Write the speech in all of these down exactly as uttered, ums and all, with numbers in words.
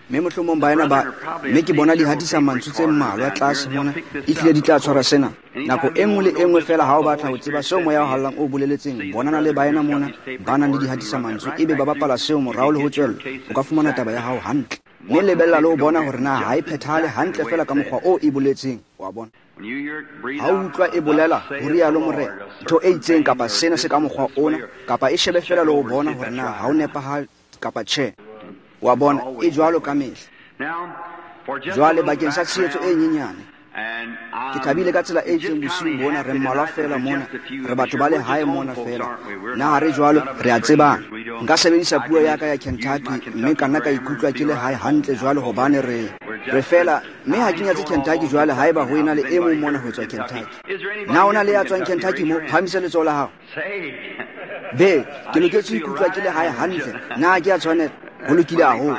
Mme mohlomong baena ba, mme ke bona di hatisa mantswe tse mmalwa tlase mona, ehlile di tla tshwara sena. Nako e nngwe le e nngwe feela ha o batla ho tseba seo moya o hallang o boleletseng, bonana le baena mona ba nang le di hatisa mantswe, ebe ba bapala seo morao le ho tswella, o ka fumana taba ya hao hantle. Mme lebella le ho bona hore na ha e phethahale hantle feela ka mokgwa o e boletseng, wa bona. Ha o utlwa e bolela ho rialo Morena, ntho e itseng kapa sena se ka mokgwa ona, kapa e shebe feela le ho bona hore na ha o nepahale kapa tjhe. Wa bona, e jwalo ka mehla. Jwale bakeng sa tshehetso e nyenyane, ke thabile ka tsela e itseng bosiung bona, re mmalwa feela mona, re batho ba lehae mona feela. Na ha re jwalo, re a tsebana. Nka sebedisa puo ya ka ya Kentucky, mme ka nna ka ikutlwa ke le hae hantle jwalo hobane re re feela, mme ha ke nyatse Kentucky jwale haeba ho ena le e mong mona ho tswa Kentucky. Na o na le ya tswang Kentucky mo? Phahamisa letsoho la hao. Be, ke loketse ho ikutlwa ke le hae hantle. Na ke a tshwanela? Ho lokile haholo.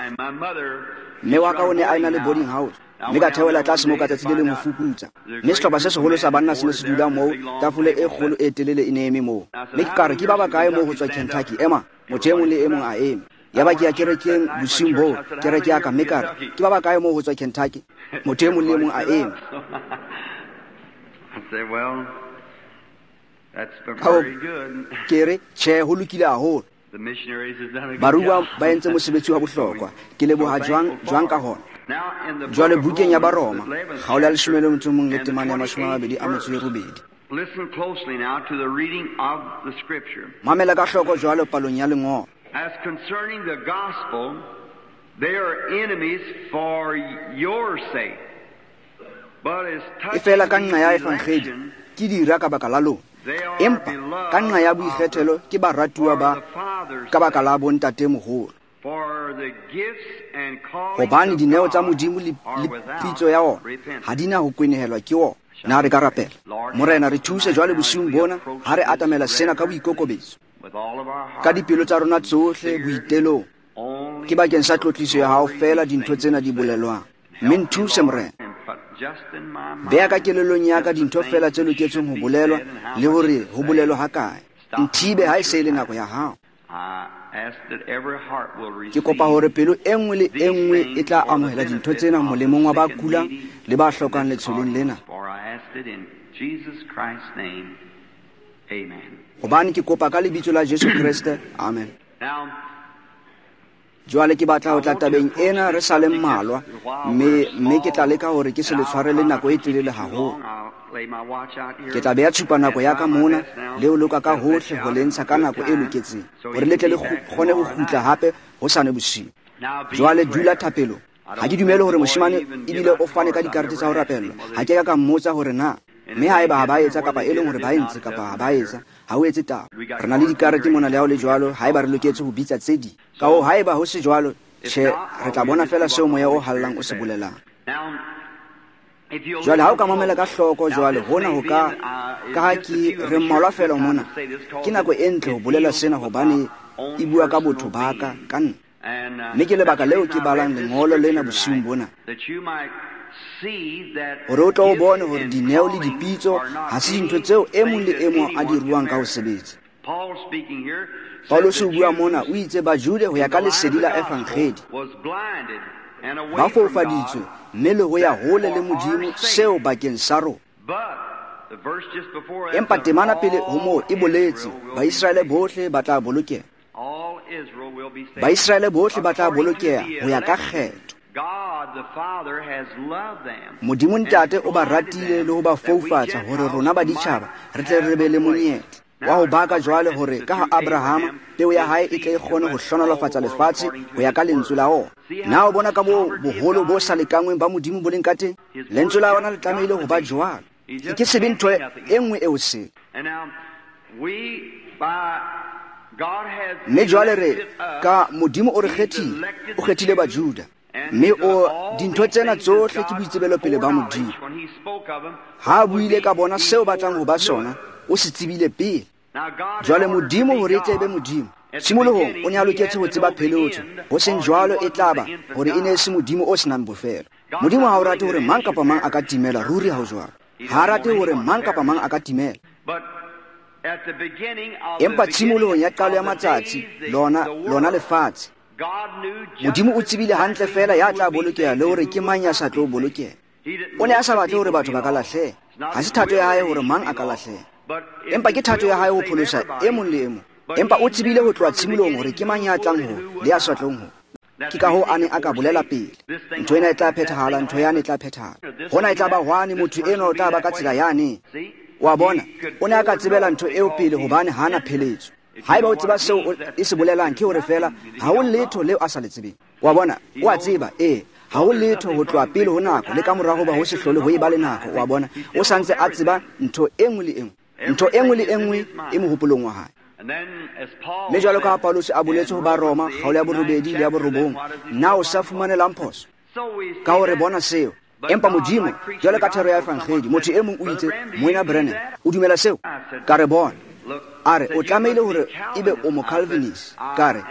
Mme wa ka o ne a ena le boarding house, mme ka theohela tlase moo ka tsatsi le leng ho fuputsa. Mme sehlopha se seholo sa banna se ne se dula moo, tafole e kgolo e telele e ne eme moo. Mme ke ka re, ke ba bakae moo ho tswa Kentucky? Ema, motho e mong le e mong a eme. Yaba ke ya kerekeng bosiung boo, kereke ya ka, mme ka re, ke ba bakae moo ho tswa Kentucky? Motho e mong le e mong a eme. Ka ke re, tjhe, ho lokile haholo. Baruwa ba entse mosebetsi wa bohlokwa. Ke leboha jwang jwang ka hona. Jwale bukeng ya Baroma, kgaolo ya leshome le motso o mong le temana ya mashome a mabedi a metso e robedi. Mamela ka hloko jwalo palong ya lengolo. As concerning the gospel, they are enemies for your sake. But as E fela ka nqa ya evangeli, ke dira ka baka la lona. Empa ka nqa ya boikgethelo ke baratuwa ba ka baka la bontatemoholo. Hobane dineo tsa Modimo le pitso ya ona ha di na ho kwenehelwa ke ona. Na re ka rapela. Morena, re thuse jwale bosiung bona ha re atamela sena ka boikokobetso, ka dipelo tsa rona tsohle boitelong. Ke bakeng sa tlotliso ya hao feela dintho tsena di bolelwang. Mme nthuse Morena. Beha ka kelellong ya ka dintho feela tse loketseng ho bolelwa le hore ho bolelwa hakae. Nthibe ha e se e le nako ya hao. Ke kopa hore pelo e nngwe le e nngwe e tla amohela dintho tsena molemong wa ba kulang le ba hlokang letsholong lena. Hobane ke kopa ka lebitso la Jesu Kreste. Amen. Jwale ke batla ho tla tabeng ena re sa le mmalwa, mme mme ke tla leka hore ke se le tshwarele nako e telele haholo. Ke tla beha tshupa nako ya ka mona le ho loka ka hohle ho le ntsha ka nako e loketseng, hore le tle le kgone ho kgutla hape hosane bosiu. Jwale dula thapelong. Ha ke dumele hore moshemane ebile o fane ka dikarete tsa ho rapellwa. Ha ke ka ka mmotsa hore na mme haeba ha ba etsa kapa e leng hore ba entse kapa ha ba etsa, ha o etse taba. Re na le dikarete mona le ha ho le jwalo, haeba re loketse ho bitsa tse ding. Ka hoo haeba ho se jwalo, tjhe, re tla bona feela seo moya o hallang o se bolelang. Jwale ha o ka mamela ka hloko jwale hona ho ka, ka ha ke re mmalwa feela mona, ke nako e ntle ho bolela sena hobane e bua ka botho ba ka, ka nna. Mme ke lebaka leo ke balang lengolo lena bosiung bona, hore o tlo o bone hore dineo le dipitso ha se dintho tseo e mong le e mong a di ruang ka ho sebetsa. Paulus o bua mona, o itse Bajude ho ya ka lesedi la evangeli ba foufaditswe mme le ho ya hole le Modimo seo bakeng sa rona. Empa temana pele ho moo e boletse Baiseraele bohle ba tla bolokeha. Baiseraele bohle ba tla bolokeha ho ya ka kgetho. Modimo Ntate o ba ratile le ho ba foufatsa hore rona ba ditjhaba re tle re be le monyetla wa ho baka jwale hore ka ha Abrahama peo ya hae e tle e kgone ho hlohonolofatsa lefatshe ho ya ka lentswe la ona. Na o bona ka moo boholo bo sa lekanngweng ba Modimo bo leng ka teng? Lentswe la ona le tlamehile ho ba jwalo. E ke se be ntho e nngwe eo sele. Mme jwale re ka Modimo o re kgethile, o kgethile Bajuda. Mme o dintho tsena tsohle ke boitsebelopele ba Modimo. Ha a buile ka bona seo batlang ho ba sona, o se tsebile pele. Jwale Modimo hore e tle be Modimo, tshimolohong o ne a loketse ho tseba pheletso, ho seng jwalo e tla ba hore e ne e se Modimo o senang bofelo. Modimo ha o rate hore mang kapa mang a ka timela, ruri ha ho jwalo. Ha a rate hore mang kapa mang a ka timela. Empa tshimolohong ya qalo ya matsatsi, lona lona lefatshe, Modimo o tsebile hantle feela ya tla bolokeha le hore ke mang ya sa tlo bolokeha. O ne a sa batle hore batho ba ka lahleha. Ha se thato ya hae hore mang a ka lahleha, empa ke thato ya hae ho pholosa e mong le e mong. Empa o tsebile ho tloha tshimolohong hore ke mang ya tlang ho le ya sa tlong ho. Ke ka hoo a ne a ka bolela pele, ntho ena e tla phethahala, ntho yane e tla phethahala, hona e tla ba hwane, motho enwa o tla ba ka tsela yane. Wa bona, o ne a ka tsebela ntho eo pele hobane ha na pheletso. Haeba o tseba seo e se bolelang, ke hore feela ha ho letho leo a sa le tsebeng. Wa bona, o a tseba, ee, ha ho letho ho tloha pele ho nako le ka morao hoba ho se hlole ho eba le nako. Wa bona, o sa ntse a tseba ntho e nngwe le e nngwe. Ntho e nngwe le e nngwe e mohopolong wa hae. Mme jwalo ka ha Paulus a boletse ho ba Roma kgaolo ya borobedi le ya borobong, na o sa fumanelang phoso ka hore bona seo? Empa Modimo, jwalo ka thero ya evangeli, motho e mong o itse, Moena Branham, o dumela seo? Ka re bona. A re, o tlamehile hore ebe o mo-Calvinist. Ka re,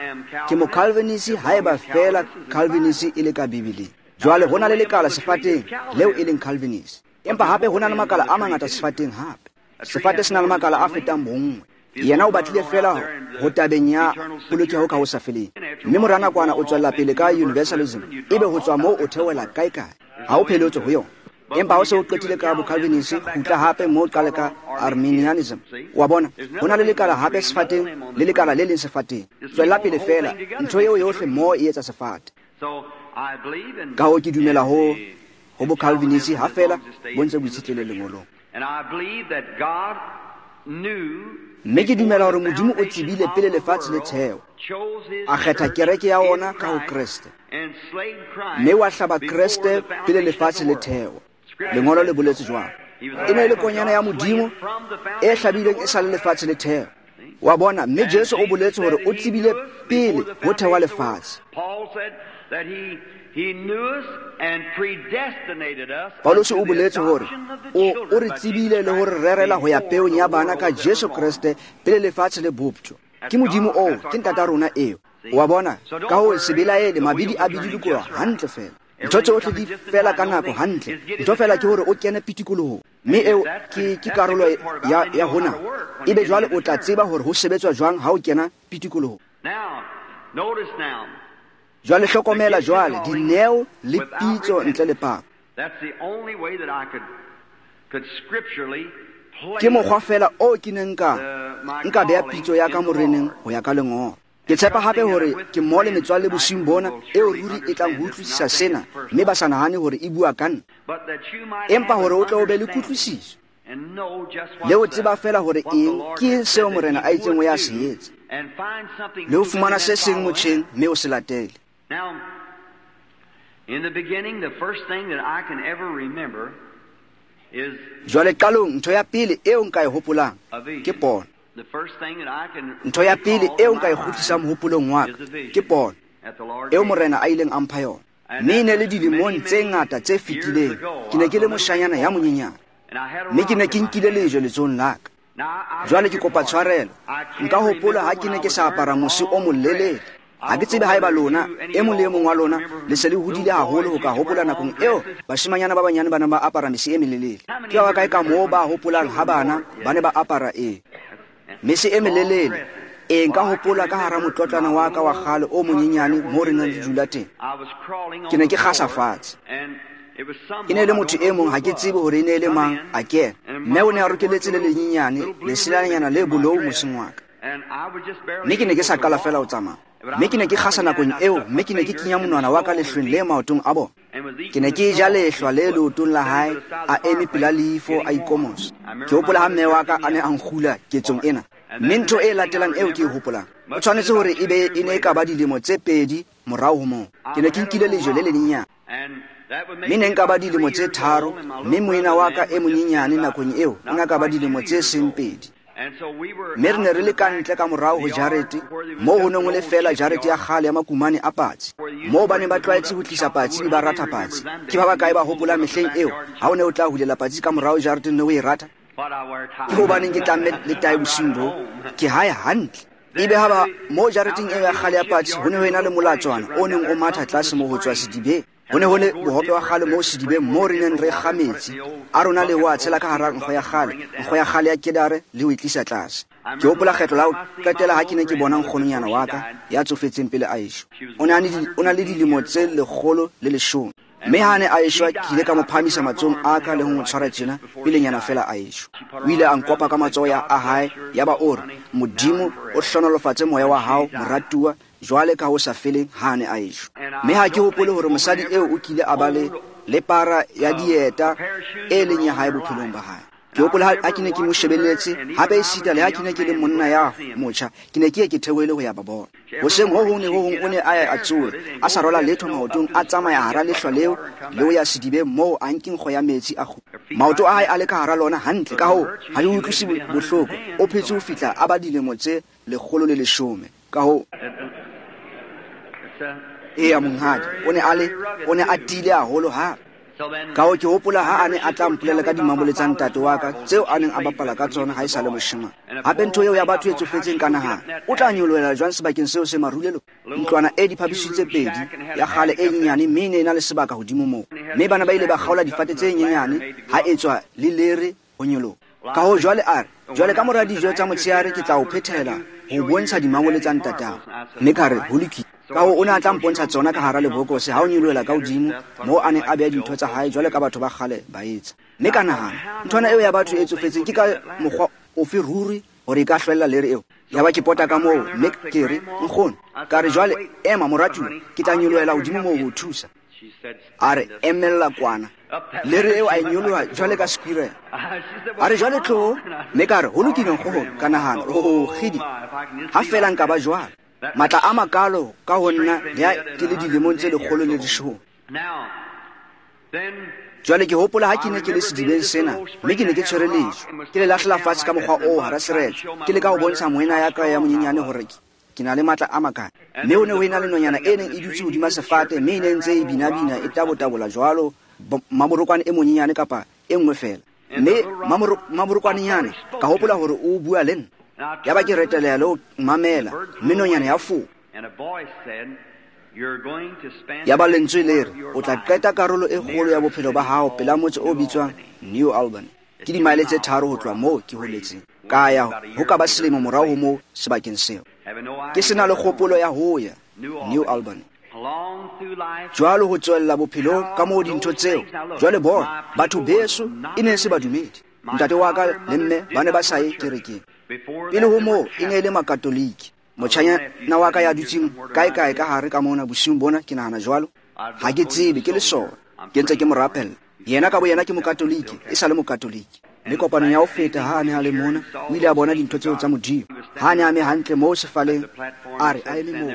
ke mo-Calvinist haeba feela Calvinist e le ka Bibeleng. Jwale ho na le lekala sefateng leo e leng Calvinist, empa hape ho na le makala a mangata sefateng hape. Sefate se na le makala a fetang bonngwe. Yena o batlile feela ho tabeng ya polokeho ka ho sa feleng. Mme mora nakwana o tswella pele ka universalism, ebe ho tswa moo o theohela kae kae. Ha o pheletse ho yona. Empa ha o se o qetile ka bo-Calvinist, kgutla hape moo qale ka Arminianism. Wa bona, ho na le lekala hape sefateng le lekala le leng sefateng. Tswella pele feela, ntho eo yohle moo e etsa sefate. Ka hoo ke dumela ho ho bo-Calvinist ha feela bo ntse bo itshetlehile lengolong. Mme ke dumela hore Modimo o tsebile pele lefatshe le theo, a kgetha kereke ya ona ka ho Kreste, mme wa hlaba Kreste pele lefatshe le theo. Lengolo le boletse jwalo. E ne e le konyana ya Modimo e hlabilweng e sa le lefatshe le theo. Wa bona, mme Jesu o boletse hore o tsebile pele ho thewa lefatshe. Paulus o boletse hore o o re tsebile le hore rerela ho ya peong ya bana ka Jesu Kreste pele lefatshe le boptjwa. Ke Modimo oo, ke ntata rona eo. Wa bona, ka ho se belaele, mabidi a bidilikoha hantle feela. Ntho tsohle di fela ka nako hantle. Ntho fela ke hore o kene pitikolohong, mme eo ke ke karolo ya ya hona. Ebe jwale o tla tseba hore ho sebetswa jwang ha o kena pitikolohong. Jwale hlokomela jwale dineo le pitso ntle le pako. Ke mokgwa fela o ke neng nka nka beha pitso ya ka moreneng ho ya ka lengolo. Ke tshepa hape hore ke mmoho le metswalle bosiung bona eo ruri e tlang ho utlwisisa sena, mme ba sa nahane hore e bua ka nna, empa hore o tle o be le kutlwisiso le ho tseba feela hore eng ke seo morena a itseng o ya se etsa, le ho fumana se seng motjheng mme o se latele. Jwale qalong, ntho ya pele eo nka e hopolang ke pono. Ntho ya pele eo nka e kgutlisang mohopolong wa ka ke pono eo morena a ileng a mpha yona. Mme e ne le dilemong tse ngata tse fetileng, ke ne ke le moshanyana ya monyenyane, mme ke ne ke nkile lejwe letsohong la ka. Jwale ke kopa tshwarelo, nka hopola ha ke ne ke sa apara mose o molelele. Ha ke tsebe haeba lona, e mong le e mong wa lona, le se le hodile haholo ho ka hopola nakong eo bashimanyana ba banyane ba neng ba apara mese e melelele. Ke ba bakae ka moo ba hopolang ha bana ba ne ba apara e mese e melelele? E nka hopola ka hara motlotlana wa ka wa kgale o monyenyane moo re neng re dula teng. Ke ne ke kgasa fatshe. E ne le motho e mong, ha ke tsebe hore e ne e le mang, a kena. Mme o ne a rokeletse le lenyenyane, leselanyana le bolou moseng wa ka. Mme ke ne ke sa qala feela ho tsamaya. Mme ke ne ke kgasa nakong eo, mme ke ne ke kenya monwana wa ka lehlweng le maotong a bona. Ke ne ke ja lehlwa le leotong la hae, a eme pela leifo a ikomosa. Ke hopola ha mme wa ka a ne a nkgula ketsong ena. Mme ntho e latelang eo ke e hopolang, o tshwanetse hore ebe e ne e ka ba dilemo tse pedi morao ho moo. Ke ne ke nkile lejwe le lenyenyane. Mme ne nka ba dilemo tse tharo, mme moena wa ka e monyenyane nakong eo o ne ka ba dilemo tse seng pedi. Mme re ne re le ka ntle ka morao ho jarete, moo ho neng ho le feela jarete ya kgale ya makumane a patsi, moo ba neng ba tlwaetse ho tlisa patsi be ba ratha patsi. Ke ba bakae ba hopolang mehleng eo ha o ne o tla hulela patsi ka morao jareteng ne o e ratha? Ke hobaneng ke tlamme le tae bosiung bo? Ke hae hantle. Ebe ha ba moo jareteng eo ya kgale ya patsi ho ne ho ena le molatswana o neng o matha tlase moo ho tswa sedibeng. Ho ne ho le bohope wa kgale moo sedibeng moo re neng re kga metsi a rona le ho a tshela ka hara nkgo ya kgale, nkgo ya kgale ya kedare le ho e tlisa tlase. Ke hopola kgetlo la ho qetela ha ke ne ke bona nkgononyana wa ka ya tsofetseng pele a eshwa. O ne o na le dilemo tse lekgolo le leshome. Mme ha ne a eshwa ke ile ka mo phahamisa matsohong a ka le ho mo tshwara tjena pelenyana fela a eshwa. O ile a nkopa ka matsoho ya a hae yaba o re, Modimo o hlohonolofatse moya wa hao moratuwa jwale ka ho sa feleng ha ne a eshwa. Mme ha ke hopole hore mosadi eo o kile a ba le le para ya dieta e leng ya hae bophelong ba hae. Ke hopola ha ke ne ke mo shebelletse, hape esita le ha ke ne ke le monna ya motjha, ke ne ke ye ke theohele ho ya ba bona. Hoseng ho hong le ho hong o ne a ya a tsohe, a sa rwala letho maotong, a tsamaya hara lehlwa leo le ho ya sedibeng moo a nke nkgo ya metsi a kgutla. Maoto a hae a le ka hara lona hantle, ka hoo ha e utlwise bohloko. O phetse ho fihla a ba dilemo tse lekgolo le leshome. Ka hoo eya monghadi, o ne a le o ne a tiile haholo hape. Ka hoo ke hopola ha a ne a tla mpolela ka dimamole tsa ntate wa ka tseo a neng a bapala ka tsona ha e sa le moshemane. Hape ntho eo ya batho e tsofetseng ka nahana, o tla nyolohela jwang sebakeng seo se marulelo? Ntlwana e diphaposi tse pedi ya kgale e nyenyane, mme e ne e na le sebaka hodimo moo. Mme bana ba ile ba kgaola difate tse nyenyane ha etswa le lere ho nyoloha. Ka hoo jwale a re, jwale ka mora dijo tsa motshehare ke tla o phethela ho bontsha dimamole tsa ntatao. Mme ka re ho lokile. Ka hoo o ne a tla mpontsha tsona ka hara lebokose ha o nyolohela ka hodimo moo a neng a beha dintho tsa hae jwale ka batho ba kgale ba etsa. Mme ka nahana, nthwana eo ya batho e tsofetseng ke ka mokgwa ofe ruri hore e ka hlwella lere eo? Yaba ke pota ka moo mme ke re, nkgono, ka re jwale ema moratuwa, ke tla nyolohela hodimo moo ho o thusa. A re emella kwana. Lere eo a e nyoloha jwale ka squirrel. A re jwale tloho, mme ka re ho lokile nkgono. Ka nahana, oh kgidi, ha fela nka ba jwalo. Matla a makalo ka ho nna le ha ke le dilemong tse lekgolo le leshome. Jwale ke hopola ha ke ne ke le sedibeng sena, mme ke ne ke tshwere lejwe, ke le lahlela fatshe ka mokgwa oo hara seretse, ke leka ho bontsha moena ya ka ya monyenyane hore ke na le matla a makana. Mme ho ne ho ena le nonyana e neng e dutse hodima sefate, mme e ne ntse e binabina e tabotabola jwalo mamorokwane e monyenyane kapa e nngwe fela. Mme mamorokwanenyana ka hopola hore o bua le nna. Yaba ke reteleha le ho mamela, mme nonyana ya fofa. Yaba lentswe le re, o tla qeta karolo e kgolo ya bophelo ba hao pela motse o bitswang New Albany. Ke dimaele tse tharo ho tloha moo ke holetseng. Ka ya ho ka ba selemo morao ho moo sebakeng seo. Ke sena le kgopolo ya ho ya New Albany. Jwalo ho tswella bophelong ka moo dintho tseo. Jwale bona, batho beso e ne se badumedi. Ntate wa ka le mme ba ne ba sa ye kerekeng. Pele ho moo e ne e le makatoliki. Motjhanyana wa ka ya dutseng kae kae ka hare ka mona bosiung bona, ke nahana jwalo. Ha ke tsebe, ke lesole. Ke ntse ke mo rapella. Yena ka boyena ke mokatoliki, e sa le mokatoliki. Mme kopanong ya ho feta ha a ne a le mona, o ile a bona dintho tseo tsa Modimo. Ha a ne a eme hantle moo sefaleng, a re a eme moo.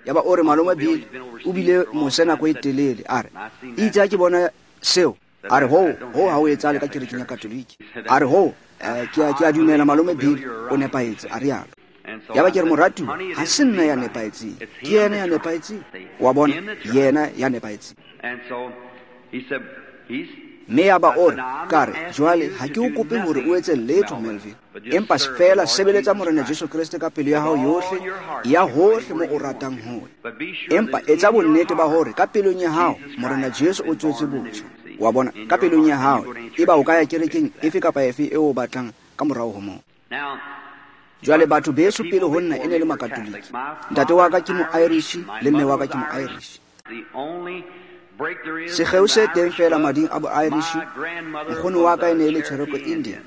Yaba o re malome Bill o bile mose nako e telele, a re itse ha ke bona seo, a re ho ho ha o etsahale ka kerekeng ya Katoliki. A re ho ke a ke a dumela malome Bill o nepahetse, a rialo. Yaba ke re moratuwa, ha se nna ya nepahetseng, ke yena ya nepahetseng. Wa bona, yena ya nepahetseng. Mme yaba o re, ka re jwale ha ke o kope hore o etse letho Melvin, empa feela sebeletsa Morena Jesu Kreste ka pelo ya hao yohle, ya hohle mo o ratang ho ya. Empa etsa bonnete ba hore ka pelong ya hao Morena Jesu o tswetse botjha. Wa bona, ka pelong ya hao, eba o ka ya kerekeng efe kapa efe eo o batlang ka morao ho moo. Jwale batho beso pele ho nna e ne le makatoliki. Ntate wa ka ke mo-Irish le mme wa ka ke mo-Irish. Sekgeo se teng fela mading a bo-Irish, nkgono wa ka e ne e le Cherokee Indian.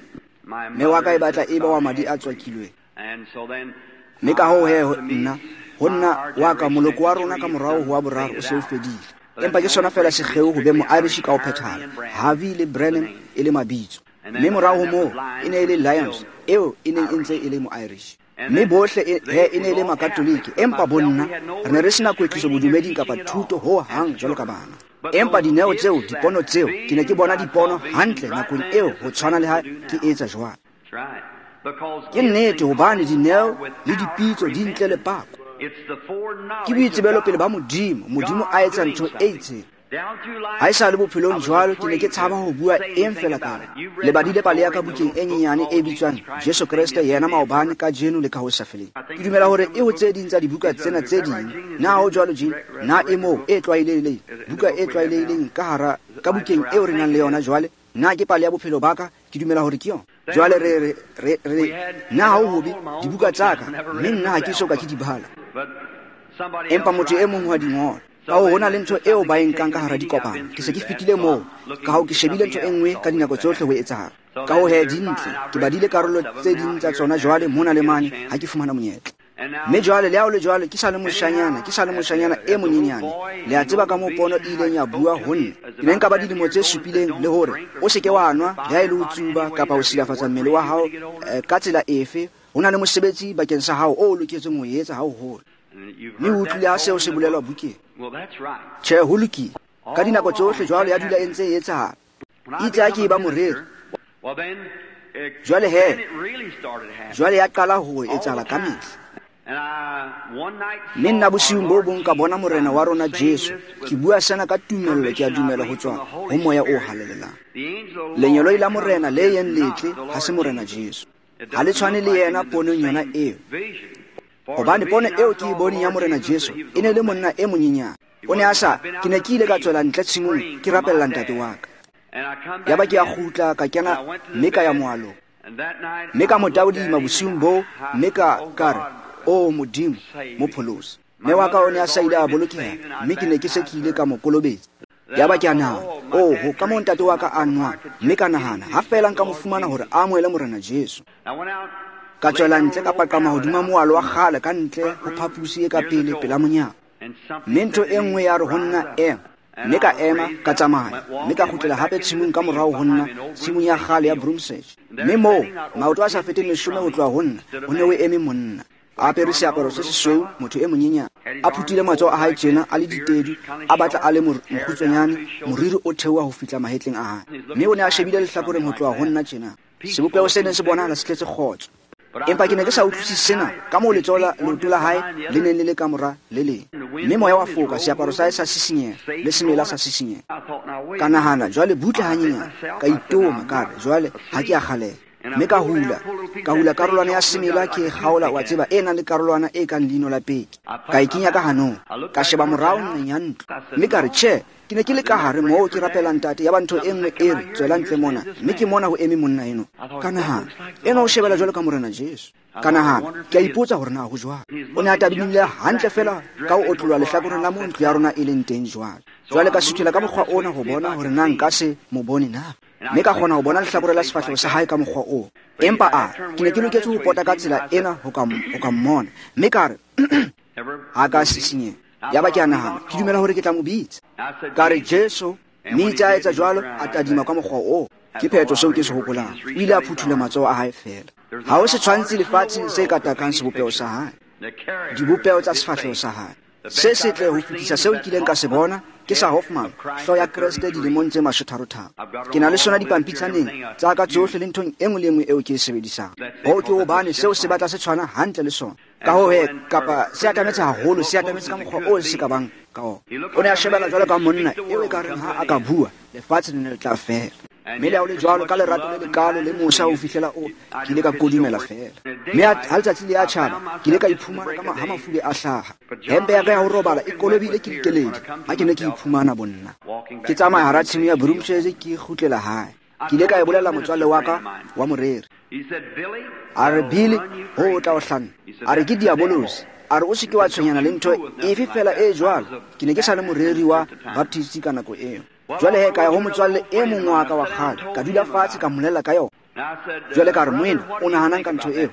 Mme wa ka e batla e ba wa madi a tswakilweng. Mme ka hoo he nna, ho nna wa ka moloko wa rona ka morao ho wa boraro o se o fedile. Empa ke sona fela sekgeo ho be mo-Irish ka ho phethahala, Harvey le Brennan e le mabitso. Mme morao ho moo e ne e le Lyons eo e neng e ntse e le mo-Irish. Mme bohle he e ne e le makatoliki, empa bonna re ne re sena kwetliso bodumeding kapa thuto ho hang jwalo ka bana. Empa dineo tseo, dipono tseo, ke ne ke bona dipono hantle nakong eo ho tshwana le ha ke etsa jwalo. Ke nnete hobane dineo le dipitso di ntle le pako. Ke boitsebelo pele ba Modimo, Modimo a etsa ntho e itseng. Ha e sa le bophelong jwalo, ke ne ke tshaba ho bua eng fela ka le badile pale ya ka bukeng e nyenyane e bitswang Jesu Kreste yena maobane, kajeno le ka ho sa feleng. Ke dumela hore e ho tse ding tsa dibuka tsena tse ding. Na ho jwalo Jim? Na e moo e tlwaelehileng, buka e tlwaelehileng ka hara ka bukeng eo re nang le yona jwale? Na ke pale ya bophelo ba ka? Ke dumela hore ke yona. Jwale re re re re nna ha o hobe dibuka tsa ka, mme nna ha ke soka ke di bala. Empa motho e mong wa di ngola. Ka ho na le ntho eo ba e nkang ka hara dikopano. Ke se ke fetile moo, ka hoo ke shebile ntho e nngwe ka dinako tsohle ho etsahala. Ka ho he di ntle, ke badile karolo tse ding tsa tsona jwale mona le mane ha ke fumana monyetla. Mme jwale le ha o le jwalo ke sa le moshanyana, ke sa le moshanyana e monyenyane. Le a tseba ka moo pono e ileng ya bua ho nna. Ke ne nka ba dilemo tse supileng le hore o se ke wa nwa le ha e le ho tsuba kapa ho silafatsa mmele wa hao ka tsela efe. Ho na le mosebetsi bakeng sa hao o loketseng ho etsa ha o hola. Mme o utlwile ha seo se bolelwa bukeng. Tjhe, ho lokile. Ka dinako tsohle jwalo ya dula e ntse e etsahala. Itse ha ke e ba moreri. Jwale he, jwale ya qala ho etsahala ka mehla. Mme nna bosiung bo bong ka bona Morena wa rona Jesu. Ke bua sena ka tumello, ke a dumela ho tswa ho Moya o Halalelang. Lengeloi la Morena le yeng letle ha se Morena Jesu. Ha le tshwane le yena ponong yona eo. Hobane pono eo ke e boneng ya Morena Jesu e ne le monna e monyenyane. O ne a sa, ke ne ke ile ka tswela ntle tshimong ke rapella ntate wa ka. Yaba ke a kgutla ka kena mme ka ya moalong. Mme ka mo taodima bosiung boo mme ka ka re, o Modimo, mo pholose. Mme wa ka o ne a sa ile a bolokeha, mme ke ne ke se ke ile ka mo kolobetsa. Yaba ke a nahana, oh, ho ka moo ntate wa ka a nwang. Mme ka nahana, ha feela nka mo fumana hore a amohele Morena Jesu. Ka tswela ntle ka paqama hodima moalo wa kgale ka ntle ho phaposi e ka pele pela monyako. Mme ntho e nngwe ya re ho nna ema. Mme ka ema, ka tsamaya, mme ka kgutlela hape tshimong ka morao ho nna, tshimong ya kgale ya Broomsedge. Mme moo, maoto a sa feteng leshome ho tloha ho nna, ho ne ho eme monna. A apere seaparo se sesweu, motho e monyenyane. A phuthile matsoho a hae tjena, a le ditedu, a batla a le mokgutswanyane, moriri o theoha ho fihla mahetleng a hae. Mme o ne a shebile lehlakoreng ho tloha ho nna tjena. Sebopeho se neng se bonahala se tletse kgotso. Empa ke ne ke sa utlwisise sena, ka moo letsoho la leoto la hae le neng le le ka mora le leng. Mme moya wa foka, seaparo sa hae sa sisinyeha, le semela sa sisinyeha. Ka nahana, jwale butle hanyenyane, ka itoma, ka re, jwale ha ke a kgaleha. Mme ka hula, ka hula karolwana ya semela ke e kgaola, wa tseba, e nang le karolwana e kang leino la peke. Ka e kenya ka hanong, ka sheba morao nqeng ya ntlo. Mme ka re, tjhe, ke ne ke le ka hare moo ke rapela ntate, yaba ntho e nngwe e re, tswela ntle mona. Mme ke mona ho eme monna eno. Ka nahana, eno o shebela jwalo ka Morena Jesu. Ka nahana, ke a ipotsa hore na ho jwang. O ne a tadimile hantle feela ka ho otloloha lehlakoreng la moo ntlo ya rona e leng teng jwale. Jwale ka suthela ka mokgwa ona ho bona hore na nka se mo bone na. Mme ka kgona ho bona lehlakore la sefahleho sa hae ka mokgwa oo. Empa a, ke ne ke loketse ho pota ka tsela ena ho ka, ho ka mmona. Mme ka re, ha ka sisinyeha. Yaba ke a nahana, ke dumela hore ke tla mo bitsa. Ka re, Jesu, mme itse a etsa jwalo, a tadima ka mokgwa oo. Ke phetho seo ke se hopolang. O ile a phuthula matsoho a hae feela. Ha ho setshwantshi lefatsheng se ka takang sebopeho sa hae, dibopeho tsa sefahleho sa hae. Se setle ho fetisa seo nkileng ka se bona ke sa Hoffman, hlooho ya Kreste dilemong tse mashotharo-tharo. Ke na le sona dipampitshaneng tsa ka tsohle le nthong e nngwe le e nngwe eo ke e sebedisang. Hoo ke hobane seo se batla se tshwana hantle le sona. Ka hoo he, kapa se atametse haholo, se atametse ka mokgwa oo se ka bang ka ona. O ne a shebela jwalo ka monna eo e ka reng ha a ka bua, lefatshe le ne le tla fela. Mme le ha ho le jwalo, ka lerato le lekalo le mosa ho fihlela o, ke ile ka kodumela feela. Mme ha letsatsi le ya tjhaba, ke ile ka iphumana ka ha mafube a hlaha. Hempe ya ka ya ho robala e kolobile ke dikeledi ha ke ne ke iphumana bonna. Ke tsamaya hara tshimo ya Broomsedge ke kgutlela hae. Ke ile ka e bolella motswalle wa ka wa moreri. A re, Billy, ho o tla o hlanna. A re, ke diabolosi. A re, o se ke wa tshwenyana le ntho efe feela e jwalo. Ke ne ke sa le moreri wa Baptist ka nako eo. Jwale he, ka ya ho motswalle e mong wa ka wa kgale, ka dula fatshe ka mmolella ka yona. Jwale ka re, moena, o nahanang ka ntho eo?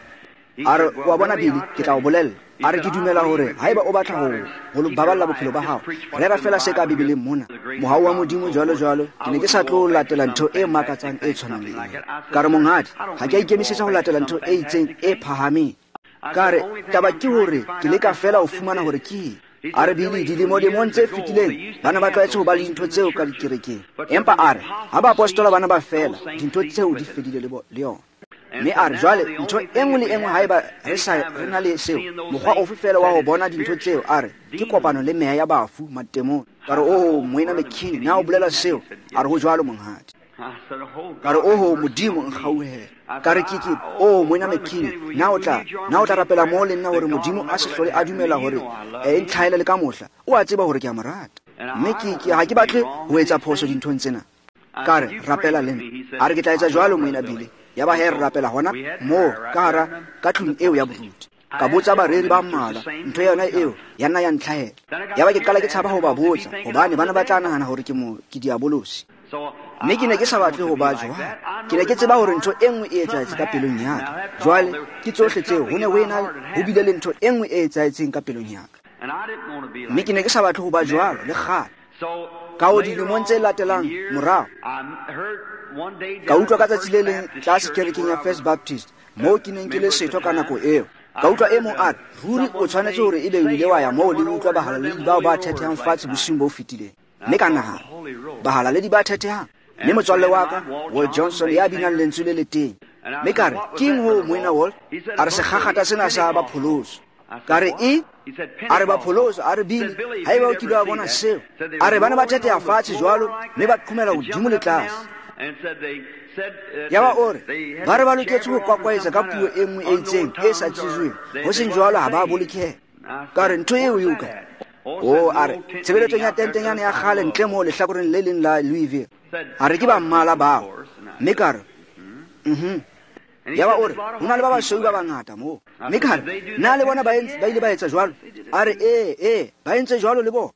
A re, wa bona Billy, ke tla o bolella. A re, ke dumela hore haeba o batla ho ho baballa bophelo ba hao, rera feela se ka Bibeleng mona, mohau wa Modimo jwalo jwalo. Ke ne ke sa tlo latela ntho e makatsang e tshwanang le eo. Ka re, monghadi, ha ke a ikemisetsa ho latela ntho e itseng e phahameng. Ka re, taba ke hore ke leka feela ho fumana hore ke eng. A re, Billy, dilemo-lemong tse fetileng ba ne ba tlwaetse ho ba le dintho tseo ka dikerekeng. Empa a re, ha baapostola ba ne ba fela, dintho tseo di fedile le yona. Mme a re, jwale ntho e nngwe le e nngwe haeba re sa re na le seo, mokgwa ofe feela wa ho bona dintho tseo, a re, ke kopano le meya ya bafu matemong. Ka re, oh, moena McKinney, na o bolela seo? A re, ho jwalo monghadi. Ka re, oho, Modimo nkgauhele. Ka re, ke ke, oh, moena McKinney, na o tla, na o tla rapela moo le nna hore Modimo a se hlole a dumela hore e ntlhaele le ka mohla. O a tseba hore ke a mo rata. Mme ke ke ha ke batle ho etsa phoso dinthong tsena. Ka re, rapela le nna. A re, ke tla etsa jwalo, moena Billy. Yaba he re rapela hona moo ka hara ka tlung eo ya boruti. Ka botsa bareri ba mmalwa ntho yona eo ya nna ya ntlhahela. Yaba ke qala ke tshaba ho ba botsa hobane bana ba tla nahana hore ke mo ke diabolosi. Mme ke ne ke sa batle ho ba jwalo. Ke ne ke tseba hore ntho e nngwe e etsahetse ka pelong ya ka. Jwale ke tsohle tseo ho ne ho ena ho bile le ntho e nngwe e etsahetseng ka pelong ya ka. Mme ke ne ke sa batle ho ba jwalo le kgale. Ka ho dilemong tse latelang morao, ka utlwa ka tsatsi le leng tlase kerekeng ya First Baptist moo ke neng ke le setho ka nako eo. Ka utlwa e mong a re, ruri o tshwanetse hore ebe o ile wa ya moo le utlwa bahalaledi bao ba thethehang fatshe bosiung bo fetileng. Mme ka nahana, bahalaledi ba thethehang? Mme motswalle wa ka, Walt Johnson, ya binang lentswe le le teng. Mme ka re, keng ho moena Walt? A re sekgakgatha sena sa bapholoso. Ka re, e? A re bapholoso, a re Billy, haeba o kile wa bona seo. A re bana ba thetheha fatshe jwalo, mme ba qhomela hodimo le tlase. Yaba o re, ba re ba loketse ho kwakwaetsa ka puo e nngwe e itseng e sa tsejweng, ho seng jwalo ha ba bolokeha. Ka re, ntho eo eo kae? O a re, tshebeletsong ya tentenyana ya kgale ntle moo lehlakoreng le leng la Louisville. A re ke ba mmala bao. Mme ka re, mhm. Yaba o re, ho na le ba basweu ba bangata moo. Mme ka re, na le bona ba ile ba etsa jwalo? A re, ee, ee, ba entse jwalo le bona.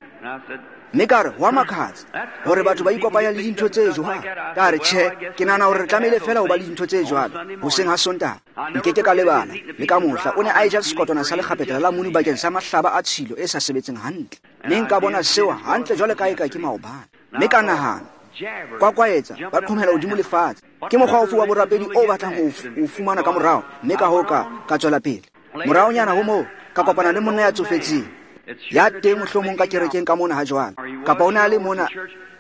Mme ka re, ho a makatsa hore batho ba ikopanya le dintho tse jwalo. Ka re, tjhe, ke nahana hore re tlamehile fela ho ba le dintho tse jwalo hoseng ha Sontaha. Nkeke ka lebala le ka mohla o ne a eja sekotwana sa lekgapetla la munu bakeng sa mahlaba a tshilo e sa sebetseng hantle. Mme nka bona seo hantle jwale ka eka ke maobane. Mme ka nahana, kwakwaetsa ba qhomela hodimo lefatshe. Ke mokgwa ofe wa borapedi o batlang ho o fumana ka morao? Mme ka hoo ka ka tswela pele. Moraonyana ho moo ka kopana le monna ya tsofetseng ya teng mohlomong ka kerekeng ka mona ha jwale, kapa o ne a le mona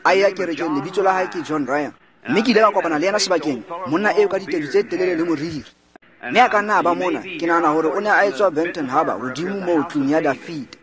a ya kerekeng, lebitso la hae ke John Ryan. Mme ke ile ka kopana le yena sebakeng, monna eo ka ditedu tse telele le moriri. Mme a ka nna a ba mona, ke nahana hore o ne a etswa Benton Harbor hodimo moo tlung ya Dafida.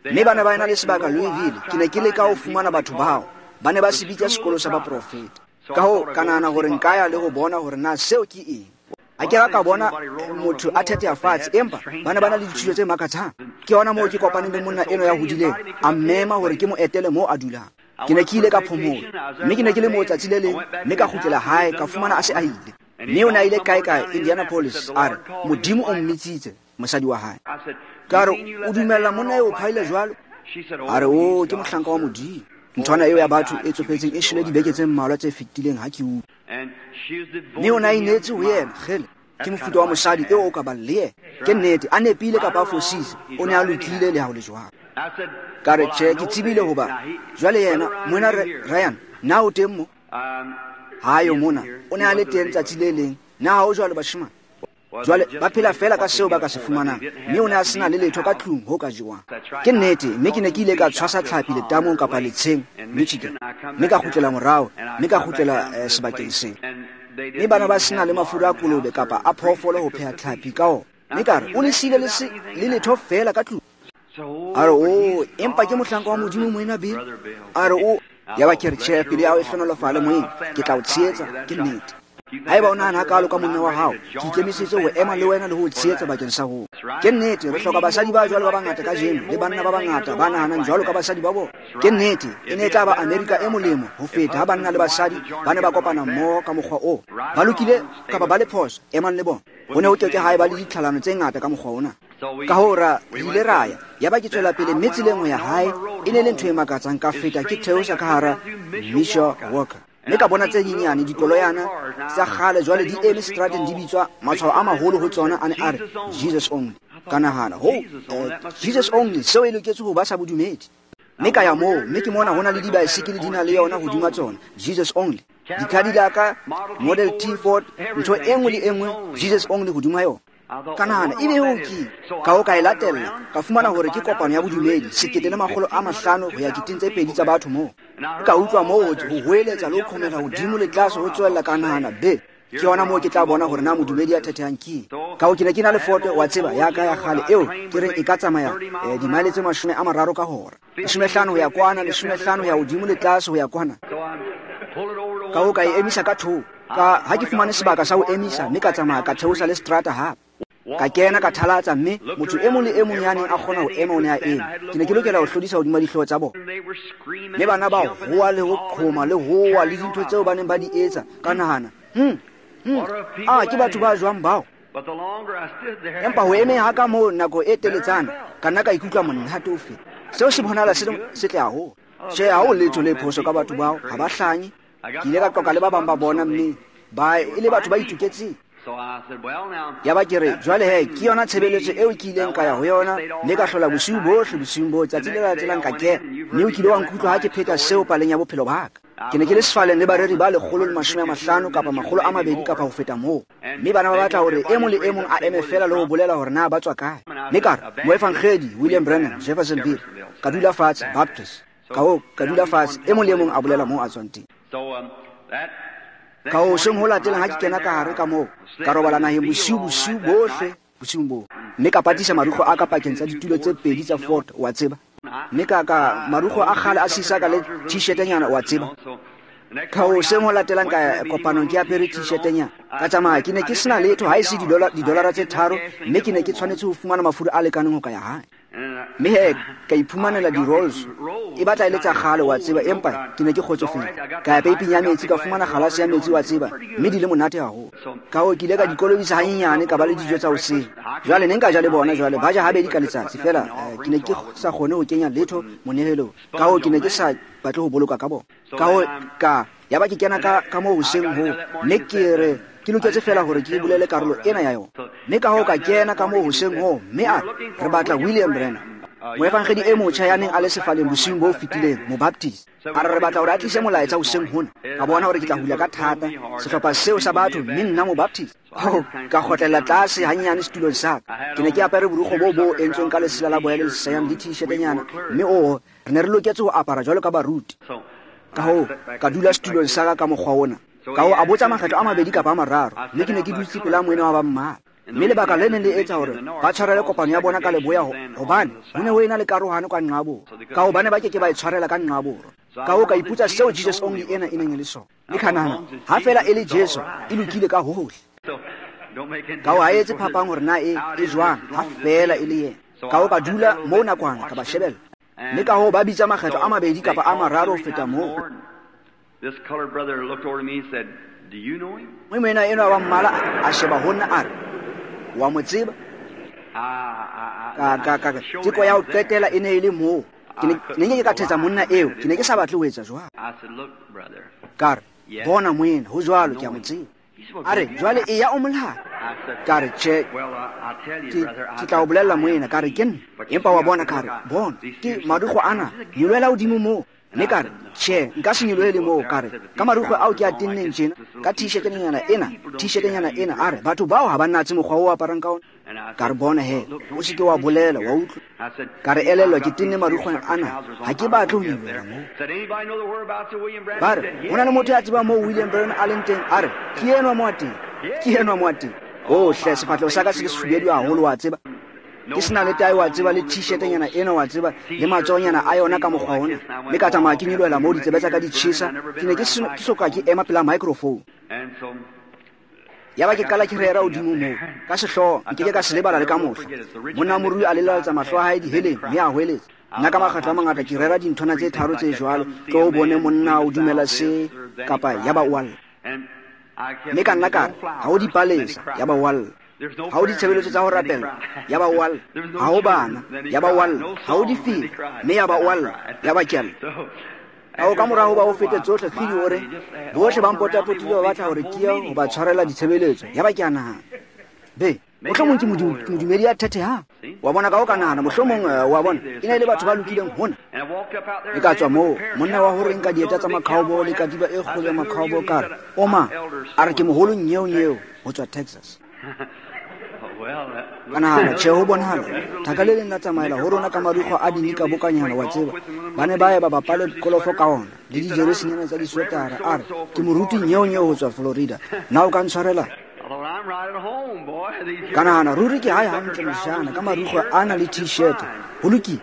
Mme ba ne ba ena le sebaka Louisville. Ke ne ke leka ho fumana batho bao. Ba ne ba se bitsa sekolo sa baprofeta. Ka hoo ka nahana hore nka ya le ho bona hore na seo ke eng. A ke ka bona motho a thetheha fatshe, empa ba ne ba na le dithuto tse makatsang. Ke hona moo ke kopaneng le monna eno ya hodileng, a mmema hore ke mo etele moo a dulang. Ke ne ke ile ka phomolo, mme ke ne ke le moo tsatsi le leng, mme ka kgutlela hae, ka fumana a se a ile. Mme o ne a ile kae kae Indianapolis, a re Modimo o mmitsitse mosadi wa hae. Ka re, o dumella monna eo phaile jwalo? A re, o ke mohlanka wa Modimo. Nthwana eo ya batho e tsofetseng e shwele dibeke tse mmalwa tse fetileng ha ke utlwa. Mme o ne a inetse ho yena, kgele, ke mofuta wa mosadi eo o ka bang le yena. Ke nnete, a nepile kapa a fositse, o ne a lokile le ha ho le jwalo. Ka re, tjhe, ke tsebile hoba jwale yena, moena Ryan, na o teng mo? Ha yo mona, o ne a le teng tsatsi le leng. Na ha o jwalo bashemane? Jwale ba phela fela ka seo ba ka se fumanang, mme o ne a sena le letho ka tlung ho ka jewang. Ke nnete, mme ke ne ke ile ka tshwasa tlhapi letamong kapa letsheng Michigan, mme ka kgutlela morao, mme ka kgutlela eh, sebakeng seo. Mme bana ba sena le mafura a kolobe kapa a phoofolo ho pheha tlhapi ka ona. Mme ka re, o le siile le, se, le letho fela ka tlung. A re, o, empa ke mohlanka wa Modimo moena Bill. A re, o, yaba ke re, tjhe, pelo ya hao e hlohonolofale moena, ke tla o tshehetsa, ke nnete. Haeba o nahana hakalo ka monna wa hao, ke ikemisetse ho ema le wena le ho o tshehetsa bakeng sa hoo. Ke nnete, re hloka basadi ba jwalo ba bangata kajeno, le banna ba bangata ba nahanang jwalo ka basadi ba bona. Ke nnete, e ne e tla ba Amerika e molemo ho feta ha banna le basadi ba ne ba kopana mmoho ka mokgwa oo. Ba lokile kapa ba le phoso, emang le bona. Ho ne ho keke ha eba le ditlhalano tse ngata ka mokgwa ona. Ka hoo ra re ile ra ya, yaba ke tswela pele mme tseleng ho ya hae e ne le ntho e makatsang, ka feta ke theosa ka hara Misha Walker. Mme ka bona tse nyenyane dikoloyana tsa kgale jwale di eme strateng di bitswa matshwao a maholo ho tsona a ne a re Jesus only. Ka nahana, ho eh, Jesus only, seo e loketse ho ba sa bodumedi. Mme ka ya moo, mme ke mona ho na le dibaesekele di na le yona hodima tsona, Jesus only. Di-Cadillac, Model T Ford, ntho e nngwe le e nngwe, Jesus only hodima yona. Ka nahana, ebe eo ke ka ho ka e latella, ka fumana hore ke kopano ya bodumedi, sekete le makgolo a mahlano ho ya keteng tse pedi tsa batho moo. Ka utlwa moo ho hoeletsa le ho qhomela hodimo le tlase ho tswella, ka nahana, be, ke yona moo ke tla bona hore na modumedi ya thethehang ke. Ka ho ke ne ke na le foto, wa tseba, ya ka ya kgale eo ke reng e ka tsamaya eh, dimaele tse mashome a mararo ka hora. Leshome hlano ho ya kwana, leshome hlano ho ya hodimo le tlase ho ya kwana. Ka ho ka e emisa ka thoko. Ka ha ke fumane sebaka sa ho emisa, mme ka tsamaya ka theosa le strata hape. Ka kena ka thalatsa, mme motho e mong le e mong ya neng a kgona ho ema o ne a eme. Ke ne ke lokela ho hlodisa hodima dihlooho tsa bona. Mme bana ba hoa le ho qhoma le hoa le dintho tseo ba neng ba di etsa. Ka nahana, hmm, Hmm. A ke batho ba jwang bao? Empa ho emeng ha ka moo nako e teletsana, ka nna ka ikutlwa monate o feta. Seo se bonahala se setle haholo. Tjhe, ha ho letho le phoso ka batho bao, ha ba hlanye. Ke ile ka qoqa le ba bang ba bona mme ba e le batho ba itoketseng. Ya ba ke re, jwale he, ke yona tshebeletso eo ke ileng ka ya ho yona, mme ka hlola bosiu bohle bosiung boo, tsatsi le latelang ka kena. Mme o kile wa nkutlwa ha ke pheta seo paleng ya bophelo ba ka. Ke ne ke le sefaleng le bareri ba lekgolo le mashome a mahlano kapa makgolo a mabedi kapa ho feta moo. Mme bana ba batla hore e mong le e mong a eme feela le ho bolela hore na ba tswa kae. Mme ka re, moefangedi William Branham, Jeffersonville, ka dula fatshe, Baptist. Ka hoo, ka dula fatshe, e mong le e mong a bolela moo a tswang teng. Ka hoseng ho latelang ha ke kena ka hare ka moo, ka robala naheng bosiu bosiu bohle bosiung boo. Mme ka patisa marukgo a ka pakeng tsa ditulo tse pedi tsa Ford, wa tseba. Mme ka ka marukgo a kgale a sisaka le t-shirtnyana, wa tseba. Ka hoseng ho latelang ka kopanong ke apere t-shirtnyana. Ka tsamaya, ke ne ke sena letho ha e se didolara tse tharo, mme ke ne ke tshwanetse ho fumana mafura a lekaneng ho ka ya hae. Mme he, ka iphumanela di-rolls. E batla e le tsa kgale, wa tseba, empa ke ne ke kgotsofetse. Ka ya peiping ya metsi, ka fumana kgalase ya metsi, wa tseba, mme di le monate haholo. Ka hoo, ke ile ka di kolobisa hanyenyane, ka ba le dijo tsa hoseng. Jwale ne nka ja le bona jwale, ba ja habedi ka letsatsi feela, ke ne ke sa kgone ho kenya letho monehelong. Ka hoo, ke ne ke sa batle ho boloka ka bona. Ka hoo, ka ya ba ke kena ka ka moo hoseng hoo, mme ke re ke loketse feela hore ke bolele karolo ena ya yona. Mme ka hoo ka kena ka moo hoseng hoo, mme a re batla William Branham, moefangedi e motjha ya neng a le sefaleng bosiung bo fetileng, mobaptist. A re re batla hore a tlise molaetsa hoseng hona. Ka bona hore ke tla hula ka thata sehlopha seo sa batho, mme nna mobaptist. Ho ka kgotlela tlase hanyenyane setulong sa ka. Ke ne ke apere borukgo bo bo entsweng ka lesela la boya le leseyang le t-shirtnyana, mme oo re ne re loketse ho apara jwalo ka baruti. Ka hoo ka dula setulong sa ka ka mokgwa ona. Ka hoo a botsa makgetlo a mabedi kapa a mararo, mme ke ne ke dutse pela moena wa ba mmala. Mme lebaka le neng le etsa hore ba tshwarele kopano ya bona ka leboya hobane ho ne ho ena le karohano ka nqa borwa. Ka hobane ba ke ke ba e tshwarela ka nqa borwa. Ka hoo ka ipotsa seo Jesus Only ena e neng e le sona. Mme ka nahana, ha feela e le Jesu, e lokile ka hohle. Ka hoo ha etse phapang hore na e e jwang, ha feela e le yena. Ka hoo ka dula moo nakwana ka ba shebella. Mme ka hoo ba bitsa makgetlo a mabedi kapa a mararo ho feta moo. Mme moena enwa wa mmala a sheba ho nna a re, wa mo tseba? Ka ka ka teko ya ho qetela e ne e le moo. Ke ne ke ka thetsa monna eo, ke ne ke sa batle ho etsa jwalo. Ka re, bona moena, ho jwalo, ke a mo tseba. A re, jwale e ya o molata. Ka re, tjhe, ke tla o bolella moena, ka re ke nna. Empa wa bona, ka re, bona, ke marukgo ana, nyolohela hodimo moo. Mme ka re, tjhe, nka se nyolohele moo. Ka re, ka marukgwe ao ke a tenneng tjena, ka t-shirtnyana ena, t-shirtnyana ena, a re, batho bao ha ba natse mokgwa o aparang ka ona. Ka re, bona he, o se ke wa bolela, wa utlwa. Ka re, elellwa ke tenne marukgwe ana, ha ke batle ho nyolohela moo. Ba re, ho na le motho ya tsebang moo William Branham a leng teng? A re, ke enwa mo a teng, ke enwa mo a teng. Oh hle, sefahleho sa ka se le sefubedu haholo, wa tseba. Ke sena le tae, wa tseba, le t-shirtnyana ena, wa tseba, le matsohonyana a yona ka mokgwa ona. Mme ka tsamaya ke nyolohela moo ditsebe tsa ka di tjhesa. Ke ne ke soka ke ema pela microphone. Ya ba ke qala ke rera hodimo moo. Ka sehlooho, nke ke ka se lebala le ka mohla. Monna morui a lelaletsa mahlo a hae diheleng, mme a hweletsa. Nna ka makgetlo a mangata ke rera dinthwana tse tharo tse jwalo, tlo o bone monna o dumela se kapa ya ba o a lla. Mme ka nna ka re, ha o dipalesa, ya ba o a lla. Ha o ditshebeletso tsa ho rapela, ya ba o a lla. Ha o bana, ya ba o a lla. Ha o difela, mme ya ba o a lla, ya ba ke a lla. Ka ho ka mora ho ba o fete tsohle, kgidi o re, bohle ba mpotapotile ba batla hore ke ye ho ba tshwarela ditshebeletso, ya ba ke a nahana. Be, mohlomong ke modumedi ya thethehang. Wa bona, ka ho ka nahana, mohlomong, wa bona, e ne e le batho ba lokileng hona. E ka tswa moo, monna wa hore nka dieta tsa makhaobo le katiba e kgolo ya makhaobo, ka re, o mang? A re ke moholo nyeo nyeo ho tswa Texas. Ka nahana, tjhe, ho bonahala thaka le leng la tsamaela ho rona ka marukgwe a dinika bokanyana, wa tseba. Ba ne ba ye ba bapale kolofo ka ona le dijeresinyana tsa diswetara. A re, ke moruti nyeo nyeo ho tswa Florida, na o ka ntshwarela? Ka nahana, ruri ke hae hantle mojana ka marukgwe ana le t-shirt, ho lokile.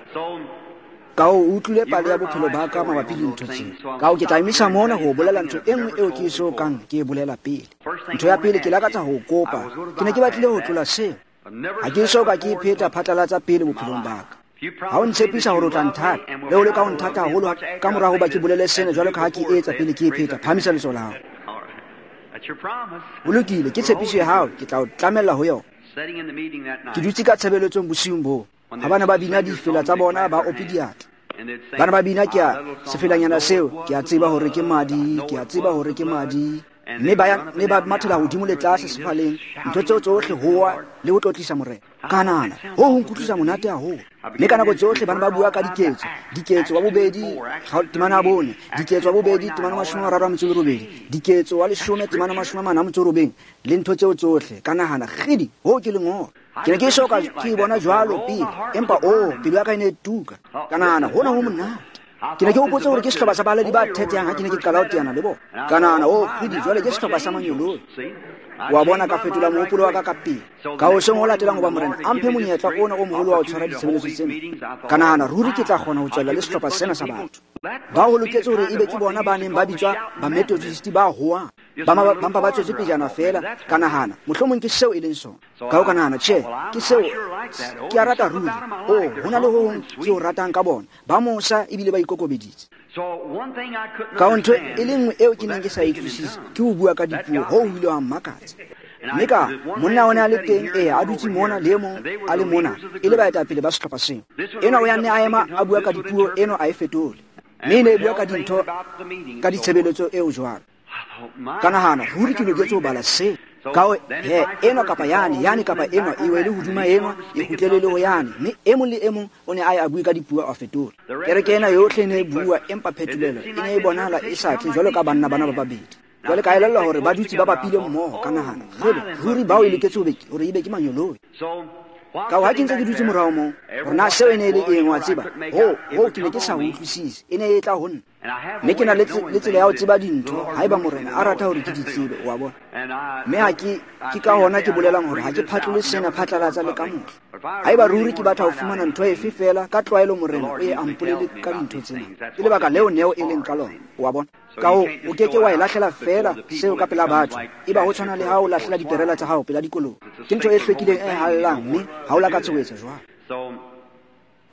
Ka ho utlwile pale ya bophelo ba ka mabapi le ntho tseo. Ka ho ke tla emisa mona ho bolela ntho e nngwe eo ke eso kang ke e bolela pele. Ntho ya pele ke lakatsa ho kopa. Ke ne ke batlile ho tlola seo. Ha ke eso ka ke e pheta phatlalatsa pele bophelong ba ka. Ha o ntshepisa hore o tla nthata, le ho leka ho nthata haholo ka mora hoba ke bolele sena jwalo ka ha ke etsa pele ke e pheta, phahamisa letsoho la hao. Ho lokile, ke tshepiso ya hao, ke tla o tlamella ho yona. Ke dutse ka tshebeletsong bosiung boo. Ha bana ba bina difela tsa bona, ba ope diatla. Bana ba bina ke a sefelanyana seo, ke a tseba hore ke madi, ke a tseba hore ke madi. Mme ba mme ba mathela hodimo le tlase sefaleng, ntho tseo tsohle hoa le ho tlotlisa Morena. Ka nahana, ho ho nkutlwisa monate haholo. Mme ka nako tsohle bana ba bua ka diketso, diketso wa bobedi temana ya bone, diketso wa bobedi temana mashome a mararo a metso e robedi, diketso wa leshome temana mashome a mane a metso e robeng, le ntho tseo tsohle. Ka nahana, kgidi, hoo ke lengolo. Ke ne ke so ka ke bona jwalo pele, empa oh, pelo ya ka e ne e tuka. Ka nahana, hona ho monate. Ke ne ke hopotse hore ke sehlopha sa baledi ba thethehang ha ke ne ke qala ho teana le bona. Ka nahana, oh, kgidi, jwale ke sehlopha sa manyoloi. Wa bona, ka fetola mohopolo wa ka ka pele. Ka hoseng ho latelang hoba Morena a mphe monyetla ona o moholo wa ho tshwara ditshebeletso tsena. Ka nahana, ruri ke tla kgona ho tswella le sehlopha sena sa batho. Ba ho loketse hore ebe ke bona ba neng ba bitswa ba-Methodist ba hoang. Ba mpa ba tswetse pejana feela. Ka nahana, mohlomong ke seo e leng sona. Ka ho ka nahana, tjhe, ke seo ke a rata ruri. Oh, ho na le ho hong ke o ratang ka bona. Ba mosa ebile ba ikokobeditse. Ka ho ntho e le nngwe eo ke neng ke sa e utlwisise ke ho bua ka dipuo, hoo ho ile ha mmakatsa. Mme ka monna o ne a le teng, ee, a dutse mona le e mong a le mona, e le baetapele ba sehlopha seo. Enwa o ya nne a ema a bua ka dipuo, enwa a e fetole. Mme e ne e bua ka dintho ka ditshebeletso eo jwalo. Ka nahana, ruri ke loketse ho bala seo. Ka ho he, enwa kapa yane, yane kapa enwa, e wele hodima enwa, e kgutlele le ho yane. Mme e mong le e mong o ne a ye a bue ka dipuo a fetola. Kereke ena yohle e ne e bua, empa phetolelo e ne e bonahala e sa tle jwalo ka banna bana ba babedi. Jwale ka elellwa hore ba dutse ba bapile mmoho. Ka nahana, kgele, ruri bao e loketse hore ebe ke manyoloi. Ka ho ha ke ntse ke dutse morao moo, hore na seo e ne e le eng, wa tseba, ho, ho ke ne ke sa utlwisise, e ne e tla ho nna. Mme ke na le tsela ya ho tseba dintho haeba Morena a rata hore ke di tsebe, wa bona. Mme ha ke ke ka hona ke bolelang hore ha ke phatlole sena phatlalatsa le ka mohla. Haeba ruri ke batla ho fumana ntho efe feela, ka tlwaelo Morena o ye a mpolele ka dintho tsena. Ke lebaka leo neo e leng ka lona, wa bona. Ka ho o ke ke wa e lahlela feela seo ka pela batho. Eba ho tshwana le ha o lahlela diperela tsa hao pela dikoloi. Ke ntho e hlwekileng e hallang, mme ha o lakatse ho etsa jwalo.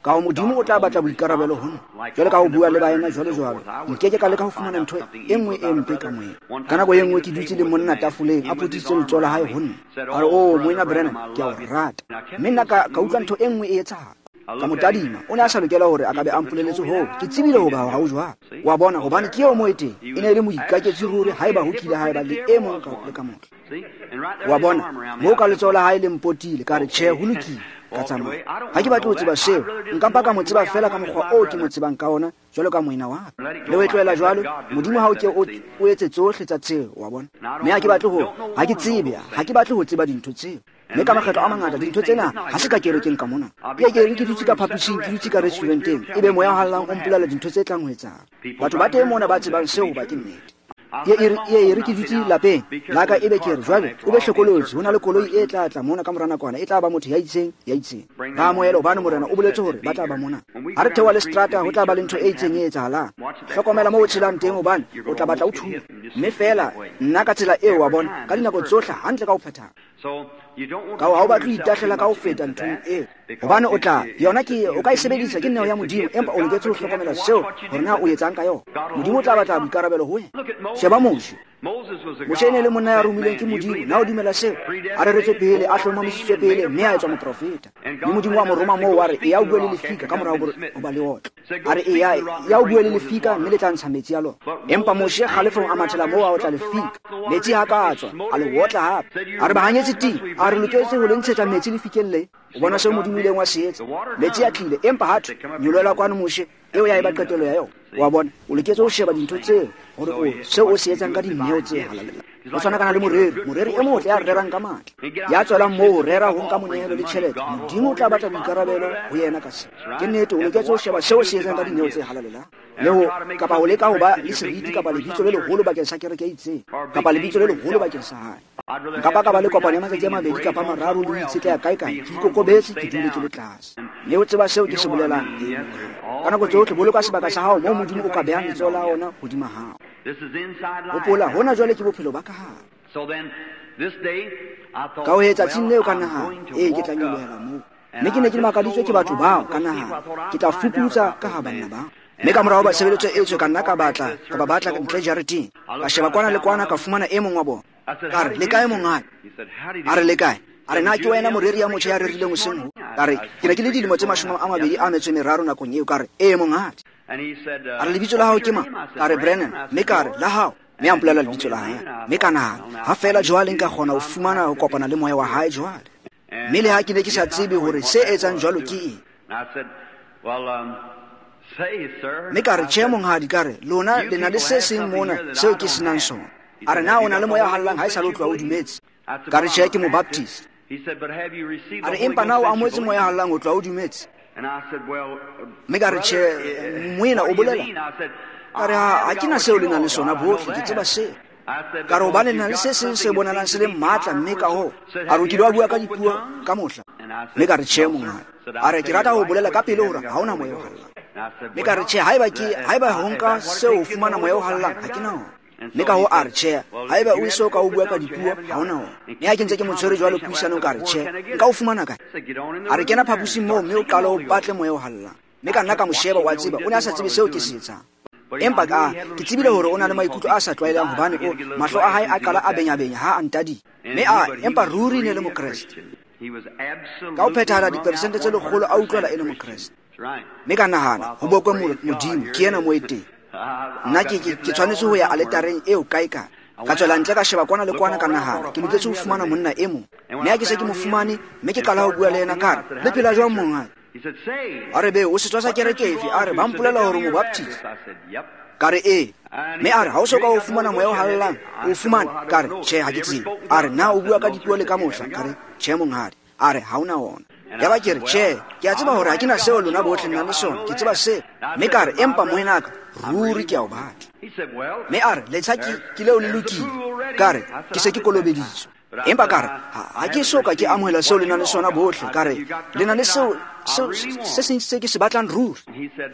Ka ho Modimo o tla batla boikarabelo ho nna. Jwale ka ho bua le baena jwalo jwalo, nke ke ka leka ho fumana ntho e nngwe e mpe ka moyeng. Ka nako e nngwe ke dutse le monna tafoleng, a potitse letsoho la hae ho nna. A re, oh, Moena Branham, ke a o rata. Mme nna ka, ka utlwa ntho e nngwe e etsahala. Ka mo tadima, o ne a sa lokela hore a ka be a mpoleletse hoo. Ke tsebile hoba ha o jwalo. Wa bona, hobane ke eo mo e teng. E ne e le moikaketsi ruri haeba ho kile haeba le e mong ka le ka mohla. Wa bona, moo ka letsoho la hae le mpotile, ka re, tjhe, ho lokile. Ka tsamaya. Ha ke batle ho tseba seo, nka mpa ka mo tseba feela ka mokgwa oo ke mo tsebang ka ona, jwalo ka moena wa ka. Le ho e tlohela jwalo, Modimo ha o ke o etse tsohle tsa tseo, wa bona. Mme ha ke batle ho, ha ke tsebe, ha ke batle ho tseba dintho tseo. Mme ka makgetlo a mangata dintho tsena ha se ka kerekeng ka mona. Ke ke ke dutse ka phaposing, ke dutse ka restauranteng, ebe moya o hallang o mpolela dintho tse tlang ho etsahala. Batho ba teng mona ba tsebang seo hoba ke nnete. Ye e re ke dutse lapeng la ka, ebe ke re jwale o be hlokolotsi, ho na le koloi e tla tla mona ka mora nakwana, e tla ba motho ya itseng ya itseng. Ba amohele hobane Morena o boletse hore ba tla ba mona. Ha re theoha le seterata, ho tla ba le ntho e itseng e etsahalang. Hlokomela moo o tshelang teng hobane o tla batla o thuba. Mme feela nna ka tsela eo, wa bona, ka dinako tsohle hantle ka ho phethahala. Ka ho ha o batle ho itahlela ka ho feta nthong eo, hobane o tla yona ke o ka e sebedisa, ke neo ya Modimo, empa o loketse ho hlokomela seo hore na o etsang ka yona. Modimo o tla batla boikarabelo ho wena. Sheba Moshe. Moshe e ne le monna ya romilweng ke Modimo. Na o dumela seo? A reretswe pele, a hlomamisitswe pele, mme a etswa moprofeta. Mme Modimo wa mo roma moo, wa re, eya o bue le lefika ka morao ho ba le otlo. A re, eya, eya o bue le lefika, mme le tla ntsha metsi a lona. Empa Moshe kgalefong a mathela moo a otla lefika. Metsi ha ka tswa, a le otla hape. A re bahanyetsi ting, a re loketse ho le ntshetsa metsi lefikeng le. O bona seo Modimo ileng wa se etsa. Metsi a tlile, empa ha thwe, nyolohela kwano Moshe, eo ya eba qetelo ya yona. Wa bona, o loketse ho sheba dintho tseo hore o seo o se etsang ka dineo tse halalelang. O tshwana kana le moreri, moreri e motle ya rerang ka matla, ya tswelang moo ho rera ho nka monehelo le tjhelete. Modimo o tla batla boikarabelo ho yena ka seo. Ke nnete, o loketse ho sheba seo o se etsang ka dineo tse halalelang. Le ho kapa ho leka ho ba le seriti kapa lebitso le leholo bakeng sa kereke e itseng, kapa lebitso le leholo bakeng sa hae. Nka ba ka ba le kopano ya matsatsi a mabedi kapa mararo le ho itshetleha kae kae, ke ikokobetse, ke dule ke le tlase. Mme o tseba seo ke se bolelang. Ka nako tsohle boloka sebaka sa hao moo Modimo o ka behang letsoho la ona hodima hao. Hopola, hona jwale ke bophelo ba ka hare. Ka ho etsa tsatsing leo ka nahana, ee, ke tla nyolohela moo. Mme ke ne ke makaditswe ke batho bao, ka nahana, ke tla fuputsa ka ha banna bao. Mme ka morao ba tshebeletso e tswe ka nna ka batla ka ba batla ntle jareteng. Ka sheba kwana le kwana ka fumana e mong wa bona. Ka re, le kae monghadi? A re, le kae? A re, na ke wena moreri ya motjha ya rerileng hoseng ho? Ka re, ke ne ke le dilemo tse mashome a mabedi a metso e meraro nakong eo. Ka re, ee monghadi. A re, lebitso la hao ke mang? Ka re, Brennan. Mme ka re, la hao? Mme a mpolela lebitso la hae. Mme ka nahana, ha feela jwale nka kgona ho fumana ho kopana le moya wa hae jwale. Mme le ha ke ne ke sa tsebe hore se etsang jwalo ke eng. Mme ka re, tjhe monghadi, ka re, lona le na le se seng mona seo ke senang sona. A re, na o na le moya o hallang ha e sa le o tloha o dumetse? Ka re, tjhe, ke mobaptist. A re, empa na o amohetse moya o hallang ho tloha o dumetse? Mme ka re, tjhe, moena o bolela? Ka re, ha ke na seo le nang le sona bohle, ke tseba seo. Ka re, hobane le na le se seng se bonalang se le matla, mme ka hoo. A re, o kile wa bua ka dipuo ka mohla? Mme ka re, tjhe monghadi. A re, ke rata ho bolela ka pele hore ha ona moya o hallang. Mme ka re, tjhe, haeba ke haeba ho nka seo ho fumana moya o hallang, ha ke na ona. Mme ka ho a re, tjhe, haeba o eso ka o bua ka dipuo, ha ona ona. Mme ha ke ntse ke mo tshwere jwalo puisanong, ka re, tjhe, nka o fumana kae? A re, kena phaposing moo mme o qale o batle moya o hallang. Mme ka nna ka mo sheba, wa tseba, o ne a sa tsebe seo ke se etsang. Empa ka ke tsebile hore o na le maikutlo a sa tlwaelehang hobane o mahlo a hae a qala a benyabenya ha a ntadile. Mme a empa ruri ne le Mokreste. Ka ho phethahala diperesente tse lekgolo a utlwela e le Mokreste. Mme ka nahana, ho bokwe Modimo, ke yena mo e teng. Nna ke ke ke tshwanetse ho ya aletareng eo kae kae. Ka tswela ntle ka sheba kwana le kwana ka nahana, ke loketse ho fumana monna e mong. Mme ha ke se ke mo fumane, mme ke qala ho bua le yena, ka re, le phela jwang monghadi? A re, be o setswa sa kereke efe? A re, ba mpolela hore mobaptist. Ka re, ee. Mme a re, ha o so ka o fumana moya o hallang, o fumane? Ka re, tjhe, ha ke tsebe. A re, na o bua ka dipuo le ka mohla? Ka re, tjhe monghadi. A re, ha ona ona. Yaba ke re, tjhe, ke a tseba hore ha ke na seo lona bohle le nang le sona, ke tseba seo. Mme ka re, empa moenaka, ruri ke a o batla. Mme a re, letsha ke ke leo le lokile. Ka re, ke se ke kolobeditswe. Empa ka re, ha ke so ka ke amohela seo le nang le sona bohle. Ka re, le na le seo seo se seng se ke se batlang ruri.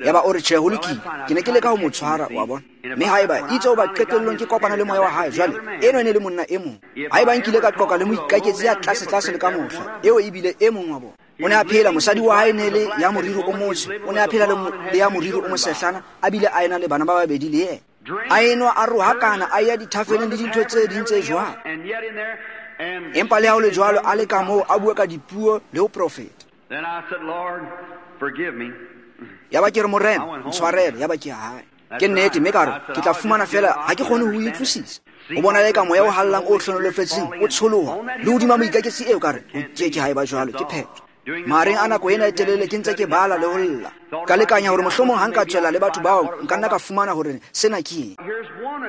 Yaba o re, tjhe, ho lokile. Ke ne ke leka ho mo tshwara, wa bona. Mme haeba itse hoba qetellong ke kopana le moya wa hae, jwale eno e ne le monna e mong. Haeba nkile ka qoqa le moikaketsi ya tlase tlase le ka mohla, eo ebile e mong wa bona. O ne a phela, mosadi wa hae ne le ya moriri o motsho, o ne a phela le ya moriri o mosehlana, a bile a ena le bana ba babedi le yena. A enwa a rohakana, a ya dithafeleng le dintho tse ding tse jwalo. Empa le ha ho le jwalo, a le ka moo a bua ka dipuo le ho profeta. Yaba ke re, Morena, ntshwarele. Yaba ke ya hae. Ke nnete, mme ka re, ke tla fumana feela, ha ke kgone ho utlwisisa. O bona le ka moya o hallang o hlonolofetseng, o tsholoha le hodima moikaketsi eo. Ka re, ho ke ke ha eba jwalo, ke phetho. Mahareng a nako ena e telele ke ntse ke bala le ho lla. Ka lekanya hore mohlomong ha nka tswela le batho bao, nka nna ka fumana hore sena ke eng.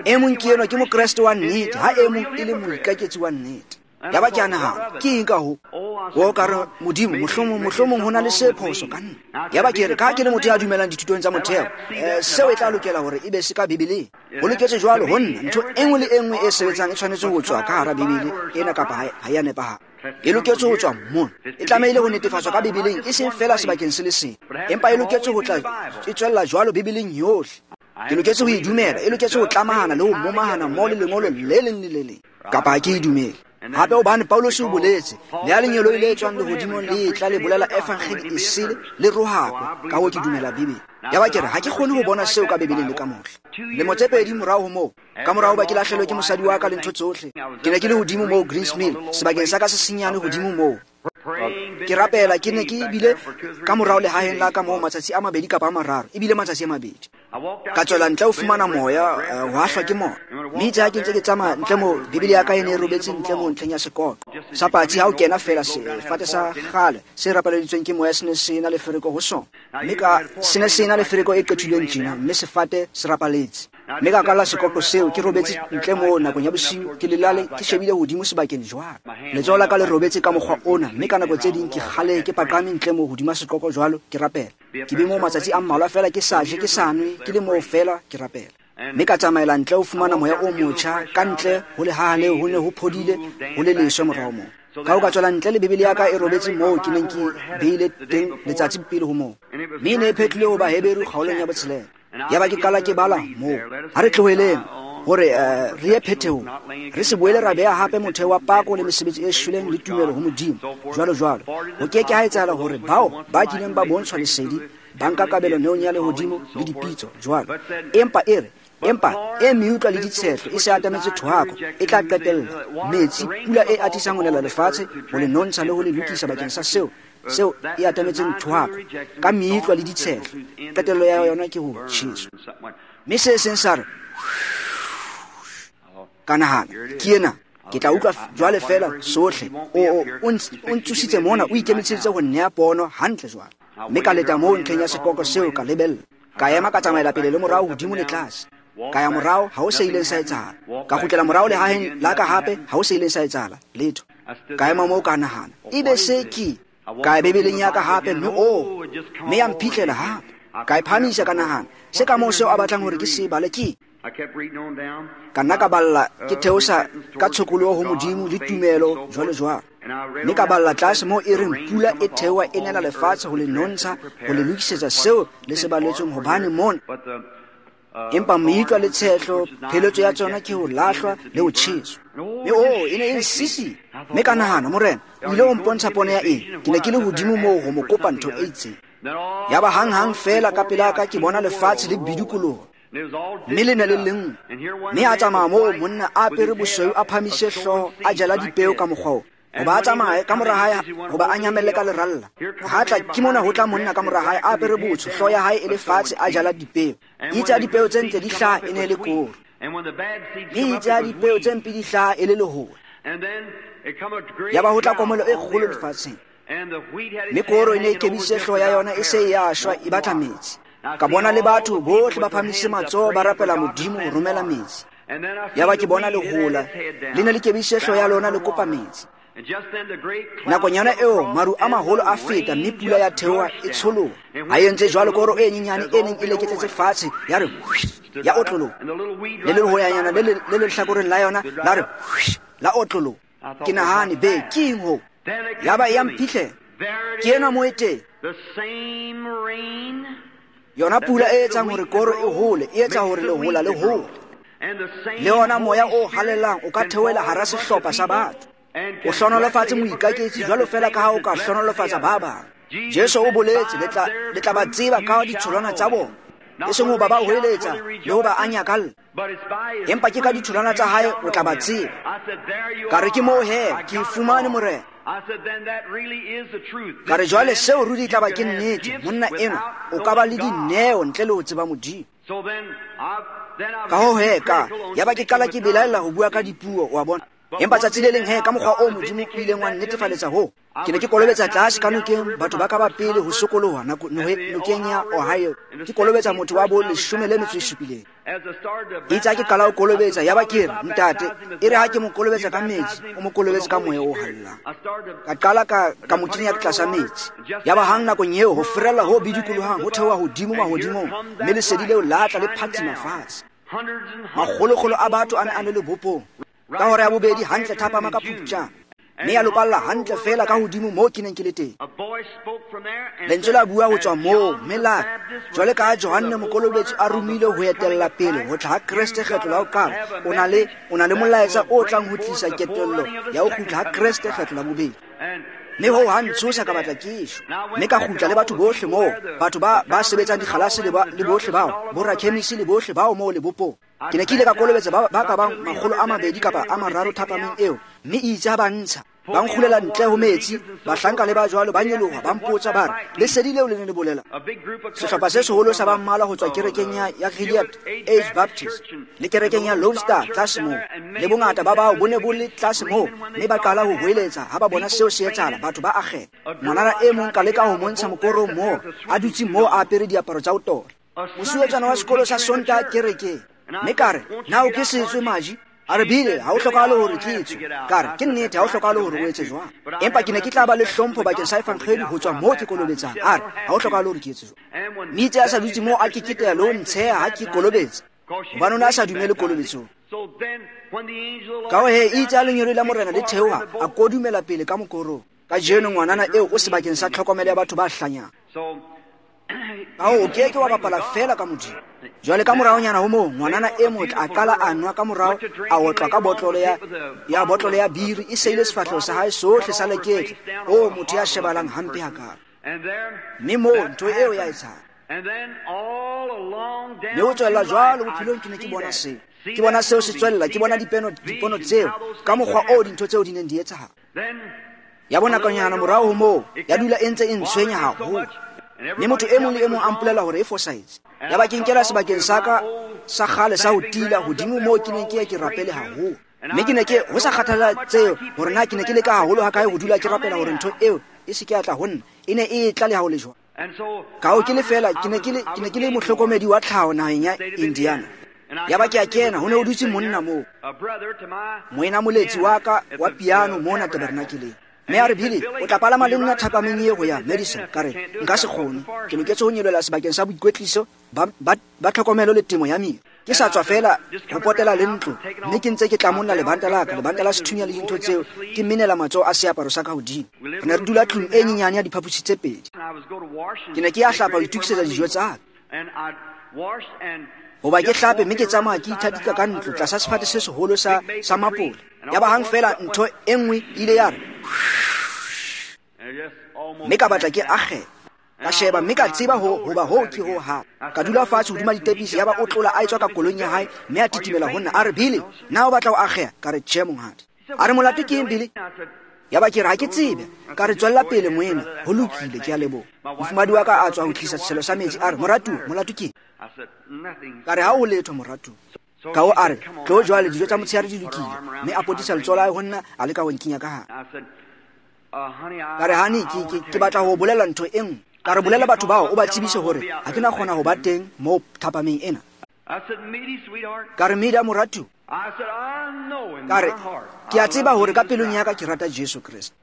E mong ke enwa ke Mokreste wa nnete, ha e mong e le moikaketsi wa nnete. Yaba ke a nahana, ke eng ka ho? O ka re, Modimo, mohlomong mohlomong ho na le se phoso ka nna. Yaba ke re, ka ke le motho ya dumelang dithutong tsa motheo, eh, seo e tla lokela hore e be se ka Bibeleng. Ho loketse jwalo ho nna, ntho e nngwe le e nngwe e sebetsang e tshwanetse ho tswa ka hara Bibele ena kapa ha ya nepahala. E loketse ho tswa mona. E tlamehile ho netefatswa ka Bibeleng, e seng feela sebakeng se le seng, empa e loketse ho tla e tswella jwalo Bibeleng yohle. Ke loketse ho e dumela, e loketse ho tlamahana le ho momahana mmoho le lengolo le leng le le leng, kapa ha ke e dumele. Hape hobane Paulus o boletse, le ha lengeloi le tswang lehodimong le tla le bolela evangeli e sele, le rohakwe. Ka hoo ke dumela Bibele. Yaba ke re, ha ke kgone ho bona seo ka Bibeleng le ka mohla. Lemo tse pedi morao ho moo, ka morao ba ke lahlelwe ke mosadi wa ka le ntho tsohle, ke ne ke le hodimo moo Greens Mill, sebakeng sa ka se senyane hodimo moo. Ke rapela, ke ne ke bile ka morao lehaheng la ka moo matsatsi a mabedi kapa a mararo, ebile matsatsi a mabedi. Ka tswela ntle ho fumana moya, ho hahlwa ke moya. Mme itse ha ke ntse ke tsamaya ntle moo, Bibele ya ka e ne e robetse ntle moo ntlheng ya sekoqo sa patsi. Ha o kena feela, sefate sa kgale se rapaleditsweng ke moya se ne se na le fereko ho sona. Mme ka se ne se na le fereko e qethilweng tjena, mme sefate se rapaletse. Mme ka kalla sekoqo seo, ke robetse ntle moo nakong ya bosiu, ke lelale, ke shebile hodimo sebakeng jwalo. Letsoho la ka le robetse ka mokgwa ona, mme ka nako tse ding ke kgale ke paqame ntle moo hodima sekoqo jwalo, ke rapela. Ke be moo matsatsi a mmalwa feela ke sa je, ke sa nwe, ke le moo feela ke rapela. Mme ka tsamaela ntle ho fumana moya o motjha, ka ntle ho lehaha leo ho ne ho phodile, ho le leswe morao moo. Ka ho ka tswela ntle le Bibele ya ka e robetse moo ke neng ke beile teng letsatsi pele ho moo. Mme e ne e phetlile ho Baheberu kgaolong ya botshelela. Yaba ke qala ke bala moo. Ha re tloheleng hore re ye phethehong, re se boele ra beha hape motheo wa pako le mesebetsi e shweleng le tumelo ho Modimo, jwalo jwalo. Ho ke ke ha etsahala hore bao ba kileng ba bontshwa lesedi ba nka kabelo neong ya lehodimo le dipitso jwalo. Empa e re, empa e meutlwa le ditshehlo e se atametse thohako, e tla qetella metsi, pula e atisang ho nela lefatshe, ho le nontsha le ho le lokisa bakeng sa seo seo e atametseng thohako ka meutlwa le ditshehlo. Qetello ya yona ke ho tjheswa. Mme se seng sa re, ka nahana, ke ena, ke tla utlwa jwale feela sohle. O o ntsositse mona, o ikemiseditse ho nnea pono hantle jwale. Mme ka leta moo ntlheng ya sepoko seo, ka lebella. Ka ema ka tsamaela pele le morao, hodimo le tlase. Ka ya morao, ha ho se ileng sa etsahala. Ka kgutlela morao lehaheng la ka hape, ha ho se ileng sa etsahala letho. Ka ema moo ka nahana, ebe se ke ka ya Bibeleng ya ka hape, mme o mme ya mphihlela hape. Ka e phahamisa, ka nahana, se ka moo seo a batlang hore ke se bale ke. Ka nna ka balla ke theosa ka tshokoloho ho Modimo le tumelo jwalo jwalo. Mme ka balla tlase moo e reng pula e theoha e nela lefatshe ho le nontsha, ho le lokisetsa seo le se baletsweng, hobane mona. Empa meutlwa le tshehlo, pheletso ya tsona ke ho lahlwa le ho tjheswa. Mme o e ne e nsisi. Mme ka nahana, Morena, o ile ho mpontsha pono ya eng? Ke ne ke le hodimo moo ho mo kopa ntho e itseng. Yaba hang-hang feela ka pela ka ke bona lefatshe le bidikoloha, mme le ne le lenngwe. Mme a tsamaya moo monna a apere bosweu, a phamise hlooho, a jala dipeo ka mokgwa oo. Hoba a tsamaye ka mora hae, hoba a nyamelle ka leralla. Ha tla ke mona ho tla monna ka mora hae, a apere botsho, hlooho ya hae e le fatshe, a jala dipeo. Itse ha dipeo tse ntle di hlaha, e ne e le koro. Mme itse ha dipeo tse mpe di hlaha, e le lehola. Yaba ho tla komelo e kgolo lefatsheng. Mme koro e ne e kebisitse hlooho ya yona, e se e ya shwa, e batla metsi. Ka bona le batho bohle ba phahamise matsoho, ba rapela Modimo ho romela metsi. Yaba ke bona lehola le ne le kebisitse hlooho ya lona, le kopa metsi. Nakong yona eo maru a maholo a feta, mme pula ya theoha e tsholoha. Ha e entse jwalo, koro e nyenyane e neng e leketletse fatshe ya re ya otloloha. Le lehoyanyana le le lehlakoreng la yona la re la otloloha. Ke nahane, be ke eng hoo? Yaba e ya mphihlela. Ke ena moo e teng. Yona pula e etsang hore koro e hole, e etsa hore lehola le hole. Le ona moya o halalelang o ka theohela hara sehlopha sa batho. O hlohonolofatse moikaketsi jwalo feela ka ha o ka hlohonolofatsa ba bang. Jesu o boletse, le tla le tla ba tseba ka ditholwana tsa bona. E seng hoba ba hoeletsa le hoba a nyakalla, empa ke ka ditholwana tsa hae o tla ba tseba. Ka re ke moo he, ke e fumane Morena. Ka re jwale seo ruri e tla ba ke nnete. Monna enwa o ka ba le dineo ntle le ho tseba Modimo. Ka hoo he ka yaba ke qala ke belaella ho bua ka dipuo, wa bona. Empa tsatsi le leng he, ka mokgwa o Modimo o ileng wa nnetefaletsa hoo, ke ne ke kolobetsa tlase ka nokeng batho ba ka ba pele ho sokoloha nokeng ya Ohio. Ke kolobetsa motho wa bo leshome le metso e supileng. Itse ha ke qala ho kolobetsa, yaba ke re, ntate, e re ha ke mo kolobetsa ka metsi, o mo kolobetse ka moya o hallang. Ka qala ka ka mo kenya tlasa metsi. Yaba hang nakong eo ho ferella ho bidikolohang ho theoha hodimo mahodimong, mme lesedi leo la tla le phatsima fatshe. Makgolokgolo a batho a ne a le lebopong. Ka hora ya bobedi hantle thapama ka Phupjane, mme ya lopalla hantle feela ka hodimo moo ke neng ke le teng. Lentswe la bua ho tswa moo, mme la re, jwale ka ha Johanne Mokolobetsi a romilwe ho etella pele ho tla ha Kreste kgetlo la ho qala, o na le o na le molaetsa o tlang ho tlisa ketello ya ho kgutla ha Kreste kgetlo la bobedi. Mme hoo ha ntshosa, ka batla ke shwa. Mme ka kgutla le batho bohle moo, batho ba ba sebetsang dikgalase le ba le bohle bao, borakhemisi le bohle bao moo lebopong. Ke ne ke ile ka kolobetsa ba ba ka bang makgolo a mabedi kapa a mararo thapameng eo, mme itse ha ba ntsha, ba nkgulela ntle ho metsi, bahlanka le ba jwalo ba nyoloha, ba mpotsa ba re, lesedi leo le ne le bolela. Sehlopha se seholo sa ba mmalwa ho tswa kerekeng ya ya Gilead Age Baptist le kerekeng ya Lone Star tlase moo, le bongata ba bao bo ne bo le tlase moo, mme ba qala ho hoeletsa ha ba bona seo se etsahala, batho ba akgela. Ngwanana e mong ka leka ho montsha mokorong moo, a dutse moo a apere diaparo tsa ho tola. Mosuwetsana wa sekolo sa Sontaha kerekeng. Mme ka re, na o ke setswe maji? A re, bile ha o hlokahale hore ke etswe. Ka re, ke nnete ha o hlokahale hore o etse jwang. Empa ke ne ke tla ba le hlompho bakeng sa evangeli ho tswa moo ke kolobetsang. A re, ha o hlokahale hore ke etse jwang. Mme itse a sa dutse moo a keketeha le ho ntsheha ha ke kolobetsa, hobane o ne a sa dumele kolobetsong. Ka ho he, itse a lengeloi la Morena le theoha, a kodumela pele ka mokorong. Kajeno ngwanana eo o sebakeng sa tlhokomelo ya batho ba hlanyang. Ka ho o ke ke wa bapala feela ka Modimo. Jwale ka moraonyana ho moo, ngwanana e motle a qala a nwa, ka morao a otlwa ka botlolo ya ya botlolo ya biri, e seile sefahleho sa hae sohle sa leketla. O motho ya shebalang hampe hakalo. Mme moo ntho eo ya etsahala. Mme ho tswella jwalo bophelong ke ne ke bona seo. Ke bona seo se tswella, ke bona dipeno dipono tseo ka mokgwa oo dintho tseo di neng di etsahala. Ya bona konyana morao ho moo, ya dula e ntse e ntshwenya haholo. Mme motho e mong le e mong a mpolela hore e fosahetse. Ya ba ke nkela sebakeng sa ka sa kgale sa ho tila hodimo moo ke neng ke ye ke rapele haholo. Mme ke ne ke ho sa kgathalla tseo hore na ke ne ke leka haholo hakae ho dula ke rapela hore ntho eo e se ke ya tla ho nna. E ne e tla le ha ho le jwalo. Ka ho ke le fela ke ne ke le ke ne ke le mohlokomedi wa tlhaho naheng ya Indiana. Ya ba ke a kena, ho ne ho dutse monna moo, moena moletsi wa ka wa piano mona tabernakeleng. Mme a re, Billy, o tla palama le nna thapameng e ho ya Madison. Ka re, nka se kgone, ke loketse ho nyolohela sebakeng sa boikwetliso ba, ba, ba tlhokomelo le temo ya miro. Ke sa tswa fela ho potela le ntlo, mme ke ntse ke tlamolla lebanta la ka, lebanta la sethunya le dintho tseo, ke menela matsoho a seaparo sa ka hodimo. Re ne re dula tlung e nyenyane ya diphaposi tse pedi. Ke ne ke ya hlapa ho itokisetsa dijo tsa ka. Hoba ke hlape mme ke tsamaya ke ithatika ka ntlo tlasa sefate se seholo sa, sa mapole. Ya ba hang fela ntho e nngwe ile ya re, mme ka batla ke akgela. Ka sheba mme ka tseba ho hoba hoo ke ho hape. Ka dula fatshe hodima ditepisi, ya ba o tlola a etswa ka koloing ya hae mme a titimela ho nna. A re, Billy, na o batla ho akgeha? Ka re, tjhe monghadi. A re, molato ke eng, Billy? Ya ba ke re, ha ke tsebe. Ka re, tswella pele moena, ho lokile, ke a leboha. Mofumadi wa ka a tswa ho tlisa setshelo sa metsi, a re, moratuwa, molato ke eng? Ka re, ha ho letho moratuwa. Ka ho a re, tlo jwale, dijo tsa motshehare di lokile. Mme a potisa letsoho la hae ho nna, a leka ho nkinya ka hare. Ka re, honey, ke, ke, ke batla ho bolela ntho e nngwe. Ka re, bolela batho bao, o ba tsebise hore ha ke na kgona ho ba teng moo thapameng ena. Ka re, Mida moratuwa. Ka re, ke a tseba hore ka pelong ya ka ke rata Jesu Kreste.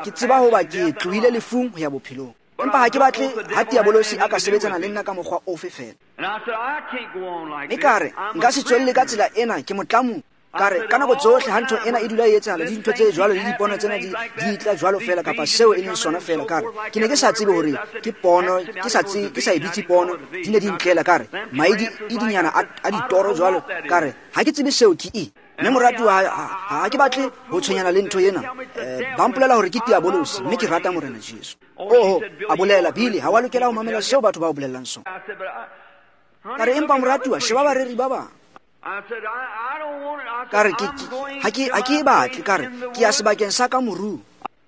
Ke tseba hoba ke tlohile lefung ho ya bophelong. Empa ha ke batle ha diabolosi a ka sebetsana le nna ka mokgwa ofe fela. Mme ka re, nka se tswelle ka tsela ena, ke motlamu. Ka re, ka nako tsohle ha ntho ena e dula e etsahala, dintho tse jwalo le dipono tsena di, di tla jwalo fela, kapa seo e leng sona fela. Ka re, ke ne ke sa tsebe hore ke pono, ke sa tsebe, ke sa e bitse pono, di ne di ntlela. Ka re, maidi e dinyana a, a ditoro jwalo. Ka re, ha ke tsebe seo ke eng. Mme moratuwa, ha, ha ke batle ho tshwenyana le ntho ena. Eh, ba mpolela hore ke diabolosi, mme ke rata Morena Jesu. Oho, a bolela, Billy, ha wa lokela ho mamela seo batho ba o bolellang sona. Ka re, empa moratuwa, sheba bareri ba bang. Ka re, ha ke, ha ke e batle. Ka re, ke ya sebakeng sa ka morung.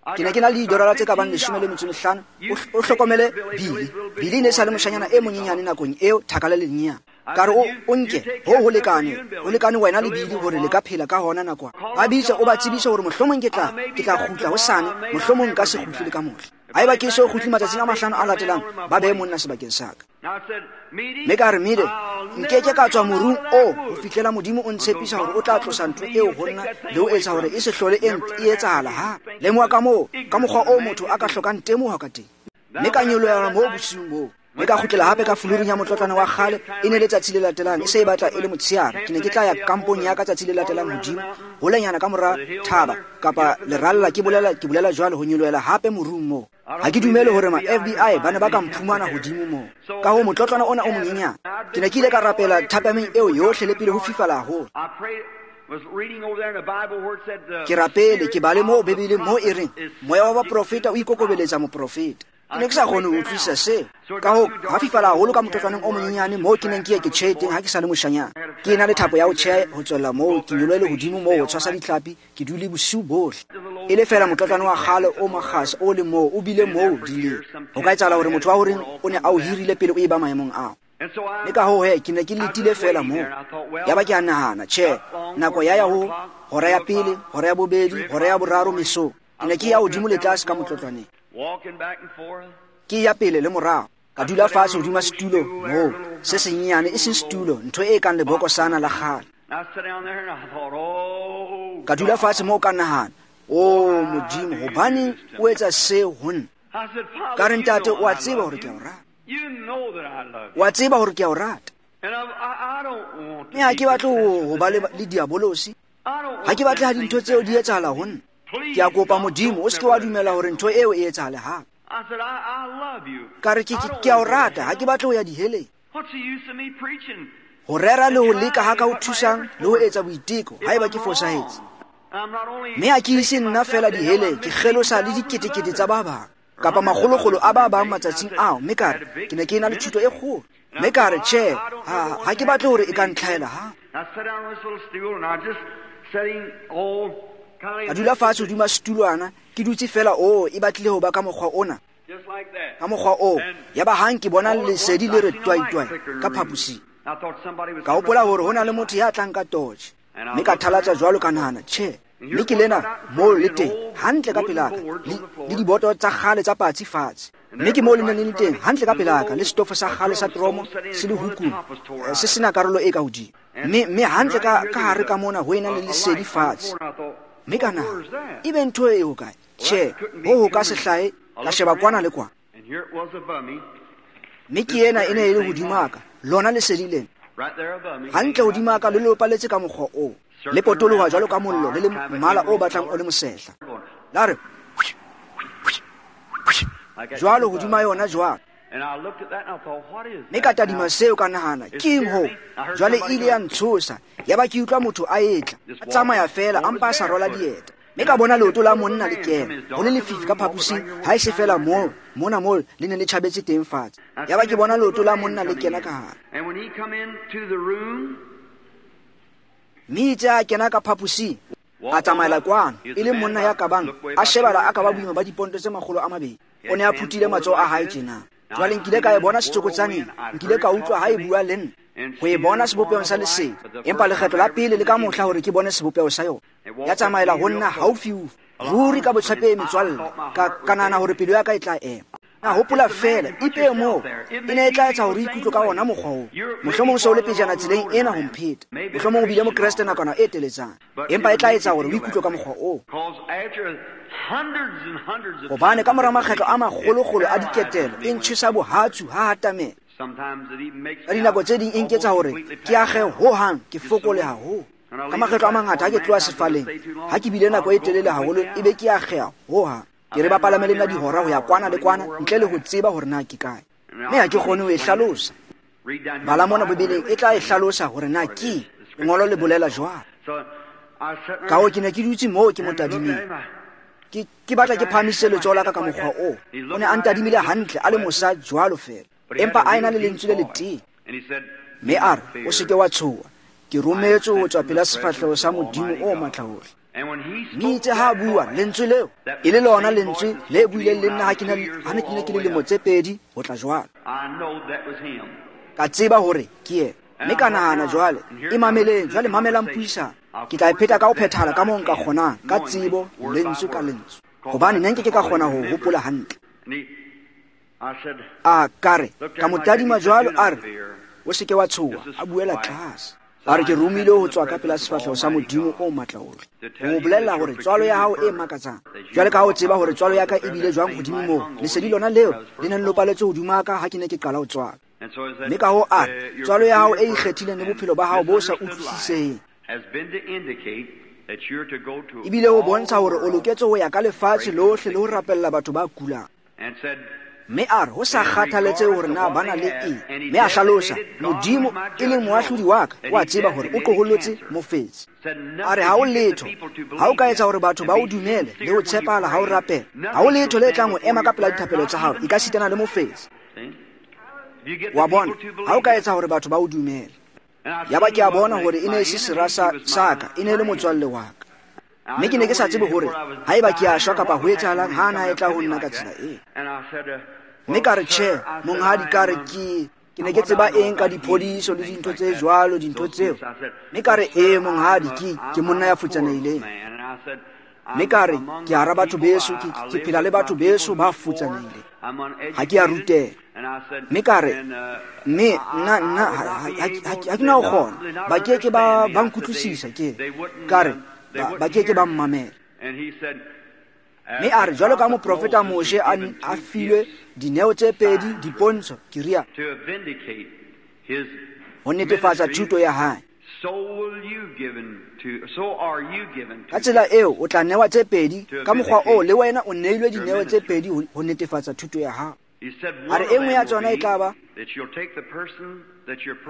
Ke ne ke na le didolara tse ka bang leshome le metso e mehlano. O hlokomele Billy. Billy e ne e sa le moshanyana e monyenyane nakong eo, thaka le lenyenyane. Ka re, o, o nke, ho ho lekane, ho lekane wena le Billy hore le ka phela ka hona nakwana. Ba bitse, o ba tsebise hore mohlomong ke tla, ke tla kgutla hosane, mohlomong nka se kgutle le ka mohla. Haeba ke so kgutle matsatsing a mahlano a latelang, ba behe monna sebakeng sa ka. Mme ka re, Mide, nkeke ka tswa morung oo ho fihlela Modimo o ntshepisa hore o tla tlosa ntho eo ho nna le ho etsa hore e se hlole e e etsahala hape. Lemoha ka moo, ka mokgwa oo motho a ka hlokang temoho ka teng. Mme ka nyolohela moo bosiung boo. Mme ka kgutlela hape ka fulurung ya motlotlwana wa kgale. E ne letsatsi le latelang, e se e batla e le motshehare. Ke ne ke tla ya kampong ya ka tsatsi le latelang hodimo, holenyana ka mora thaba kapa leralla, ke bolela, ke bolela jwalo, ho nyolohela hape morung moo. Ha ke dumele hore ma F B I ba ne ba ka mphumana hodimo moo. Ka hoo motlotlwana ona o monyenyane. Ke ne ke ile ka rapela thapameng eo yohle le pele ho fifala haholo. Ke rapele, ke bale moo Bibele moo e reng, moya wa baprofeta o ikokobeletsa moprofeta. Ke ne ke sa kgone ho utlwisisa seo. Ka hoo, ha fifala haholo ka motlotlwaneng o monyenyane moo ke neng ke ye ke tjhehe teng ha ke sa le moshanyana. Ke ena le thapo ya ho tjheha ho tswella moo, ke nyolohele hodimo moo ho tshwasa ditlhapi, ke dule bosiu bohle. E le fela motlotlwane wa kgale o makgasa o le moo, o bile moo dileng. Ho ka etsahala hore motho wa horeng o ne a o hirile pele o eba maemong ao. Mme ka hoo he, ke ne ke letile fela moo. Ya ba ke a nahana, tjhe, nako ya ya ho hora ya pele, hora ya bobedi, hora ya boraro mesong. Ke ne ke ya hodimo le tlase ka motlotlwaneng. Ke ya pele le morao. Ka dula fatshe hodima setulo moo, se senyenyane, e seng setulo, ntho e kang lebokosana la kgale. Ka dula fatshe moo ka nahana, o Modimo, hobaneng o etsa seo ho nna? Ka re, ntate, o a tseba hore ke a o rata. O a tseba hore ke a o rata. Mme ha ke batle ho ba le diabolosi. Ha ke batle ha dintho tseo di etsahala ho nna. Ke a kopa Modimo, o se ke wa dumela hore ntho eo e etsahale hape. Ka re, ke, ke a o rata, ha ke batle ho ya diheleng. Ho rera le ho leka ha ka ho thusang le ho etsa boiteko haeba ke fosahetse. Mme ha ke ise nna fela diheleng, ke kgelosa le diketekete tsa ba bang. Kapa makgolokgolo a ba bang matsatsing ao, mme ka re ke ne ke ena le thuto e kgolo. Mme ka re tjhe, ha ha ke batle hore e ka ntlhaela ha. Ka dula fatshe hodima setulwana, ke dutse fela o e batlile ho ba ka mokgwa ona. Ka mokgwa oo, yaba hang ke bona lesedi le re twai-twai ka phaposing. Ka hopola hore ho na le motho ya tlang ka torch. Mme ka thalatsa jwalo ka nahana, tjhe, mme ke lena moo le teng, hantle ka pelaka, le, le diboto tsa kgale tsa patsi fatshe. Mme ke moo le neng le le teng, hantle ka pelaka, le setofo sa kgale sa tromo se le hukung, se sena karolo e ka hodimo. Mme, mme hantle ka, ka hare ka mona ho ena le lesedi fatshe. Mme ka nahana, ebe ntho e ho kae? Tjhe, ho ho ka se hlahe, ka sheba kwana le kwana. Mme ke ena e ne e le hodimo ka, lona lesedi lena. Hantle hodimo ka le lopaletse ka mokgwa oo. Le potoloha jwalo ka mollo le le mmala o batlang o le mosehla. La re jwalo hodima yona jwalo. Mme ka tadima seo ka nahana, ke eng hoo? Jwale e ile ya ntshosa, yaba ke utlwa motho a etla, a tsamaya fela a mpa a sa rwala dieta. Mme ka bona leoto la monna le kena, ho le lefifi ka phaposing, ha e se fela moo, mona moo le ne le tjhabetse teng fatshe. Yaba ke bona leoto la monna le kena ka hare. Mme itse a kena ka phaposing, a tsamaela kwano, e le monna ya ka bang, a shebala a ka ba boima ba diponto tse makgolo a mabedi. O ne a phuthile matsoho a hae tjena. Jwale nkile ka e bona setsokotsaneng, nkile ka utlwa ha e bua le nna, ho e bona sebopehong sa lesedi. Empa lekgetlo la pele le ka mohla hore ke bone sebopeho sa yona. Ya tsamaela ho nna haufiufi, ruri ka botshepehi metswalle, ka, ka nahana hore pelo ya ka e tla ema. Na hopola fela, ipehe moo, e ne e tla etsa hore o ikutlwe ka ona mokgwa oo. Mohlomong o se o le pejana tseleng ena ho mpheta. Mohlomong o bile mokreste nakwana e teletsana. Empa e tla etsa hore o ikutlwe ka mokgwa oo. Hobane ka mora makgetlo a makgolokgolo a diketelo, e ntjhesa bohatsu ha hatamela. Ka dinako tse ding e nketsa hore ke akge hohang, ke fokole haholo. Ka makgetlo a mangata ha ke tloha sefaleng, ha ke bile nako e telele haholo, ebe ke akgeha hohang. Ke re ba palame le nna dihora ho ya kwana le kwana, ntle le ho tseba hore na ke kae. Mme ha ke kgone ho e hlalosa. Bala mona Bibeleng e tla e hlalosa hore na ke lengolo le bolela jwang. Ka hoo ke ne ke dutse moo ke mo tadimile. Ke, ke batla ke phahamise letsoho la ka ka mokgwa oo. O ne a ntadimile hantle, a le mosa jwalo fela. Empa a ena le lentswe le letee. Mme a re, o se ke wa tshoha. Ke rometswe ho tswa pela sefahleho sa Modimo o matlaohle. Mme itse ha a bua lentswe leo, e le lona lentswe le buileng le nna ha ke ne ha ne ke ne ke le lemo tse pedi ho tla jwalo. Ka tseba hore ke yena. Mme ka nahana jwale, e mameleng, jwale mamelang puisano. Ke tla e pheta ka ho phethahala ka moo nka kgonang, ka tsebo, lentswe ka lentswe. Hobane ne nke ke ka kgona ho hopola hantle. A ka re, ka mo tadima jwalo, a re, o se ke wa tshoha, a buela tlase. A re ke romile ho tswa ka pela sefahleho sa Modimo o matlaohle. Ho bolella hore tswalo ya hao e makatsang. Jwale ka ha o tseba hore tswalo ya ka e bile jwang hodimo moo, lesedi lona leo le neng lopaletse hodimo ka ha ke ne ke qala ho tswala. Mme ka hoo a re, tswalo ya hao e ikgethileng le bophelo ba hao bo sa utlwisiseheng ebile ho bontsha hore o loketse ho ya ka lefatshe lohle le ho rapella batho ba kulang. Mme a re ho sa kgathaletsehe hore na ba na le eng. Mme a hlalosa, Modimo e leng moahlodi wa ka, o a tseba hore o tlohollotse mofetshe. A re ha o letho, ha o ka etsa hore batho ba o dumele le ho tshepahala ha o rapela, ha o letho le tlang ho ema ka pela dithapelo tsa hao, e ka sitana le mofetshe. Wa bona, ha o ka etsa hore batho ba o dumele. Yaba ke a bona hore e ne e se sera sa, sa ka, e ne e le motswalle wa ka. Mme ke ne ke sa tsebe hore haeba ke a shwa kapa ho etsahalang ha na e tla ho nna ka tsela eo. Mme ka re tjhe, monghadi, ka re ke ke ne ke tseba eng ka diphodiso le dintho tse jwalo, dintho tseo. Mme ka re ee monghadi, ke ke monna ya futsanehileng. Mme ka re ke hara batho beso, ke, ke phela le batho beso ba futsanehileng. Ha ke a ruteha. Mme ka re, mme nna nna ha ke na ho kgona, ba ke ke ba ba nkutlwisisa ke. Ka re ba, ba ke ke ba mmamela. Mme a re jwalo ka moprofeta Moshe a, a filwe dineo tse pedi, dipontsho, ke ria, ho netefatsa thuto ya hae. Ka tsela eo o tla newa tse pedi, ka mokgwa oo le wena o neilwe dineo tse pedi ho netefatsa thuto ya hao. A re e nngwe ya tsona e tla ba,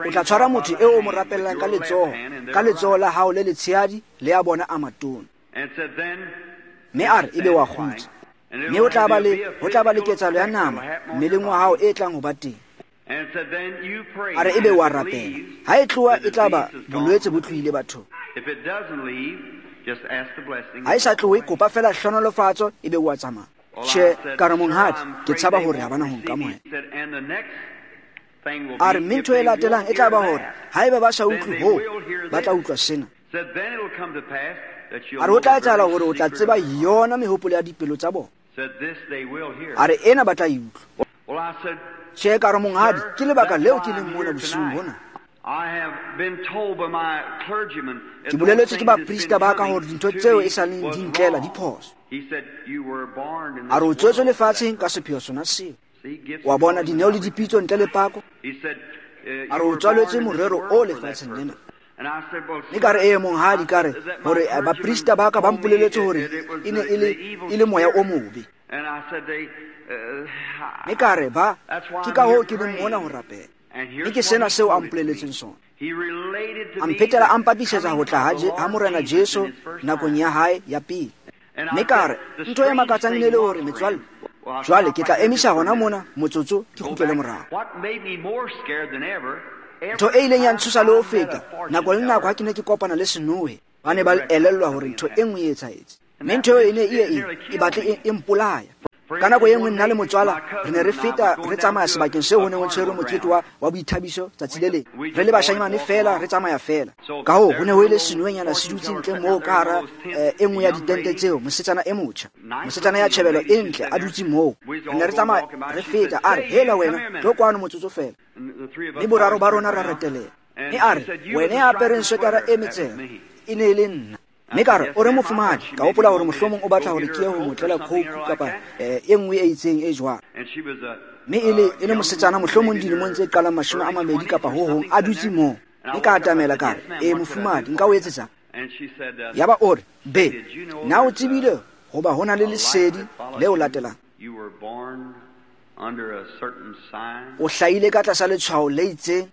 o tla tshwara motho eo o mo rapellang ka letsoho, ka letsoho la hao le letshehadi le ya bona a matona. Mme a re ebe wa kgutsa. Mme ho tla ba le ho tla ba le ketsahalo ya nama mmeleng wa hao e tlang ho ba teng. A re ebe wa rapela. Ha e tloha e tla ba bolwetse bo tlohile bathong. Ha e sa tlohe, kopa fela hlohonolofatso ebe wa tsamaya. Tjhe, ka re monghadi, ke tshaba hore ha bana ho nkamohela. A re mme ntho e latelang e tla ba hore haeba ba sa utlwe hoo, ba tla utlwa sena. A re ho tla etsahala hore o tla tseba yona mehopolo ya dipelo tsa bona. A re ena ba tla e utlwa. Tjhe, ka re monghadi, ke lebaka leo ke leng mona bosiung bona. Ke boleletswe ke baprista ba ka hore dintho tseo e sa leng di ntlela di phoso. A re o tswetswe lefatsheng ka sepheo sona seo. Wa bona dineo le dipitso ntle le pako. A re o tswaletswe morero o lefatsheng lena. Mme ka re ee monghadi, ka re hore baprista ba ka ba mpoleletse hore e ne e le e le moya o mobe. Mme ka re ba ke ka hoo ke leng mona ho rapela. Mme ke sena seo a mpoleletseng sona. A mphetela a mpapisetsa ho tla ha Morena Jesu nakong ya hae ya pele. Mme ka re ntho e makatsang e ne le hore metswalle, jwale ke tla emisa hona mona motsotso ke kgutlele morao. Ntho e ileng ya ntshosa le ho feta, nako le nako ha ke ne ke kopana le senohe, ba ne ba elellwa hore ntho e nngwe e etsahetse. Mme ntho eo e ne e e e batle e mpolaya. Ka nako e nngwe nna le motswala re ne re feta re tsamaya sebakeng seo ho neng ho tshwerwe mokete wa wa boithabiso tsatsi le leng. Re le bashanyane fela re tsamaya fela. Ka hoo ho ne ho ile senohenyana se dutse ntle moo ka hara e nngwe ya ditente tseo, mosetsana e motjha. Mosetsana ya tjhebelo e ntle a dutse moo. Re ne re tsamaya re feta, a re hela wena, tlo kwano motsotso fela. Mme boraro ba rona ra retelea. Mme a re wena ya apereng swetara e metsela e ne e le nna. Mme ka re o re mofumahadi, ka hopola hore mohlomong o batla hore ke ye ho mo tlela coke kapa e nngwe e itseng e jwang. Mme e le e le mosetsana mohlomong dilemong tse qalang mashome a mabedi kapa ho hong a dutse moo. Mme ka atamela ka re e mofumahadi, nka o etsetsang? Yaba o re be na o tsebile hoba ho na le lesedi leo latelang? O hlahile ka tlasa letshwao le itseng.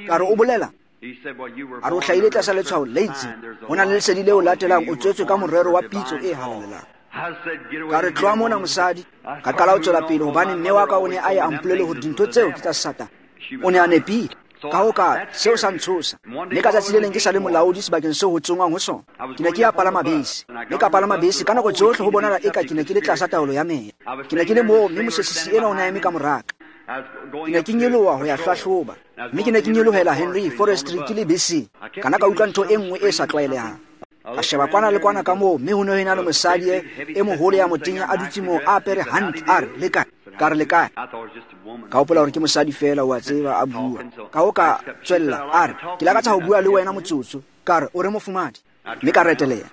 Ka re o bolela? A re o hlahile tlasa letshwao le itseng. Ho na le lesedi leo latelang, o tswetswe ka morero wa pitso e halalelang. Ka re tloha mona mosadi. Ka qala ho tswela pele hobane mme wa ka o ne a ye a mpolelle hore dintho tseo ke tsa Satane. O ne a nepile. Ka ho ka seo sa ntshosa. Mme ka tsatsi le leng ke sa le molaodi sebakeng seo ho tsongwang ho sona. Ke ne ke ya palama bese. Mme ka palama bese ka nako tsohle ho bonahala eka ke ne ke le tlasa taolo ya meya. Ke ne ke le moo mme mosesisi ena o ne a eme ka moraka. Ke ne ke nyoloha ho ya hlahloba. Mme ke ne ke nyolohela Henry Forestry ke le beseng. Ka na ka utlwa ntho e nngwe e sa tlwaelehang. Ka sheba kwana le kwana ka moo, mme ho ne ho ena le mosadi e moholo ya motenya a dutse moo a apere hantle. A re le kae? Ka re le kae? Ka hopola hore ke mosadi fela, wa tseba, a bua. Ka ho ka tswella a re ke lakatsa ho bua le wena motsotso. Ka re o re mofumahadi. Mme ka reteleha.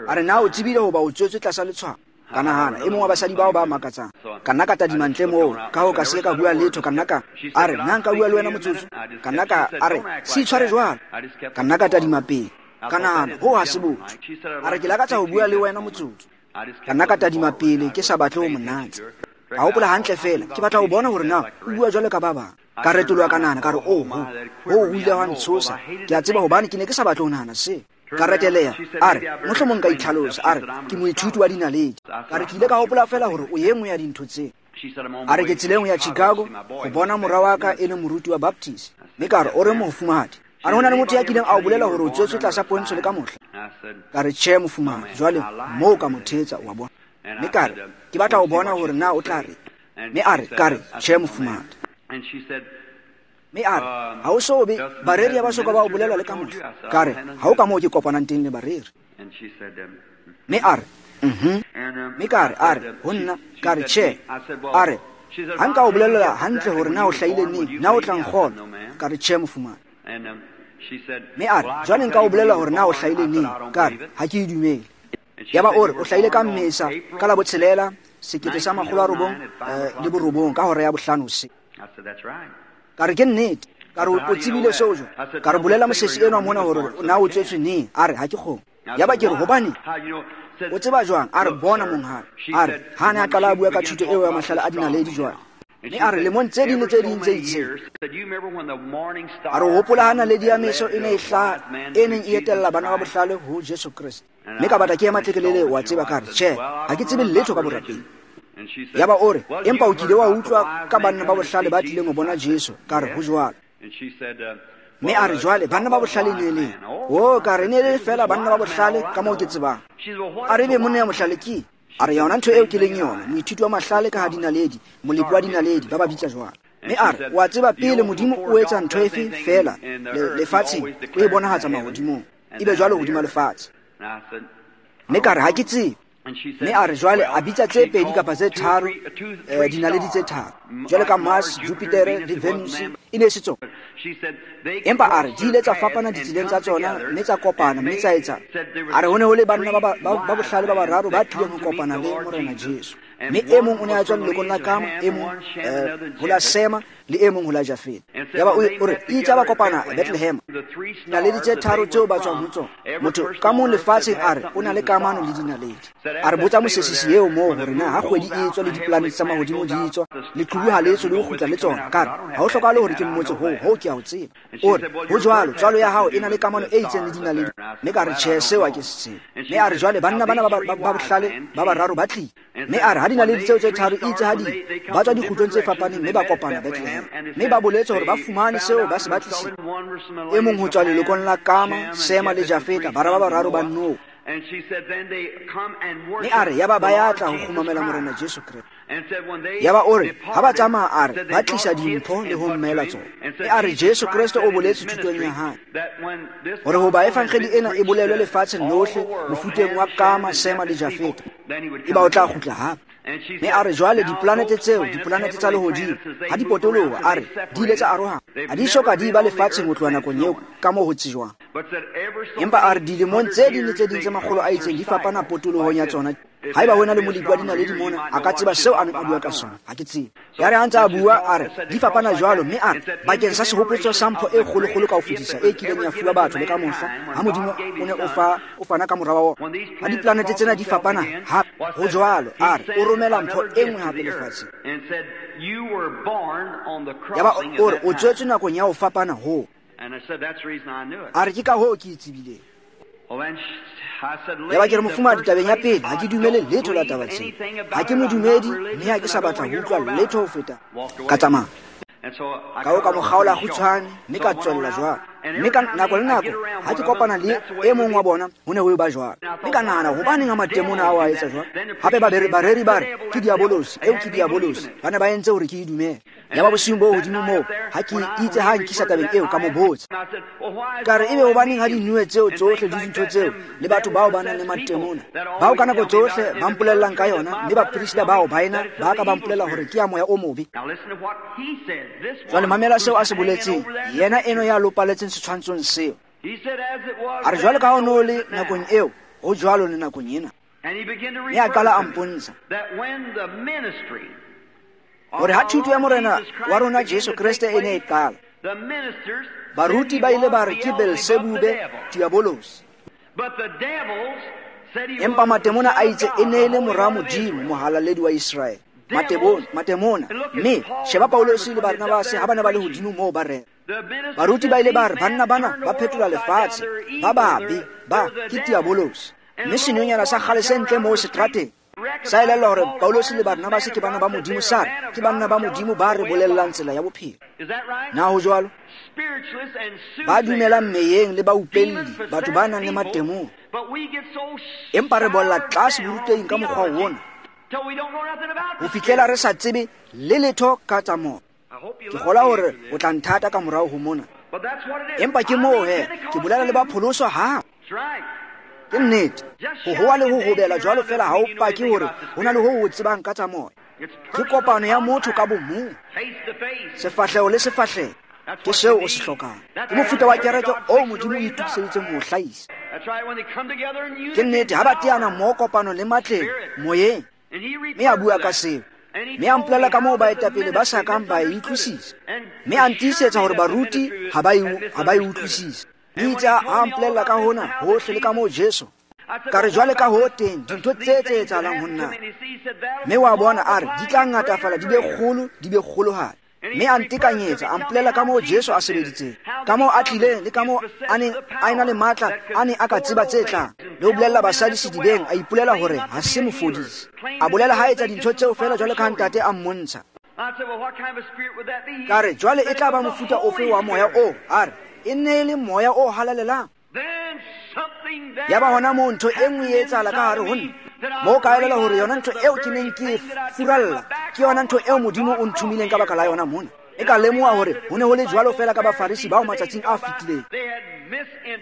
A re na o tsebile hoba o tswetswe tlasa letshwao? Ka nahana e mong wa basadi bao ba makatsang. Ka nna ka tadima ntle moo, ka ho ka se ka bua letho. Ka nna ka a re nna nka bua le wena motsotso. Ka nna ka a re se itshware jwalo. Ka nna ka tadima pele. Ka nahana ho ha se botho. A re ke lakatsa ho bua le wena motsotso. Ka nna ka tadima pele ke sa batle ho monatsa. Ka hopola hantle fela, ke batla ho bona hore na o bua jwalo ka ba bang. Ka retoloha ka nahana ka re oh ho ho o ile wa ntshosa. Ke a tseba hobane ke ne ke sa batle ho nahana se. Ka reteleha. A re mohlomong nka itlhalosa. A re ke moithuti wa dinaledi. Ka re ke ile ka hopola fela hore o e nngwe ya dintho tseo. A re ke tseleng ho ya Chicago ho bona mora wa ka e leng moruti wa Baptist. Mme ka re o re mofumahadi. A re ho na le motho ya kileng a o bolela hore o tswetswe tlasa pontsho le ka mohla? Ka re tjhe mofumahadi. Jwale moo ka mo thetsa, wa bona. Mme ka re ke batla ho bona hore na o tla re. Mme a re ka re tjhe mofumahadi. Mme a re ha o so be bareri ba soka ba o bolela le ka mohla? Ka re ha o ka moo ke kopanang teng le bareri. Mme a re mhm. Mme ka re a re ho nna. Ka re tjhe. A re ha nka o bolela hantle hore na o hlahile neng, na o tla nkgolwa? Ka re tjhe mofumahadi. Mme a re jwale nka o bolela hore na o hlahile neng? Ka re ha ke e dumele. Yaba o re o hlahile ka Mmesa ka la botshelela sekete sa makgolo a robong le borobong ka hora ya bohlano hoseng. Ka re ke nnete. Ka re o tsebile seo jwang? Ka re bolela mosesi enwa mona hore na o tswetswe neng. A re ha ke kgone. Yaba ke re hobane o tseba jwang? A re bona monghadi. A re ha ne a qala a bua ka thuto eo ya mahlale a dinaledi jwale. Mme a re lemong tse ding le tse ding tse itseng. A re hopola ha naledi ya meso e ne e hlaha, e neng e etella bana ba bohlale ho Jesu Kreste. Mme ka batla ke ema tlekelele, wa tseba, ka re, tjhe, ha ke tsebe letho ka borapedi. Yaba o re, empa o kile wa utlwa ka banna ba bohlale ba tlileng ho bona Jesu. Ka re, ho jwalo. Mme a re, jwale banna ba bohlale ne le o ka re ne le fela banna ba bohlale ka moo ke tsebang. A re be monna ya mohlale ke a re yona ntho eo ke leng yona, moithuti wa mahlale ka ha dinaledi, molepi wa dinaledi, ba ba bitsa jwalo. Mme a re, wa tseba pele Modimo o etsa ntho efe fela lefatsheng, o e bonahatsa mahodimong, ebe jwalo hodima lefatshe. Mme ka re, ha ke tsebe. Mme a re jwale a bitsa tse pedi kapa tse tharo, eh, dinaledi tse tharo, jwale ka Mars, Jupiter le Venus, e ne e se tsona. Empa a re di ile tsa fapana ditseleng tsa tsona, mme tsa kopana, mme tsa etsa. A re ho ne ho le banna ba ba bohlale ba bararo ba tlileng ho kopana le Morena Jesu. Mme e mong o ne a tswa lelokong la Kama, e mong ho la Sema, le e mong ho la Jafeta. Yaba o re itse ba kopana Bethlehem. Dinaledi tse tharo tseo ba tswang ho tsona. Motho ka mong lefatsheng a re o na le kamano le dinaledi. A re botsa mosesisi eo moo hore na ha kgwedi e tswa le dipolanete tsa mahodimo di tswa, leqhubu ha le tswe le ho kgutla le tsona. Ka re ha ho hlokahale hore ke mmotse hoo, hoo ke a ho tseba. O re ho jwalo, tswalo ya hao e na le kamano e itseng le dinaledi. Mme ka re tjhe, seo ha ke se tsebe. Mme a re jwale banna bana ba ba bohlale ba bararo ba tlile. Mme a re ha dinaledi tseo tse tharo itse ha di ba tswa dikgutlong tse fapaneng, mme ba kopana Bethlehem. Mme ba boletse hore ba fumane seo ba se batlisitse. E mong ho tswa lelokong la Kama, Sema le Jafeta, bara ba bararo ba Noa. Mme a re yaba ba ya tla ho kgumamela Morena Jesu Kreste. Yaba o re ha ba tsamaya, a re ba tlisa dimpho le ho mmela tsona. Mme a re Jesu Kreste o boletse thutong ya hae hore hoba evangeli ena e bolelwe lefatsheng lohle mofuteng wa Kama, Sema le Jafeta, eba o tla kgutla hape. Mme a re jwale dipolanete tseo, dipolanete tsa lehodimo, ha di potoloha, a re di ile tsa arohana, ha di soka di ba lefatsheng ho tloha nakong eo ka moo ho tsejwang. Empa a re dilemong tse ding le tse ding tse makgolo a itseng di fapana potolohong ya tsona. Haeba ho na le molepi wa dinaledi mona, a ka tseba seo a neng a bua ka sona, ha ke tsebe. Ya re ha ntse a bua, a re di fapana jwalo, mme a re bakeng sa sehopotso sa mpho e kgolokgolo ka ho fetisa e kileng ya fuwa batho le ka mohla, ha Modimo o ne o fa o fana ka mora wa ona. Ha dipolanete tsena di fapana hape, ho jwalo, a re o romela mpho e nngwe hape lefatsheng. Yaba o re o tswetswe nakong ya ho fapana hoo. A re ke ka hoo ke e tsebileng. Yaba ke re mofumahadi, tabeng ya pele, ha ke dumele letho la taba tseo. Ha ke modumedi, mme ha ke sa batla ho utlwa letho ho feta. Ka tsamaya. Ka ho ka mo kgaola kgutshwane, mme ka tswella jwalo. Mme ka nako le nako ha ke kopana le e mong wa bona, ho ne ho eba jwalo. Mme ka nahana, hobaneng ha matemona ao a etsa jwalo? Hape bareri ba re ke diabolosi, eo ke diabolosi. Ba ne ba entse hore ke e dumele. Yaba bosiung bo hodimo moo, ha ke itse ha nkisa tabeng eo, ka mo botsa. Ka re ebe hobaneng ha dinue tseo tsohle le dintho tseo le batho bao ba nang le matemona, bao ka nako tsohle ba mpolellang ka yona, mme baprista bao baena ba ka ba mpolella hore ke ya moya o mobe. Jwale mamela seo a se boletseng, yena eno ya lopaletseng setshwantshong seo. A re jwale ka ho no le nakong eo, ho jwalo le nakong ena. Mme a qala a mpontsha hore ha thuto ya Morena wa rona Jesu Kreste e ne e qala, baruti ba ile ba re ke Belsebube, diabolosi. Empa matemona a itse e ne e le mora Modimo, mohalaledi wa Iseraele. Matebona, matemona. Mme sheba Paulosi le Barnabase ha ba ne ba le hodimo moo ba rera. Baruti ba ile ba re banna bana ba phetola lefatshe, ba babe, ba ke diabolosi. Mme senonyana sa kgale se ntle moo seterateng sa elellwa hore Paulosi le Barnabase ke bana ba Modimo, sa re ke banna ba Modimo ba re bolellang tsela ya bophelo. Na ho jwalo? Ba dumelang meyeng le baupelli, batho ba nang le matemona. Empa re bolla tlase borutehing ka mokgwa ona ho fihlela re sa tsebe le letho ka tsa moya. Ke kgolwa hore o tla nthata ka morao ho mona. Empa ke moo he, ke bolela le ba pholoswa ha. Ke nnete, ho howa le ho hobela jwalo fela ha o pake hore ho na le ho o tsebang ka tsa moya. Ke kopano ya motho ka bomong, sefahleho le sefahleho. Ke seo o se hlokang. Ke mofuta wa kereke o Modimo o itokiseditseng ho o hlahisa. Ke nnete, ha ba teana mmoho kopano le matleng moyeng. Mme a bua ka seo. Mme a mpolella ka moo baetapele ba sa kang ba e utlwisisa. Mme a ntiisetsa hore baruti ha ba e ha ba e utlwisise. Mme itse ha a mpolella ka hona hohle le ka moo Jesu Ka re jwale ka ho teng dintho tse tse etsahalang ho nna. Mme wa bona a re di tla ngatafala di be kgolo di be kgolohadi. Mme a ntekanyetsa a mpolela ka moo Jesu a sebeditseng, ka moo a tlileng le ka moo a neng a ena le matla a neng a ka tseba tse tlang. Le ho bolella basadi sedibeng a ipolela hore ha se mofodisi. A bolela ha etsa dintho tseo feela jwalo ka ha ntate a mmontsha. Ka re jwale e tla ba mofuta ofe wa moya oo? A re e ne e le moya o halalelang. Ya ba hona moo ntho e nngwe e etsahala ka hare ho nna. Moo ka elelwa hore yona ntho eo ke neng ke e furalla ke yona ntho eo Modimo o nthomileng ka baka la yona mona. E ka lemoha hore ho ne ho le jwalo feela ka Bafarisi bao matsatsing a fetileng.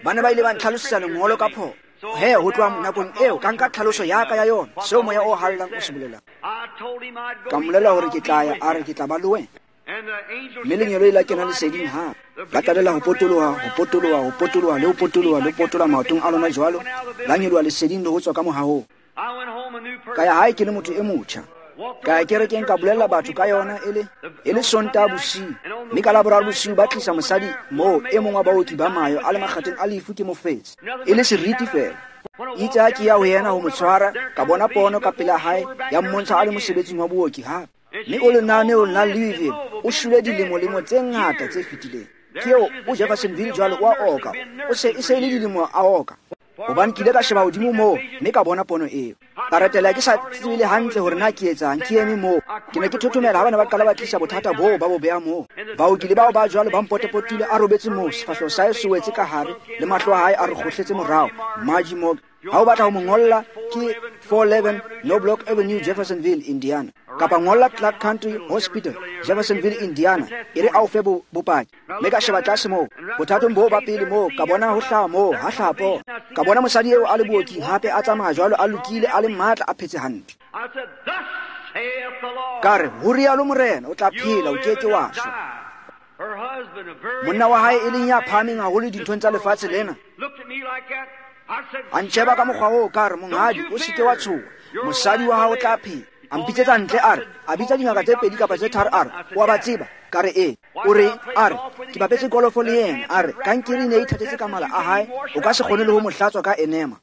Ba ne ba ile ba ntlhalosetsa lengolo ka phoso. He, ho tloha nakong eo ka nka tlhaloso ya ka ya yona, seo moya o halalelang o se bolelang. Ka mmolella hore ke tla ya, a re ke tla ba le wena. Mme lengeloi la kena leseding hape. La qalela ho potoloha, ho potoloha, ho potoloha, le ho potoloha, le ho potoloha maotong a lona jwalo. La nyoloha leseding le ho tswa ka mohahong. Ka ya hae ke le motho e motjha. Ka ya kerekeng ka bolella batho ka yona e le e le Sontaha bosiu. Mme ka Laboraro bosiu ba tlisa mosadi moo e mong wa baoki ba Mayo a le makgatheng a lefu ke mofetshe. E le seriti feela. Itse ha ke ya ho yena ho mo tshwara, ka bona pono ka pela hae ya mmontsha a le mosebetsing wa booki hape. Mme o lenaneong la Louisville o shwele dilemo-lemo tse ngata tse fetileng. Ke eo o Jeffersonville jwalo o a oka. O se e se e le dilemo a oka. Hobane ke ile ka sheba hodimo moo mme ka bona pono eo. Ka retela ke sa tsebe le hantle hore na ke etsang, ke eme moo. Ke ne ke thothomela ha ba ne ba qala ba tlisa bothata boo ba bo beha moo. Baoki le bao ba jwalo ba mpotapotile a robetse moo, sefahleho sa hae se wetse ka hare le mahlo a hae a re kgohletse morao. Margie Morgan. Ha o batla ho mo ngolla ke four eleven Knobloch Avenue, Jeffersonville, Indiana. Kapa ngolla Clark Country Hospital, Jeffersonville, Indiana. E re a o fe bopaki. Mme ka sheba tlase moo, bothatong boo ba pele moo, ka bona ho hlaha moo, ha hlaha pono. Ka bona mosadi eo a le booking hape a tsamaya jwalo a lokile a le matla a phetse hantle. Ka re, ho rialo Morena, o tla phela, o ke ke wa shwa. Monna wa hae e leng ya phahameng haholo dinthong tsa lefatshe lena. A ntjheba ka mokgwa oo, ka re, monghadi, o se ke wa tshoha, mosadi wa hao o tla phela. A mpitsetsa ntle a re, a bitsa dingaka tse pedi kapa tse tharo a re, o a ba tseba? Ka re ee. O re, a re, ke bapetse kolofo le yena. A re, kankere e ne e ithatetse ka mala a hae, o ka se kgone le ho mo hlatswa ka enema.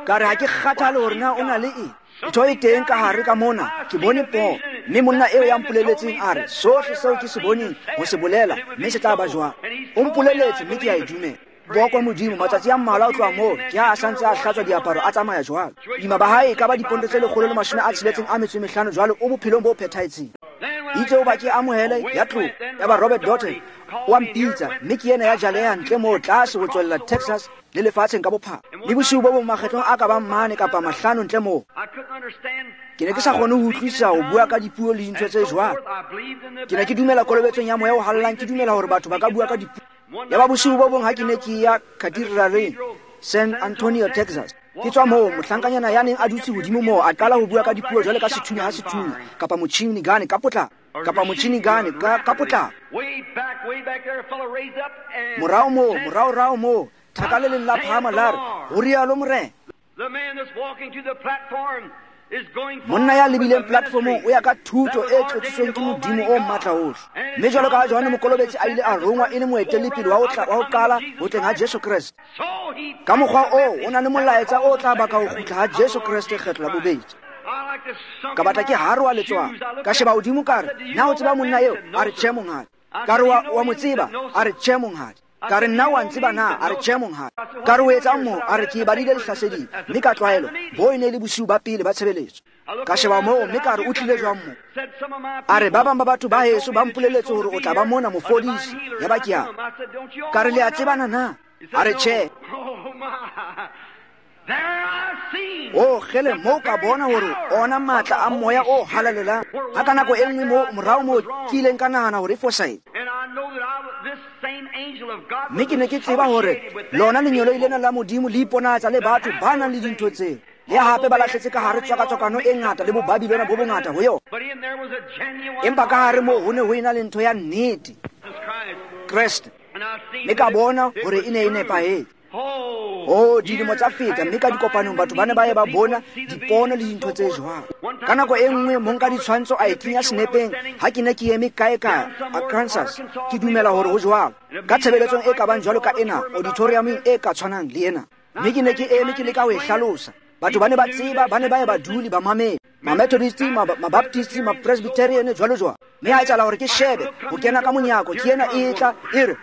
Ka re, ha ke kgathale hore na o na le eng. Ntho e teng ka hare ka mona, ke bone pono. Mme monna eo ya mpoleletseng a re, sohle seo ke se boneng ho se bolela, mme se tla ba jwang. O mpoleletse mme ke a e dumela. Bokwa Modimo, matsatsi a mmalwa o tloha moo, ke ha a santse a hlatswa diaparo a tsamaya jwalo. Boima ba hae e ka ba diponto tse lekgolo le mashome a tsheletseng a metso e mehlano jwalo, o bophelong bo phethahetseng. Itse o ba ke amohele ya tloha, ya ba Robert Dotton o a mpitsa, mme ke yena ya jaleha ntle moo tlase ho tswella Texas le lefatsheng ka bophara. Le bosiu bo bong makgetlong a ka bang mane kapa mahlano ntle moo. Ke ne ke sa kgone ho utlwisisa ho bua ka dipuo le dintho tse jwalo. Ke ne ke dumela kolobetsong ya moya o halalelang, ke dumela hore batho ba ka bua ka dipuo. Ya ba bosiu bo bong ha ke ne ke ya Cathedraleng, San Antonio, Texas. Ke tswa moo, mohlankanyana ya neng a dutse hodimo moo a qala ho bua ka dipuo jwalo ka sethunya ha sethunya, kapa motjhini gane ka potlako, kapa motjhini gane ka, ka potlako. Morao moo, morao-rao moo, thaka le leng la phahama la re, ho rialo Morena. Monna ya lebileng platformong o ya ka thuto e tlotsitsweng ke Modimo o matla ohle. Mme jwalo ka ha Johanne Mokolobetsi a ile a rongwa e le moetelepele wa ho tla, wa ho qala ho tleng ha Jesu Kreste. Ka mokgwa oo, o na le molaetsa o tla baka ho kgutla ha Jesu Kreste kgetlo la bobedi. Ka batla ke haroha letswalo. Ka sheba hodimo ka re, na o tseba monna eo? A re, tjhe monghadi. Ka re, wa, wa mo tseba? A re, tjhe monghadi. Ka re, nna wa ntseba na? A re, tjhe monghadi. Ka re, o etsang moo? A re, ke e badile lehlaseding, mme ka tlwaelo, bo e ne e le bosiu ba pele ba tshebeletso. Ka sheba moo, mme ka re, o tlile jwang moo? A re, ba bang ba batho ba heso ba mpoleletse hore o tla ba mona mofodisi. Ya ba ke a. Ka re, le a tsebana na? A re, tjhe. O kgele moo ka bona hore ona matla a moya o halalelang. Ha ka nako e nngwe moo morao moo ke ileng ka nahana hore e fosahetse. Mme ke ne ke tseba hore lona lengeloi lena la Modimo le iponahatsa le batho ba nang le dintho tseo. Le hape ba lahletse ka hare tswakatswakano e ngata le bobabilona bo bongata ho yona. Empa ka hare moo ho ne ho ena le ntho ya nnete, Kreste. Mme ka bona hore e ne e nepahetse. Oh, dilemo tsa feta, mme ka dikopanong batho ba ne ba ye ba bona dipono le dintho tse jwalo. Ka nako e nngwe monka ditshwantsho a e kenya senepeng ha ke ne ke eme kae kae Arkansas, ke dumela hore ho jwalo. Ka tshebeletsong e ka bang jwalo ka ena, auditoriumeng e ka tshwanang le ena. Mme ke ne ke eme ke leka ho e hlalosa. Batho ba ne ba tseba, ba ne ba ye ba dule ba mamele. Ma-Methodist, ma-Baptist, ma-Presbyterian, jwalo jwalo. Mme ha etsahala hore ke shebe ho kena ka monyako, ke ena e tla e re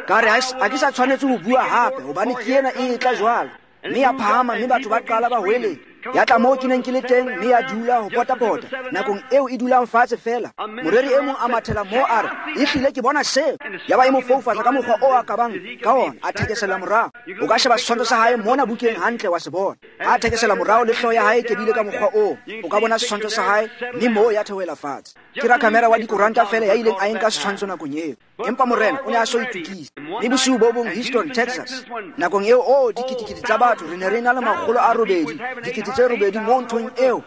ka re ha ke sa tshwanetse ho bua hape hobane ke ena e tla jwalo. Mme ya phahama, mme batho ba qala ba hweletsa. Ya tla moo ke neng ke le teng, mme ya dula ho potapota. Nakong eo e dulang fatshe feela, moreri e mong a mathela moo a re, ehlile ke bona seo. Ya ba e mo foufatsa ka mokgwa o a kabang ka ona, a thekesela morao. O ka sheba setshwantsho sa hae mona bukeng hantle wa se bona. A thekesela morao le hlooho ya hae e kebile ka mokgwa oo. O ka bona setshwantsho sa hae, mme moo ya theohela fatshe. Ke rakamera wa dikoranta feela ya ileng a enka setshwantsho nakong eo. Empa morena o ne a so itokise. Mme bosiu bo bong Houston, Texas, nakong eo o diketekete tsa batho re ne re na le makgolo a robedi, dikete tse robedi mo nthong eo,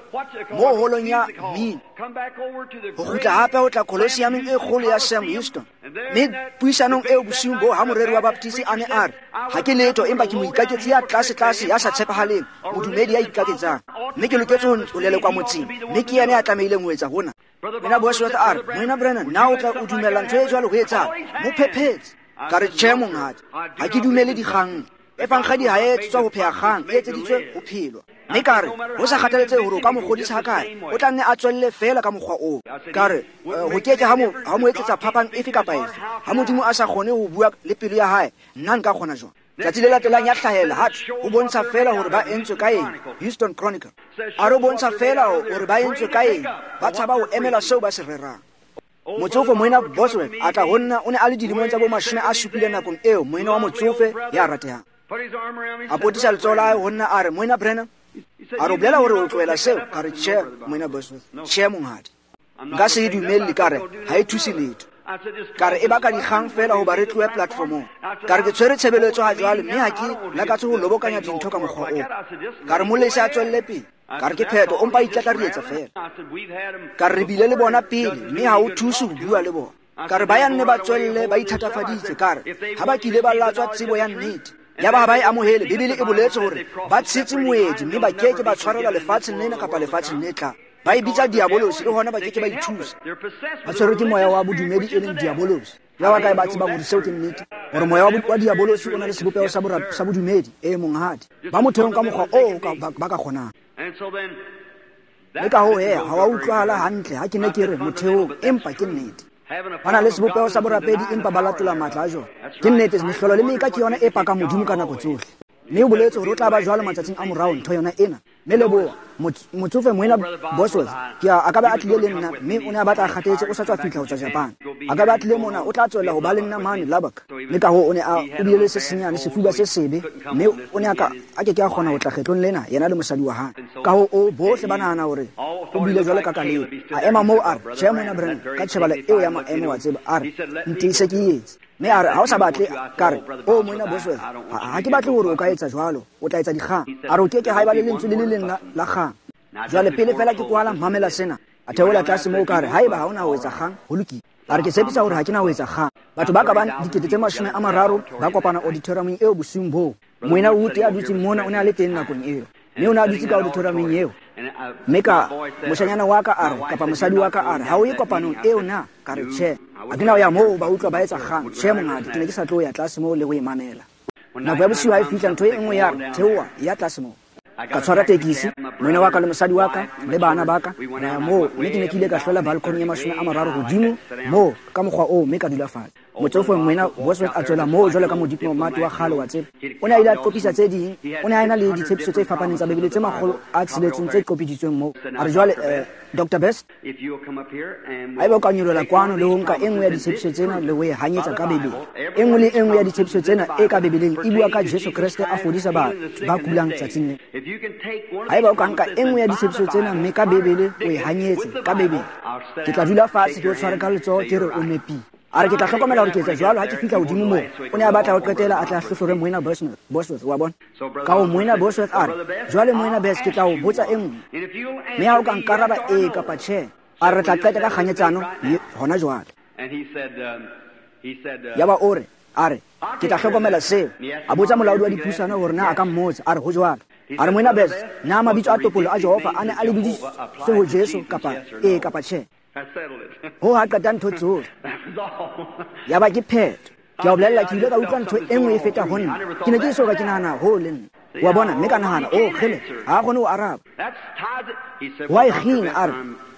mo holong ya mmino. Ho kgutla hape ho tla Colosseumeng e kgolo ya Sam Houston. Mme puisanong eo bosiung boo ha moreri wa Baptist a ne a re, ha ke letho empa ke moikaketsi ya tlase-tlase ya sa tshepahaleng, modumedi ya ikaketsang. Mme ke loketse ho lelekwa motseng, mme ke yena ya tlamehileng ho etsa hona. Moena Bosworth a re, Moena Branham, na o tla o dumella ntho e jwalo ho etsahala? Mo phephetse. Ka re, tjhe monghadi, ha ke dumele dikgang. Efankgadi ha e etsetswa ho pheha kgang, e etseditswe ho phelwa. Mme ka re, ho sa kgathaletsehe hore o ka mo kgodisa hakae, o tla nne a tswelle feela ka mokgwa oo. Ka re, ho ke ke ha mo ha mo etsetsa phapang efe kapa efe. Ha Modimo a sa kgone ho bua le pelo ya hae, nna nka kgona jwang? Tsatsi le latelang ya hlahela ha ho bontsha feela hore ba entswe ka eng. Houston Chronicle. A re bontsha feela hore ba entswe ka eng, ba tshaba ho emela seo ba se rerang. Motsofe Moena Bosworth a tla ho nna, o ne a le dilemong tsa bo mashome a supileng nakong eo, moena wa motsofe ya ratehang. A potisa letsoho la hae ho nna a re, Moena Branham, a re o bolela hore o tlohela seo? Ka re, tjhe, Moena Bosworth, tjhe monghadi. Nka se e dumelle, ka re, ha e thuse letho. Ka re e baka dikgang feela hoba re tlohe platformong. Ka re ke tshwere tshebeletso ha jwale, mme ha ke lakatse ho lobokanya dintho ka mokgwa oo. Ka re molesi a tswelle pele. Ka re ke phetho, o mpa itlatlarietsa feela. Ka re re bile le bona pele, mme ha o thuse ho bua le bona. Ka re ba ya nne ba tswelle ba ithatafaditse. Ka re ha ba kile ba latswa tsebo ya nnete, ya ba ha ba e amohele. Bibele e boletse hore ba tshetse moedi, mme ba ke ke ba tshwarelwa lefatsheng lena kapa lefatsheng le tlang. Ba e bitsa diabolosi, le hona ba ke ke ba ithusa. Ba tshwerwe ke moya wa bodumedi e leng diabolosi. Ya ba kae ba tsebang hore seo ke nnete, hore moya wa diabolosi o na le sebopeho sa sa bodumedi? E monghadi, ba motheong ka mokgwa oo ba ka kgonang. Le ka hoo he, ha wa utlwahala hantle ha ke ne ke re motheong, empa ke nnete. Ba na le sebopeho sa borapedi, empa ba latola matla a jona. Ke nnete, mehlolo le meka ke yona e pakang Modimo ka nako tsohle. Mme o boletse hore o tla ba jwalo matsatsing a morao ntho yona ena. Mme leboha, motsofe Moena Bosworth, ke a a ka ba a tlile le nna, mme o ne a batla a kgathetse, o sa tswa fihla ho tswa Japan. A ka ba a tlile mona, o tla tswella ho ba le nna mane Lubbock. Mme ka hoo o ne a o bile le se senyane, sefuba se sebe, mme o ne a ka a ke ke a kgona ho tla kgetlong lena, yena le mosadi wa hae. Ka hoo o bohle ba nahana hore o bile jwalo ka Kalebe. A ema moo a re, tjhe Moena Branham, ka tjhebala eo ya maemo wa tseba, a re, ntiise ke etse. Mme a re, ha o sa batle, ka re, o Moena Bosworth, ha ke batle hore o ka etsa jwalo, o tla etsa dikgang. A re o ke ke ha eba le lentswe le le leng la kgang. Jwale pele fela ke kwala, mamela sena. A theola tlase moo ka re, haeba ha ona ho etsa kgang, ho lokile. A re ke tshepisa hore ha ke na ho etsa kgang. Batho ba ka bang dikete tse mashome a mararo ba kopana auditoriumeng eo bosiung boo. Moena Wood ya dutseng mona o ne a le teng nakong eo. Mme o ne a dutse ka auditoriumeng eo. Mme ka moshanyana wa ka a re, kapa mosadi wa ka a re, ha o ye kopanong eo na? Ka re, tjhe. Ha ke na ho ya moo ba utlwa ba etsa kgang. Tjhe monghadi, ke ne ke sa tlo ya tlase moo le ho e mamela. Nako ya bosiu ha e fihla, ntho e nngwe ya re, theoha, ya tlase moo. Ka tshwara tekisi, moena wa ka le mosadi wa ka le bana ba ka, ra ya moo, mme ke ne ke ile ka hlola balcony ya mashome a mararo hodimo moo ka mokgwa oo, mme ka dula fatshe. Motsofe Moena Bosworth a tswela moo jwalo ka modiplomat wa kgale wa tseba. O ne a ile a qopisa tse ding, o ne a ena le ditshepiso tse fapaneng tsa Bibele tse makgolo a tsheletseng tse qopiditsweng moo. A re jwale, eh, Doctor Best, haeba o ka nyolohela kwano le ho nka e nngwe ya ditshepiso tsena le ho e hanyetsa ka Bibele. E nngwe le e nngwe ya ditshepiso tsena e ka Bibeleng e bua ka Jesu Kreste a fodisa batho ba kulang tsatsing lena. Haeba o ka nka e nngwe ya ditshepiso tsena mme ka Bibele o e hanyetse ka Bibele, ke tla dula fatshe ke o tshware ka letsoho ke re o nepile. A re ke tla hlokomela hore ke etsa jwalo ha ke fihla hodimo moo. O ne a batla ho qetela a tla hlohlore Moena Bosworth, wa bona. Ka ho Moena Bosworth a re, jwale Moena Best, ke tla o botsa e nngwe. Mme ha o ka nkaraba ee kapa tjhe, a re tla qeta ka kganyetsano hona jwale. Yaba o re, a re, ke tla hlokomela seo. A botsa molaodi wa dipusano hore na a ka mmotsa, a re ho jwalo. A re Moena Best, na mabitso a topollo a Jehova a ne a lebidisitswe ho Jesu kapa ee kapa tjhe? Ho ha qeta ntho tsohle. Yaba ke phetho. Ke a o bolella ke ile ka utlwa ntho e nngwe e feta ho nna. Ke ne ke eso ka ke nahana ho le nna. Wa bona, mme ka nahana, oh kgele, ha a kgone ho araba. Wa e kgina a re,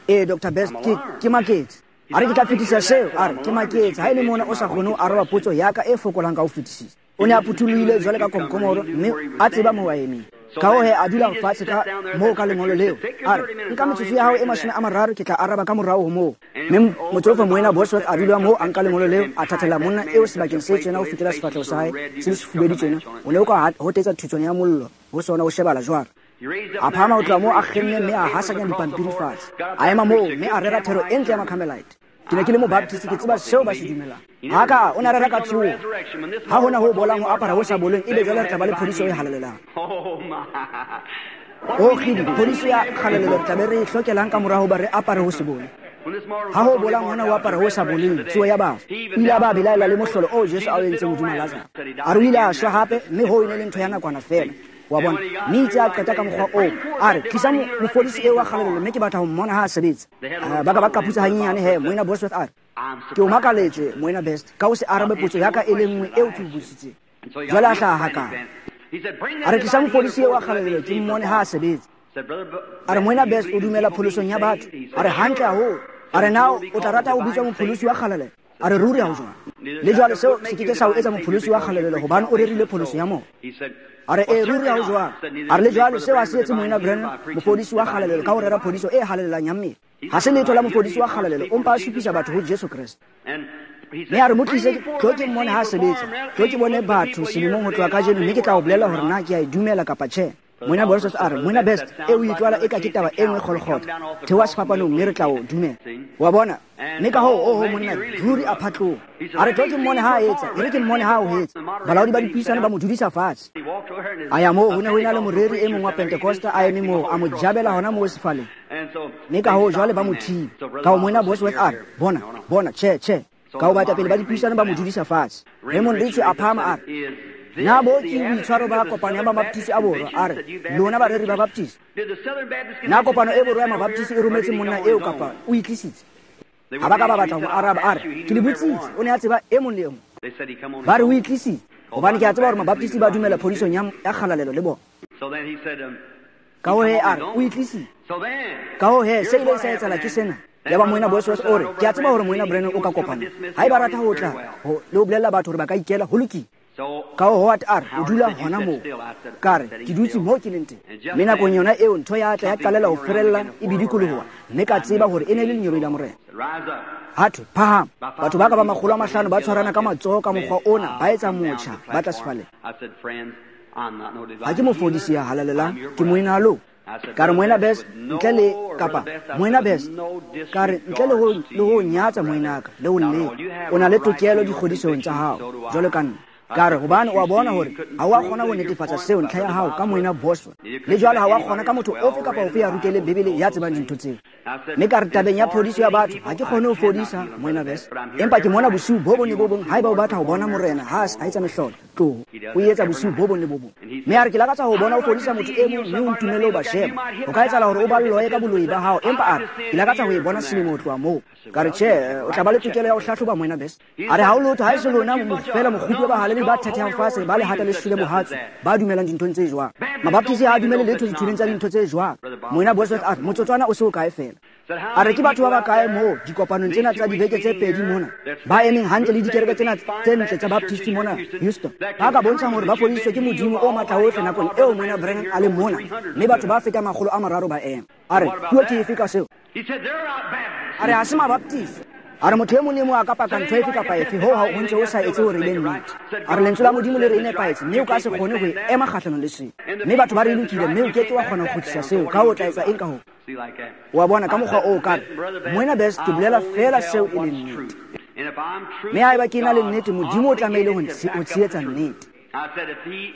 ee Doctor Best, ke ke maketse. A re ke tla fetisa seo, a re ke maketse ha e le mona o sa kgone ho araba potso ya ka e fokolang ka ho fetisisa. O ne a phuthulohile jwale ka komkomoro mme a tseba moo a emeng. Ka ho he a dula fatshe ka moo ka lengolo leo. A re, nka metsotso ya hao e mashome a mararo ke tla araba ka morao ho moo. Mme motsofe Moena Bosworth a dula moo a nka lengolo leo a thathela monna eo sebakeng se tjena ho fihlela sefahleho sa hae se le sefubedu tjena. O ne o ka hotetsa thutswana ya mollo ho sona o shebala jwalo. A phahama ho tloha moo a kgenne mme a hasanya dipampiri fatshe. A ema moo mme a rera thero e ntle ya Macarmelite. Ke ne ke le Mobaptist, ke tseba seo ba se dumelang. Ha ka o ne a rera ka tsoho. Ha hona ho bolang ho apara ho sa boleng, ebe jwale re tla ba le phodiso e halalelang. O kgidi, phodiso ya kgalalelo re tla be re e hlokelang ka mora hoba re apare ho se bole. Ha ho bolang hona ho apara ho sa boleng, tsoho ya bafu. O ile a ba belaela le mohlolo oo Jesu a o entseng hodima Lazaro. A re o ile a shwa hape, mme hoo e ne le ntho ya nakwana feela. Wa bona, mme itse a qeta ka mokgwa oo. A re, tlisa mofodisi eo wa kgalalelo mme ke batla ho mmona ha a sebetsa. Ba ka ba qaputsa hanyenyane he, Moena Bosworth a re, ke o makaletse Moena Best ka ho se arabe potso ya ka e le nngwe eo ke o botsitseng. Jwale a hlaha hakana. A re, tlisa mofodisi eo wa kgalalelo ke mmone ha a sebetsa. A re, Moena Best o dumela pholosong ya batho. A re, hantle haholo. A re, na o tla rata ho bitswa mopholosi wa kgalalelo? A re, ruri ha ho jwalo. Le jwale seo se ke ke sa o etsa mopholosi wa kgalalelo hobane o rerile pholoso ya moya. A re, ee ruri ha ho jwalo. A re, le jwale seo a se etse Moena Branham mofodisi wa kgalalelo ka ho rera phodiso e halalelang ya mmele. Ha se letho la mofodisi wa kgalalelo, o mpa a supisa batho ho Jesu Kreste. Mme a re, mo tlise tlo ke mmone ha a sebetsa, tlo ke bone batho selemong ho tloha kajeno, mme ke tla o bolella hore na ke a e dumela kapa tjhe. Moena Bosworth a re, Moena Best, e o itlwala eka ke taba e nngwe kgolokgotho. Theoha sefapanong mme re tla o dumela. Wa bona, mme ka hoo, oho monna, ruri a phatloha. A re, tlo ke mmone ha a etsa, e re ke mmone ha a o etsa. Balaodi ba dipuisano ba mo dudisa fatshe. A ya moo, ho ne ho ena le moreri e mong wa Pentecosta a eme moo, a mo jabela hona moo sefaleng. Mme ka hoo jwale ba mo thiba. Ka ho Moena Bosworth a re, bona, bona, tjhe, tjhe. Ka ho baetapele ba dipuisano ba mo dudisa fatshe. Raymond Richey a phahama a re, na bo ke boitshwaro ba kopano ya Mabaptist a Borwa? A re, lona bareri ba Baptist, na kopano e Borwa ya Mabaptist e rometse monna eo kapa o itlisitse? Ha ba ka ba batla ho mo araba. A re, ke le botsitse. O ne a tseba e mong le e mong. Ba re o itlisitse hobane ke a tseba hore Mabaptist ba dumela phodisong ya kgalalelo le bona. Ka ho he a re, o itlisitse. Ka ho he se ile sa etsahala ke sena. Yaba Moena Bosworth o re, ke a tseba hore Moena Branham o ka kopana. Haeba rata ho tla le ho bolella batho hore ba ka ikela, ho lokile. Ka ho Howard a re, o dula hona moo. Ka re, ke dutse moo ke leng teng. Mme nakong yona eo ntho ya tla ya qalela ho ferella e bidikoloha, mme ka tseba hore e ne le lengeloi la Morena. Ha thwe, phahama. Batho ba ka ba makgolo a mahlano ba tshwarana ka matsoho ka mokgwa ona, ba etsa motjha, ba tla sefaleng. Ha ke mofodisi ya halalelang, ke moena lo. Ka re, Moena Best, ntle le kapa Moena Best, ka re ntle le ho le ho nyatsa moenaka le ho leka, o na le tokelo dikgodisong tsa hao jwalo ka nna. Ka re, hobane o a bona hore ha o a kgona ho netefatsa seo ntlha ya hao ka Moena Bosworth, le jwale ha o a kgona ka motho ofe kapa ofe ya ruteleng Bibele ya tsebang dintho tseo. Mme ka re, tabeng ya phodiso ya batho ha ke kgone ho fodisa Moena Best, empa ke mona bosiu bo bong le bo bong haeba o batla ho bona Morena ha a etsa mehlolo, tloho o etsa bosiu bo bong le bo bong. Mme a re, ke lakatsa ho bona o fodisa motho e mong mme o ntumelle ho ba sheba. Ho ka etsahala hore o ba loye ka boloi ba hao, empa a re, ke lakatsa ho e bona selemo ho tloha moo. Ka re, tjhe, o tla ba le tokelo ya ho hlahloba Moena Best. A re, ha o lotho ha e se lona feela mokgupi wa bahaleli ba thethehang fatshe, ba lehata le shwele mohatso, ba dumelang dinthong tse jwang. Mabaptist ha a dumele letho dithuleng tsa dintho tse jwang. Moena Bosworth a re, motsotswana o se o kae feela. A re, ke batho ba bakae moo dikopanong tsena tsa dibeke tse pedi mona ba emeng hantle le dikereke tsena tse ntle tsa Baptist mona Houston, ba ka bontshang hore ba fodisitswe ke Modimo o matla ohle nakong eo Moena Branham a leng mona, mme batho ba feta makgolo a mararo ba ema. A re, puo ke efe ka seo? A re, ha se Mabaptist. A re, motho e mong le mong a ka paka ntho efe kapa efe, hoo ha o ntse o sa etse hore e be nnete. A re, lentswe la Modimo le re e nepahetse, mme o ka se kgone ho e ema kgahlanong le seo. Mme batho ba re e lokile, mme o ke ke wa kgona ho kgutlisa seo. Ka ho o tla etsa eng ka hoo? Wa bona, ka mokgwa oo ka re, Moena Best, ke bolela feela seo e leng nnete. Mme haeba ke na le nnete, Modimo o tlamehile ho tshehetsa nnete.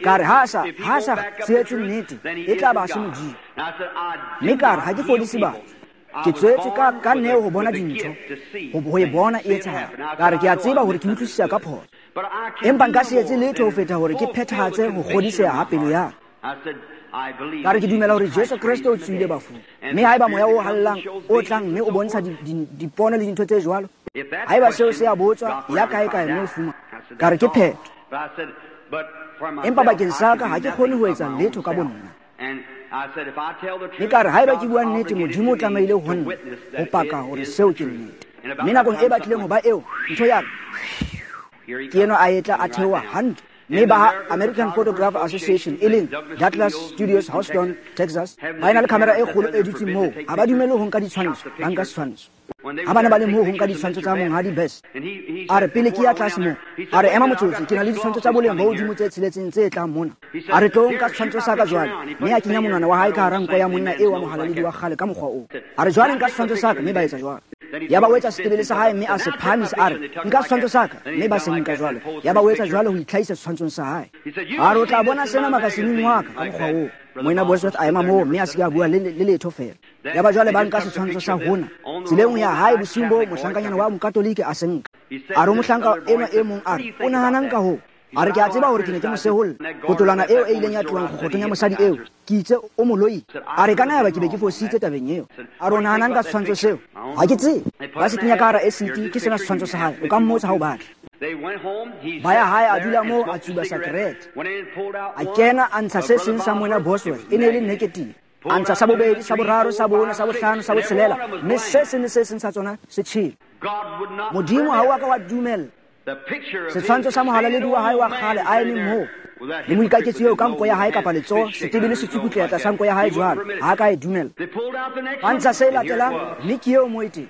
Ka re, ha sa ha sa tshehetse nnete, e tla ba se Modimo. Mme ka re, ha ke fodise batho. Ke tswetse ka ka neo ho bona dintho, ho e bona e etsahala. Ka re, ke a tseba hore ke utlwisisa ka phoso, empa nka se etse letho ho feta hore ke phethahatse ho kgodiseha ha pelo ya ka. Ka re, ke dumela hore Jesu Kreste o tsohile bafung. Mme haeba moya o hallang o tlang mme o bontsha dipono le dintho tse jwalo, haeba seo se a botswa ya kae kae mme o fumana. Ka re ke phetho. Empa bakeng sa ka ha ke kgone ho etsa letho ka bonna. Mme ka re haeba ke bua nnete, Modimo o tlamehile ho nna ho paka hore seo ke nnete. Mme nakong e batlileng ho ba eo, ntho ya re ke enwa a etla a theoha hantle. Mme ba ha American Photograph Association e leng Douglas Studios, Houston, Texas, ba ena le camera e kgolo e dutseng moo. Ha ba dumele ho nka ditshwantsho, ba nka setshwantsho. Ha ba ne ba le moo ho nka ditshwantsho tsa Monghadi Best, a re pele ke ya tlase moo, a re ema motsotso, ke na le ditshwantsho tsa boleng bo hodimo tse tsheletseng tse tlang mona. A re tlo nka setshwantsho sa ka jwale, mme a kenya monwana wa hae ka hara nko ya monna eo wa mohalaledi wa kgale ka mokgwa oo. A re jwale nka setshwantsho sa ka, mme ba etsa jwalo. Yaba o etsa setebele sa hae mme a se phahamisa, a re nka setshwantsho sa ka, mme ba se nka jwalo. Yaba o etsa jwalo ho itlhahisa setshwantshong sa hae. A re o tla bona sena makasineng wa ka ka mokgwa oo. Moena Bosworth a ema moo mme a se ke a bua le le letho fela. Yaba jwale ba nka setshwantsho sa hona. Tseleng ho ya hae bosiung boo, mohlankanyana wa mokatolike a se nka. A re mohlanka enwa e mong a re, o nahanang ka hoo? A re ke a tseba hore ke ne ke mo seholla. Kotolwana eo e ileng ya tlohang kgokgothong ya mosadi eo, ke itse o moloi. A re ka na yaba ke be ke fositse tabeng eo. A re o nahanang ka setshwantsho seo? Ha ke tsebe. Ba se kenya ka hara esiti, ke sena setshwantsho sa hae. O ka mmotsa ha o batla. Ba ya hae a dula moo a tsuba sakerete. A kena a ntsha se seng sa Moena Bosworth, e ne e le negative. A ntsha sa bobedi, sa boraro, sa bone, sa bohlano, sa botshelela, mme se seng le se seng sa tsona se tjhele. Modimo ha o a ka wa dumella setshwantsho sa mohalaledi wa hae wa kgale a eme moo le moikaketsi eo ka nko ya hae kapa letsoho, setebele se tsukutleha tlasa nko ya hae jwalo, ha a ka e dumella. Ba ntsha se latelang, mme ke eo moo e teng.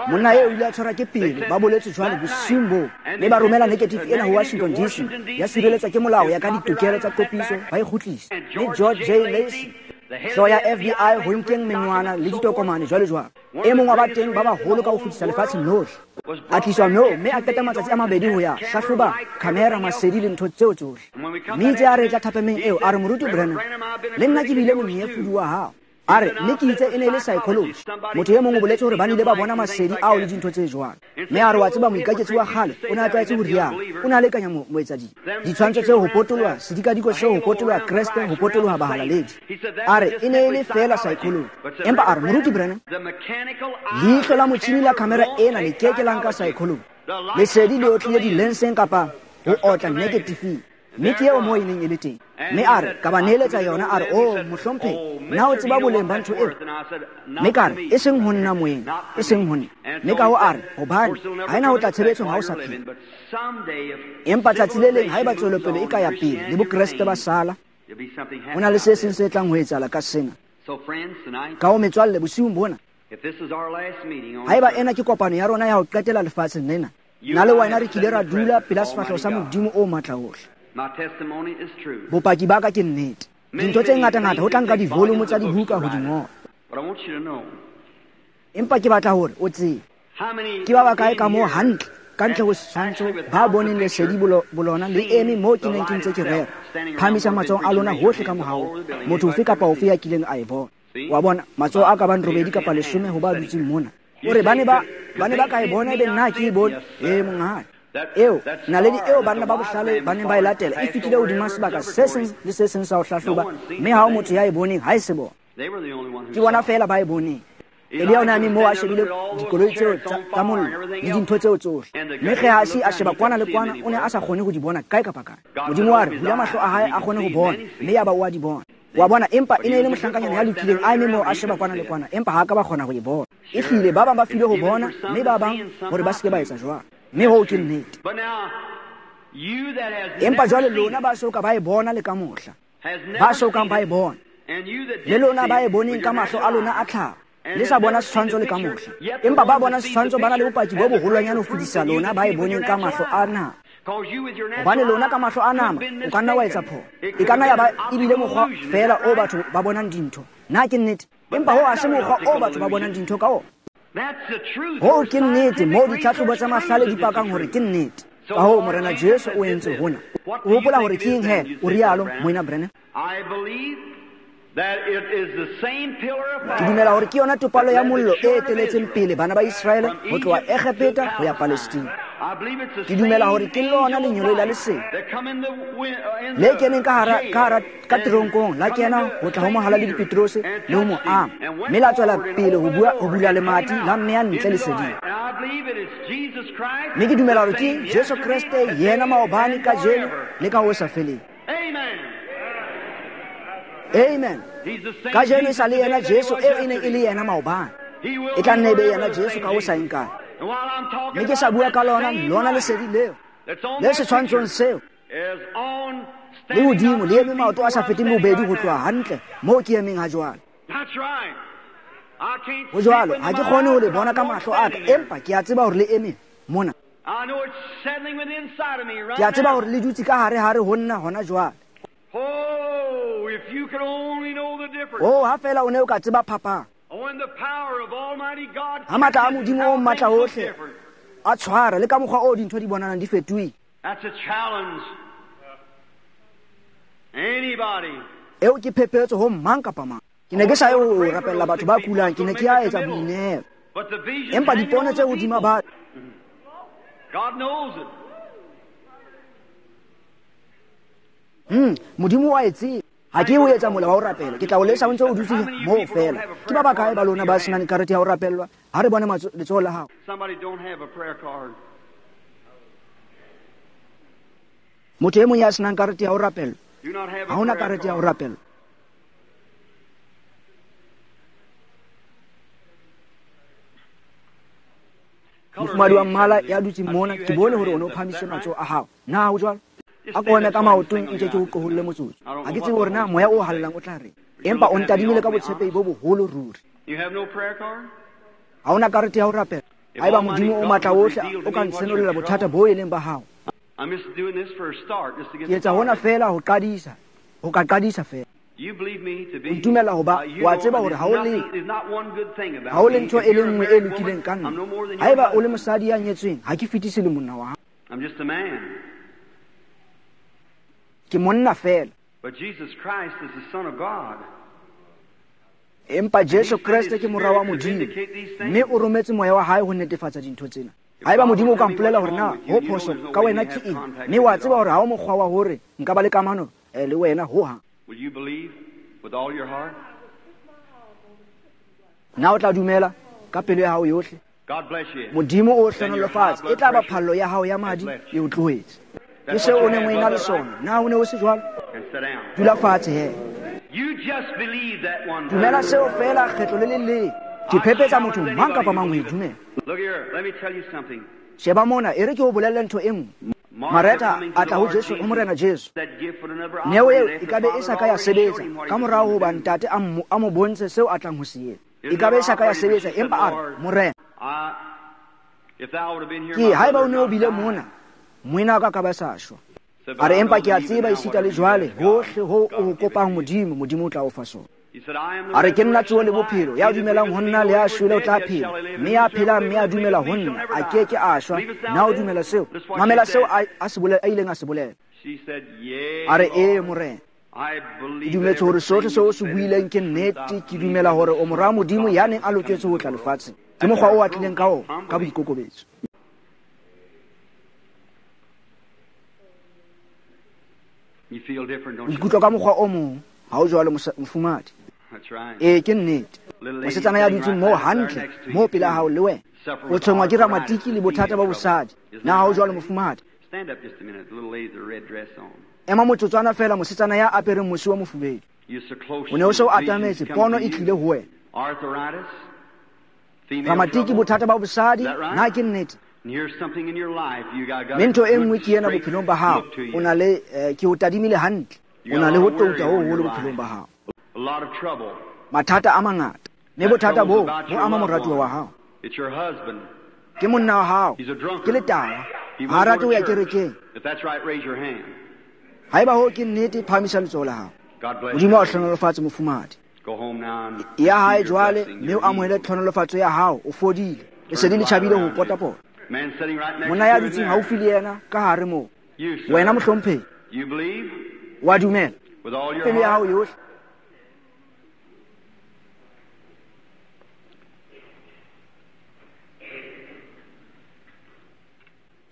Monna eo o ile a tshwarwa ke pelo, ba boletse jwalo bosiung boo, mme ba romela negative ena ho Washington D C, ya sireletswa ke molao ya ka ditokelo tsa kopiso, ba e kgutlisa. Mme George J. Lacy, hlooho ya F B I, ho nkeng menwana le ditokomane jwalo jwalo, e mong wa ba teng ba baholo ka ho fetisa lefatsheng lohle, a tliswa moo mme a qeta matsatsi a mabedi ho ya hlahloba khamera, masedi le ntho tseo tsohle. Mme itse a re tla thapameng eo, a re Moruti Branham, le nna ke bile monyefodi wa hao. A re mme ke itse e ne e le psychology. Motho e mong o boletse hore ba nile ba bona masedi ao le dintho tse jwalo. Mme a re wa tseba moikaketsi wa kgale o ne a tlwaetse ho rialo, o ne a lekanya moetsadibe. Ditshwantsho tseo ho potoloha sedikadiko seo ho potoloha Kreste, ho potoloha bahalaledi. A re e ne e le feela psychology. Empa a re Moruti Branham, leihlo la motjhini la khamera ena le ke ke la nka psychology. Lesedi le otlile dilenseng kapa ho otla negative. Mme ke eo moo e neng e le teng. Mme a re ka ba neeletsa yona, a re o mohlomphehi, na o tseba boleng ba ntho eo? Mme ka re e seng ho nna moeng, e seng ho nna. Mme ka ho a re hobane ha ena ho tla tshebetsong ha o sa phela. Empa tsatsi le leng haeba tswelopele e ka ya pele le bokreste ba sala, ho na le se seng se tlang ho etsahala ka sena. Ka ho metswalle bosiung bona, haeba ena ke kopano ya rona ya ho qetela lefatsheng lena, nna le wena re kile ra dula pela sefahleho sa Modimo o matla ohle. Bopaki ba ka ke nnete. Dintho tse ngata-ngata ho tla nka divolumo tsa dibuka ho di ngola. Empa ke batla hore o tsebe ke ba bakae ka moo hantle ka ntle ho setshwantsho ba boneng lesedi bolona le eme moo ke neng ke ntse ke rera. Phahamisa matsoho a lona hohle ka mohao, motho ofe kapa ofe ya kileng a e bona. Wa bona matsoho a ka bang robedi kapa leshome ho ba dutseng mona. O re ba ne ba ba ne ba ka e bona ebe nna ke e bone. Ee monghadi. Eo naledi eo banna ba bohlale ba neng ba e latela e fetile hodima sebaka se seng le se seng sa ho hlahloba, mme ha ho motho ya e boneng ha e se bona. Ke bona feela ba e boneng. Elia o ne a eme moo a shebile dikoloi tseo tsa mollo le dintho tseo tsohle, mme Gehazi a sheba kwana le kwana, o ne a sa kgone ho di bona kae kapa kae. Modimo wa re bula mahlo a hae a kgone ho bona, mme yaba o a di bona. Wa bona, empa e ne e le mohlankanyana ya lokileng a eme moo a sheba kwana le kwana, empa ha a ka ba kgona ho e bona. Ehlile ba bang ba filwe ho bona, mme ba bang hore ba se ke ba etsa jwalo. Mme hoo ke nnete. Empa jwale lona ba so ka ba e bona le ka mohla, ba so kang ba e bona, le lona ba e boneng ka mahlo a lona a tlhaho, le sa bona setshwantsho le ka mohla. Empa ba bona setshwantsho ba na le bopaki bo boholwanyane ho fetisa lona ba e boneng ka mahlo a nama. Hobane lona ka mahlo a nama o ka nna wa etsa phoso. E ka nna ya ba ebile mokgwa feela o batho ba bonang dintho. Na ke nnete? Empa hoo ha se mokgwa o batho ba bonang dintho ka ona. Hoo ke nnete moo ditlhahlobo tsa mahlale di pakang hore ke nnete. Ka hoo Morena Jesu o entse hona. O hopola hore ke eng he? O rialo, Moena Branham. Ke dumela hore ke yona topallo ya mollo e eteletseng pele bana ba Iseraele ho tloha Egepeta ho ya Palestina. Ke dumela hore ke lona lengeloi la lesedi le keneng ka hara ka hara ka teronkong, la kena ho tla ho mohalaledi Petrose le ho mo ama, mme la tswela pele ho bua ho bula lemati la mmeya ntle leseding. Mme ke dumela hore ke Jesu Kreste yena maobane, kajeno le ka ho sa feleng. Amen. Kajeno e sa le yena Jesu eo e neng e le yena maobane, e tla nne e be yena Jesu ka ho sa eng kae. Mme ke sa bua ka lona lona lesedi leo le setshwantshong seo le hodimo le eme maoto a sa feteng bobedi ho tloha hantle moo ke emeng ha jwale. Ho jwalo, ha ke kgone ho le bona ka mahlo a ka, empa ke a tseba hore le eme mona. Ke a tseba hore le dutse ka hare-hare ho nna hona jwale. Oh, ha feela o ne o ka tseba phapang. Ha matla a Modimo o matla ohle a tshwara le ka mokgwa o dintho di bonalang di fetohile. Eo ke phephetso ho mang kapa mang. Ke ne ke sa ye ho rapella batho ba kulang, ke ne ke ya etsa boinehelo. Empa dipono tse hodima batho, Hmm, Modimo wa e tseba. Ha ke o etsa mola wa ho rapela, ke tla o lesa o ntse o dutse moo fela. Ke ba bakae ba lona ba senang karete ya ho rapellwa? Ha re bone letsoho la hao. Motho e mong ya senang karete ya ho rapellwa, ha hona karete ya ho rapellwa. Mofumahadi wa mmala ya dutseng mona, ke bone hore o ne o phahamise matsoho a hao. Na ho jwalo? A ko eme ka maotong nke ke o qoholle motsotso. Ha ke tsebe hore na moya o halalelang o tla reng, empa o ntadimile ka botshepehi bo boholo ruri. Ha hona karete ya ho rapela. Haeba Modimo o matla ohle o ka ntshenolela bothata bo e leng ba hao. Ke etsa hona feela ho qadisa, ho ka qadisa feela. O ntumella hoba wa tseba hore ha o le ha o le ntho e le nngwe e lokileng ka nna. Haeba o le mosadi ya nyetsweng, ha ke fetise le monna wa hao. Ke monna feela. Empa Jesu Kreste ke mora wa Modimo, mme o rometse moya wa hae ho netefatsa dintho tsena. Haeba Modimo o ka mpolela hore na ho phoso ka wena ke eng, mme wa tseba hore ha o mokgwa wa hore nka ba le kamano le wena hohang. Na o tla dumela ka pelo ya hao yohle? Modimo o hlohonolofatse. E tla ba phallo ya hao ya madi e o tlohetse. Ke seo o neng o ena le sona. Na o ne o se jwalo? Dula fatshe he. Dumela seo feela kgetlo le le leng. Ke phephetsa motho mang kapa mang ho e dumela. Sheba mona, e re ke o bolelle ntho e nngwe. Mareta a tla ho Jesu, ho Morena Jesu. Neo eo e ka be e sa ka ya sebetsa ka morao hoba ntate a mo a mo bontshe seo a tlang ho se etsa. E ka be e sa ka ya sebetsa, empa a re, Morena, ke haeba o ne o bile mona, moena wa ka ka ba sa shwa. A re, empa ke a tseba esita le jwale, hohle ho o kopang Modimo, Modimo o tla o fa sona. A re, ke nna tsoho le bophelo, ya dumelang ho nna le ya shwele o tla phela, mme ya phelang mme a dumela ho nna a ke ke a shwa. Na o dumela seo? Mamela seo a a se bolela, a ileng a se bolela. A re, ee Morena, ke dumetse hore sohle seo o se buileng ke nnete. Ke dumela hore o mora Modimo ya neng a loketse ho tla lefatsheng. Ke mokgwa o a tlileng ka ona, ka boikokobetso. O ikutlwa ka mokgwa o mong, ha o jwalo mofumahadi? Ee, ke nnete. Mosetsana ya dutseng moo hantle, moo pela hao le wena, o tshwenngwa ke ramatiki le bothata ba bosadi. Na ha o jwalo mofumahadi? Ema motsotswana feela, mosetsana ya apereng mosi wa mofubedu. O ne o se o atametse, pono e tlile ho wena. Ramatiki, bothata ba bosadi, na ke nnete? Mme ntho e nngwe ke ena bophelong ba hao, o na le ke o tadimile hantle, o na le ho touta ho hoholo bophelong ba hao. Mathata a mangata, mme bothata boo bo ama moratuwa wa hao. Ke monna wa hao, ke letawa, ha a rate ho ya kerekeng. Haeba hoo ke nnete, phahamisa letsoho la hao. Modimo a o hlohonolofatse mofumahadi. Ya hae jwale, mme o amohele tlhohonolofatso ya hao, o fodile. Lesedi le tjhabile ho potapota. Monna ya dutseng haufi le yena ka hare moo, wena mohlomphehi, wa dumela pelo ya hao yohle?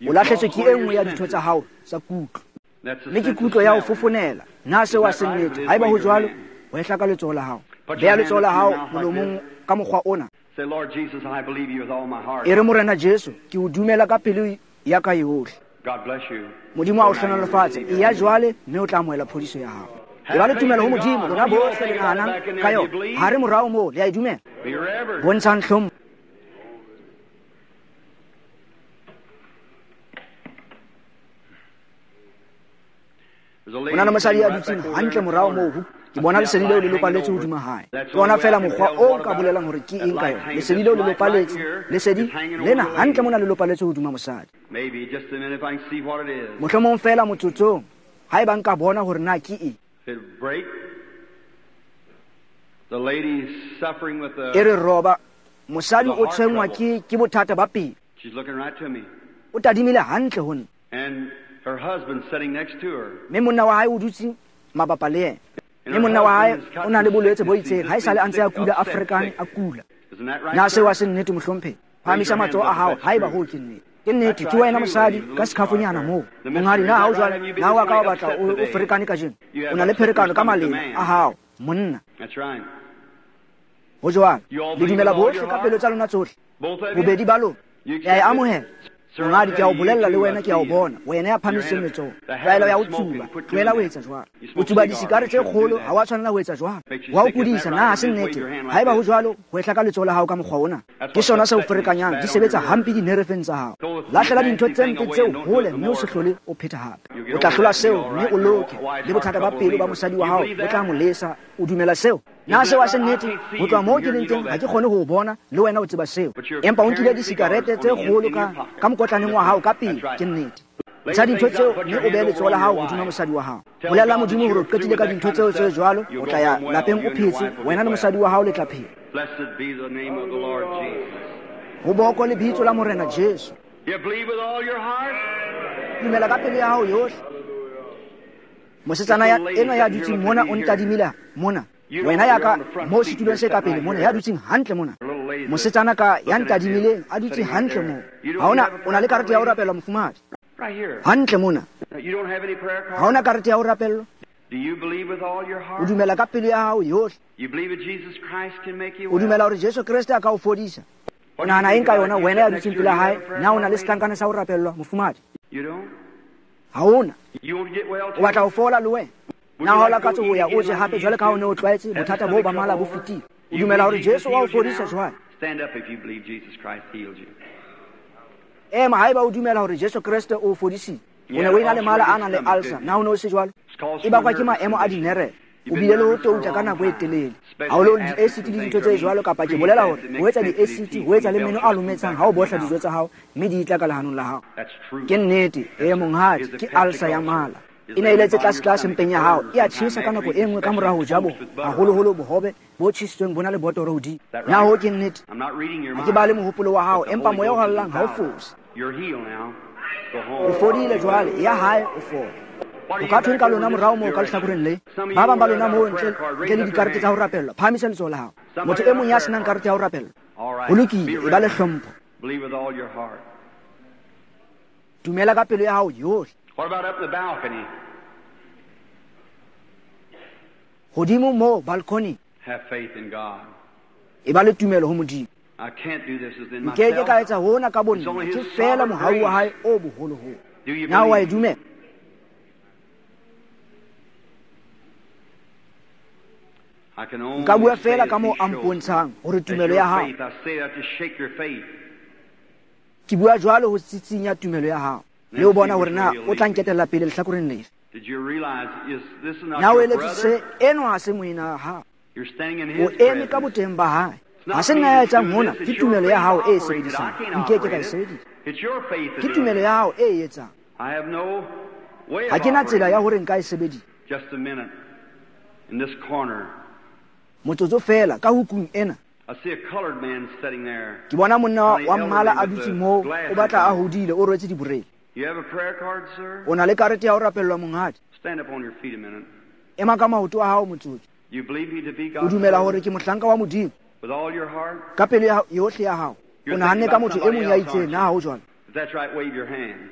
O lahletswe ke e nngwe ya ditho tsa hao tsa kutlo. Mme ke kutlo ya ho fofonela. Na seo ha se nnete? Haeba ho jwalo, ho ehla ka letsoho la hao. Beha letsoho la hao molomong ka mokgwa ona. E re, Morena Jesu, ke o dumela ka pelo ya ka yohle. Modimo a o hlohonolofatse. Eya jwale, mme o tla amohela phodiso ya hao. E ba le tumelo ho Modimo, lona bohle le nahanang ka yona. Ha re morao moo, le a e dumela. Bontshang hlompho. Ho na le mosadi ya dutseng hantle morao moo. Ke bona lesedi leo le lopaletse hodima hae. Ke ona feela mokgwa o ka bolelang hore ke eng ka yona. Lesedi leo le lopaletse. Lesedi lena hantle mona le lopaletse hodima mosadi. Mohlomong feela motsotsong, haeba nka bona hore na ke eng. E re roba, mosadi o tshwenngwa ke ke bothata ba pelo. O tadimile hantle ho nna. Mme monna wa hae o dutse mabapa le yena. Mme monna wa hae o na le bolwetse bo itseng, ha esale a ntse a kula, a ferekane, a kula. Na seo ha se nnete, mohlomphehi? Phahamisa matsoho a hao haeba hoo ke nnete. Ke nnete, ke wena mosadi ka sekhafonyana moo. Monghadi, na ha o jwale? Na wa ka wa batla o ferekane kajeno? O na le pherekano ka malema a hao, monna. Ho jwalo. Le dumela bohle ka pelo tsa lona tsohle. Bobedi ba lona. Le a e amohela. Monghadi, ke a o bolella le wena, ke a o bona. Wena ya phahamiseng letsoho. Tlwaelo ya ho tsuba. Tlohela ho etsa jwalo. O tsuba disikare tse kgolo, ha wa tshwanela ho etsa jwalo. Wa o kudisa, na ha se nnete? Haeba ho jwalo, ho ehla ka letsoho la hao ka mokgwa ona. Ke sona se o ferekanyang, di sebetsa hampe dinerefeng tsa hao. Lahlela dintho tse mpe tseo hole mme o se hlole o pheta hape. O tla hlola seo mme o loke. Le bothata ba pelo ba mosadi wa hao bo tla mo lesa. O dumela seo? Na seo ha se nnete? Ho tloha moo ke leng teng, ha ke kgone ho o bona, le wena o tseba seo. Empa o nkile disikarete tse kgolo ka ka mokotlaneng wa hao ka pele, ke nnete. Ntsha dintho tseo mme o behe letsoho la hao hodima mosadi wa hao. Bolella Modimo hore o qetile ka dintho tseo tse jwalo, o tla ya lapeng o phetse, wena le mosadi wa hao le tla phela. Ho boko lebitso la Morena Jesu. Dumela ka pelo ya hao yohle. Mosetsana ya enwa ya dutseng mona o ntadimile mona. Wena ya ka moo setulong se ka pele mona, ya dutseng hantle mona. Mosetsana ka ya ntadimileng a dutse hantle moo. Ha ona, o na le karete ya ho rapellwa, mofumahadi? Hantle mona. Ha ona karete ya ho rapellwa? O dumela ka pelo ya hao yohle. O dumela hore Jesu Kreste a ka o fodisa. O nahana eng ka yona, wena ya dutseng pela hae? Na o na le setlankana sa ho rapellwa, mofumahadi? Ha ona. O batla ho fola le wena? Na ho lakatse ho ya o je hape jwale ka ha o ne o tlwaetse, bothata boo ba mala bo fetile. O dumela hore Jesu wa o fodisa jwale? Ema haeba o dumela hore Jesu Kreste o o fodisitse. O ne o ena le mala a nang le ulcer, na o ne o se jwalo? E bakwa ke maemo a dinerele. O bile le ho touta ka nako e telele. Haholo di-acid le dintho tse jwalo, kapa ke bolela hore ho etsa di-acid, ho etsa le meno a lometsang ha o bohla dijo tsa hao, mme di tla ka lehanong la hao. Ke nnete, e monghadi, ke ulcer ya mala. E ne e letse tlase-tlase mpeng ya hao, e a tjhesa ka nako e nngwe ka mora ho ja bo, haholoholo bohobe bo tjhesitsweng bo na le botoro hodimo. Na ho ke nnete? Ha ke bale mohopolo wa hao, empa moya o hallang ha o fose. O fodile jwale, ya hae o fole. O ka thweng ka lona morao moo ka lehlakoreng le? Ba bang ba lona moo ntle ntle le dikarete tsa ho rapellwa, phahamisa letsoho la hao. Motho e mong ya senang karete ya ho rapellwa. Ho lokile, e ba le hlompho. Dumela ka pelo ya hao yohle. Hodimo moo balcony. E ba le tumelo ho Modimo. Nke ke ka etsa hona ka bonna, ke feela mohau wa hae o boholoholo. Na wa e dumela? Nka bua feela ka moo a mpontshang hore tumelo ya hao. Ke bua jwalo ho tsitsinya tumelo ya hao. Le o bona hore na o tla nketella pele lehlakoreng lefe. Na o eletse se enwa ha se moena wa hao. O eme ka boteng ba hae. Ha se nna ya etsang hona, ke tumelo ya hao e sebedisang. Nke ke ka e sebedisa. Ke tumelo ya hao e etsang. Ha ke na tsela ya hore nka e sebedisa. Motsotso feela ka hukung ena. Ke bona monna wa mmala a dutse moo, o batla a hodile, o rwetse diborele. O na le karete ya ho rapellwa, monghadi? Ema ka maoto a hao motsotso. O dumela hore ke mohlanka wa Modimo? Ka pelo yohle ya hao. O nahanne ka motho e mong ya itseng, na ha ho jwalo? If that's right, wave your hand.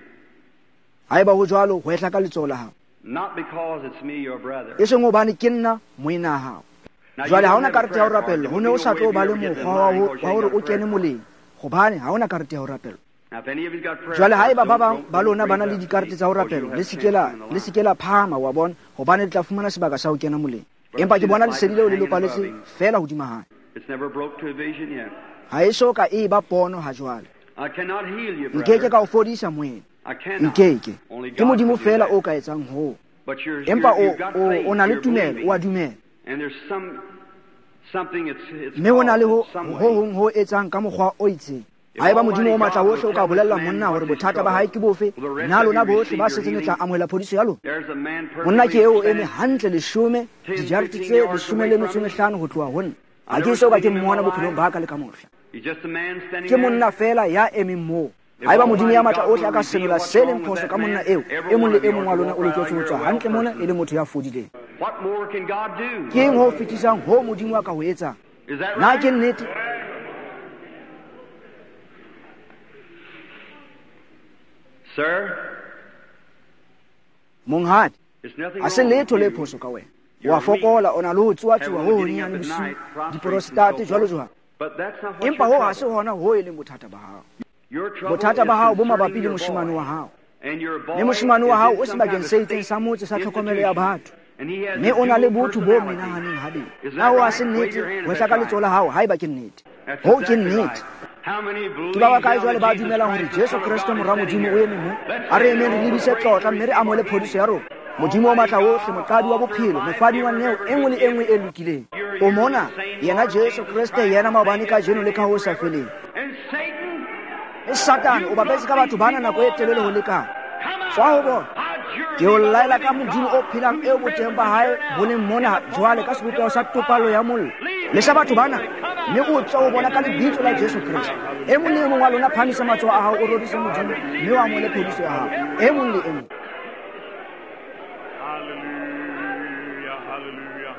Haeba ho jwalo, hwehla ka letsoho la hao. Not because it's me, your brother. E seng hobane ke nna moena hao. Jwale ha ona karete ya ho rapellwa, ho ne o sa tlo ba le mokgwa wa ho wa hore o kene moleng, hobane ha ona karete ya ho rapellwa. Jwale haeba ba bang ba lona ba na le dikarete tsa ho rapellwa, le se ke la le se ke la phahama, wa bona, hobane le tla fumana sebaka sa ho kena moleng. Empa ke bona lesedi leo le lopaletse feela hodima hae. Ha e so ka e ba pono ha jwale. Nkeke ka o fodisa moena. Nkeke. Ke Modimo feela o ka etsang hoo. Empa o o o na le tumelo, o a dumela. Mme ho na le ho ho hong ho etsang ka mokgwa o itseng. Haeba Modimo o matla wohle o ka bolella monna hore bothata ba hae ke bofe, na lona bohle ba setseng le tla amohela phodiso ya lona? Monna ke eo o eme hantle leshome, dijarete tse leshome le metso e mehlano ho tloha ho nna. Ha ke eso ka ke mmona bophelong ba ka le ka mohla. Ke monna feela ya emeng moo. Haeba Modimo ya matla ohle a ka senola se leng phoso ka monna eo, e mong le e mong wa lona o loketse ho tswa hantle mona e le motho ya fodileng. Ke eng ho fetisang ho Modimo a ka ho etsang? Na ke nnete? Sir, Monghadi, ha se letho le phoso ka wena. Wa fokola, o na le ho tsuatsuwa ho honyenyane bosiu, diprostate jwalo jwalo. Empa ho ha se hona ho e leng bothata ba hao. Bothata ba hao bo mabapi le moshemane wa hao. Mme moshemane wa hao o sebakeng se itseng sa motse sa tlhokomelo ya batho. Mme o na le botho bo menahaneng habedi. Na ho ha se nnete? Hwehla ka letsoho la hao haeba ke nnete. Hoo ke nnete. Ke ba bakae jwale ba dumelang hore Jesu Kreste mora Modimo o eme mo? A re emeng re lebise tlotla mme re amohele phodiso ya rona. Modimo o matla wohle, moqadi wa bophelo, mofadi wa neo e nngwe le e nngwe e lokileng. O mona, yena Jesu Kreste, yena maobane, kajeno le ka ho sa feleng. E Satane o bapetse ka batho bana nako e telele ho lekana. Tswa ho bona. Ke o laela ka Modimo o phelang eo boteng ba hae bo leng mona jwale ka sebopeho sa topallo ya mollo. Lesa batho bana, mme o tswa ho bona ka lebitso la Jesu Kreste. E mong le e mong wa lona phahamisa matsoho a hao, o rorise Modimo, mme o amohele phodiso ya hao. E mong le e mong. Hallelujah, hallelujah.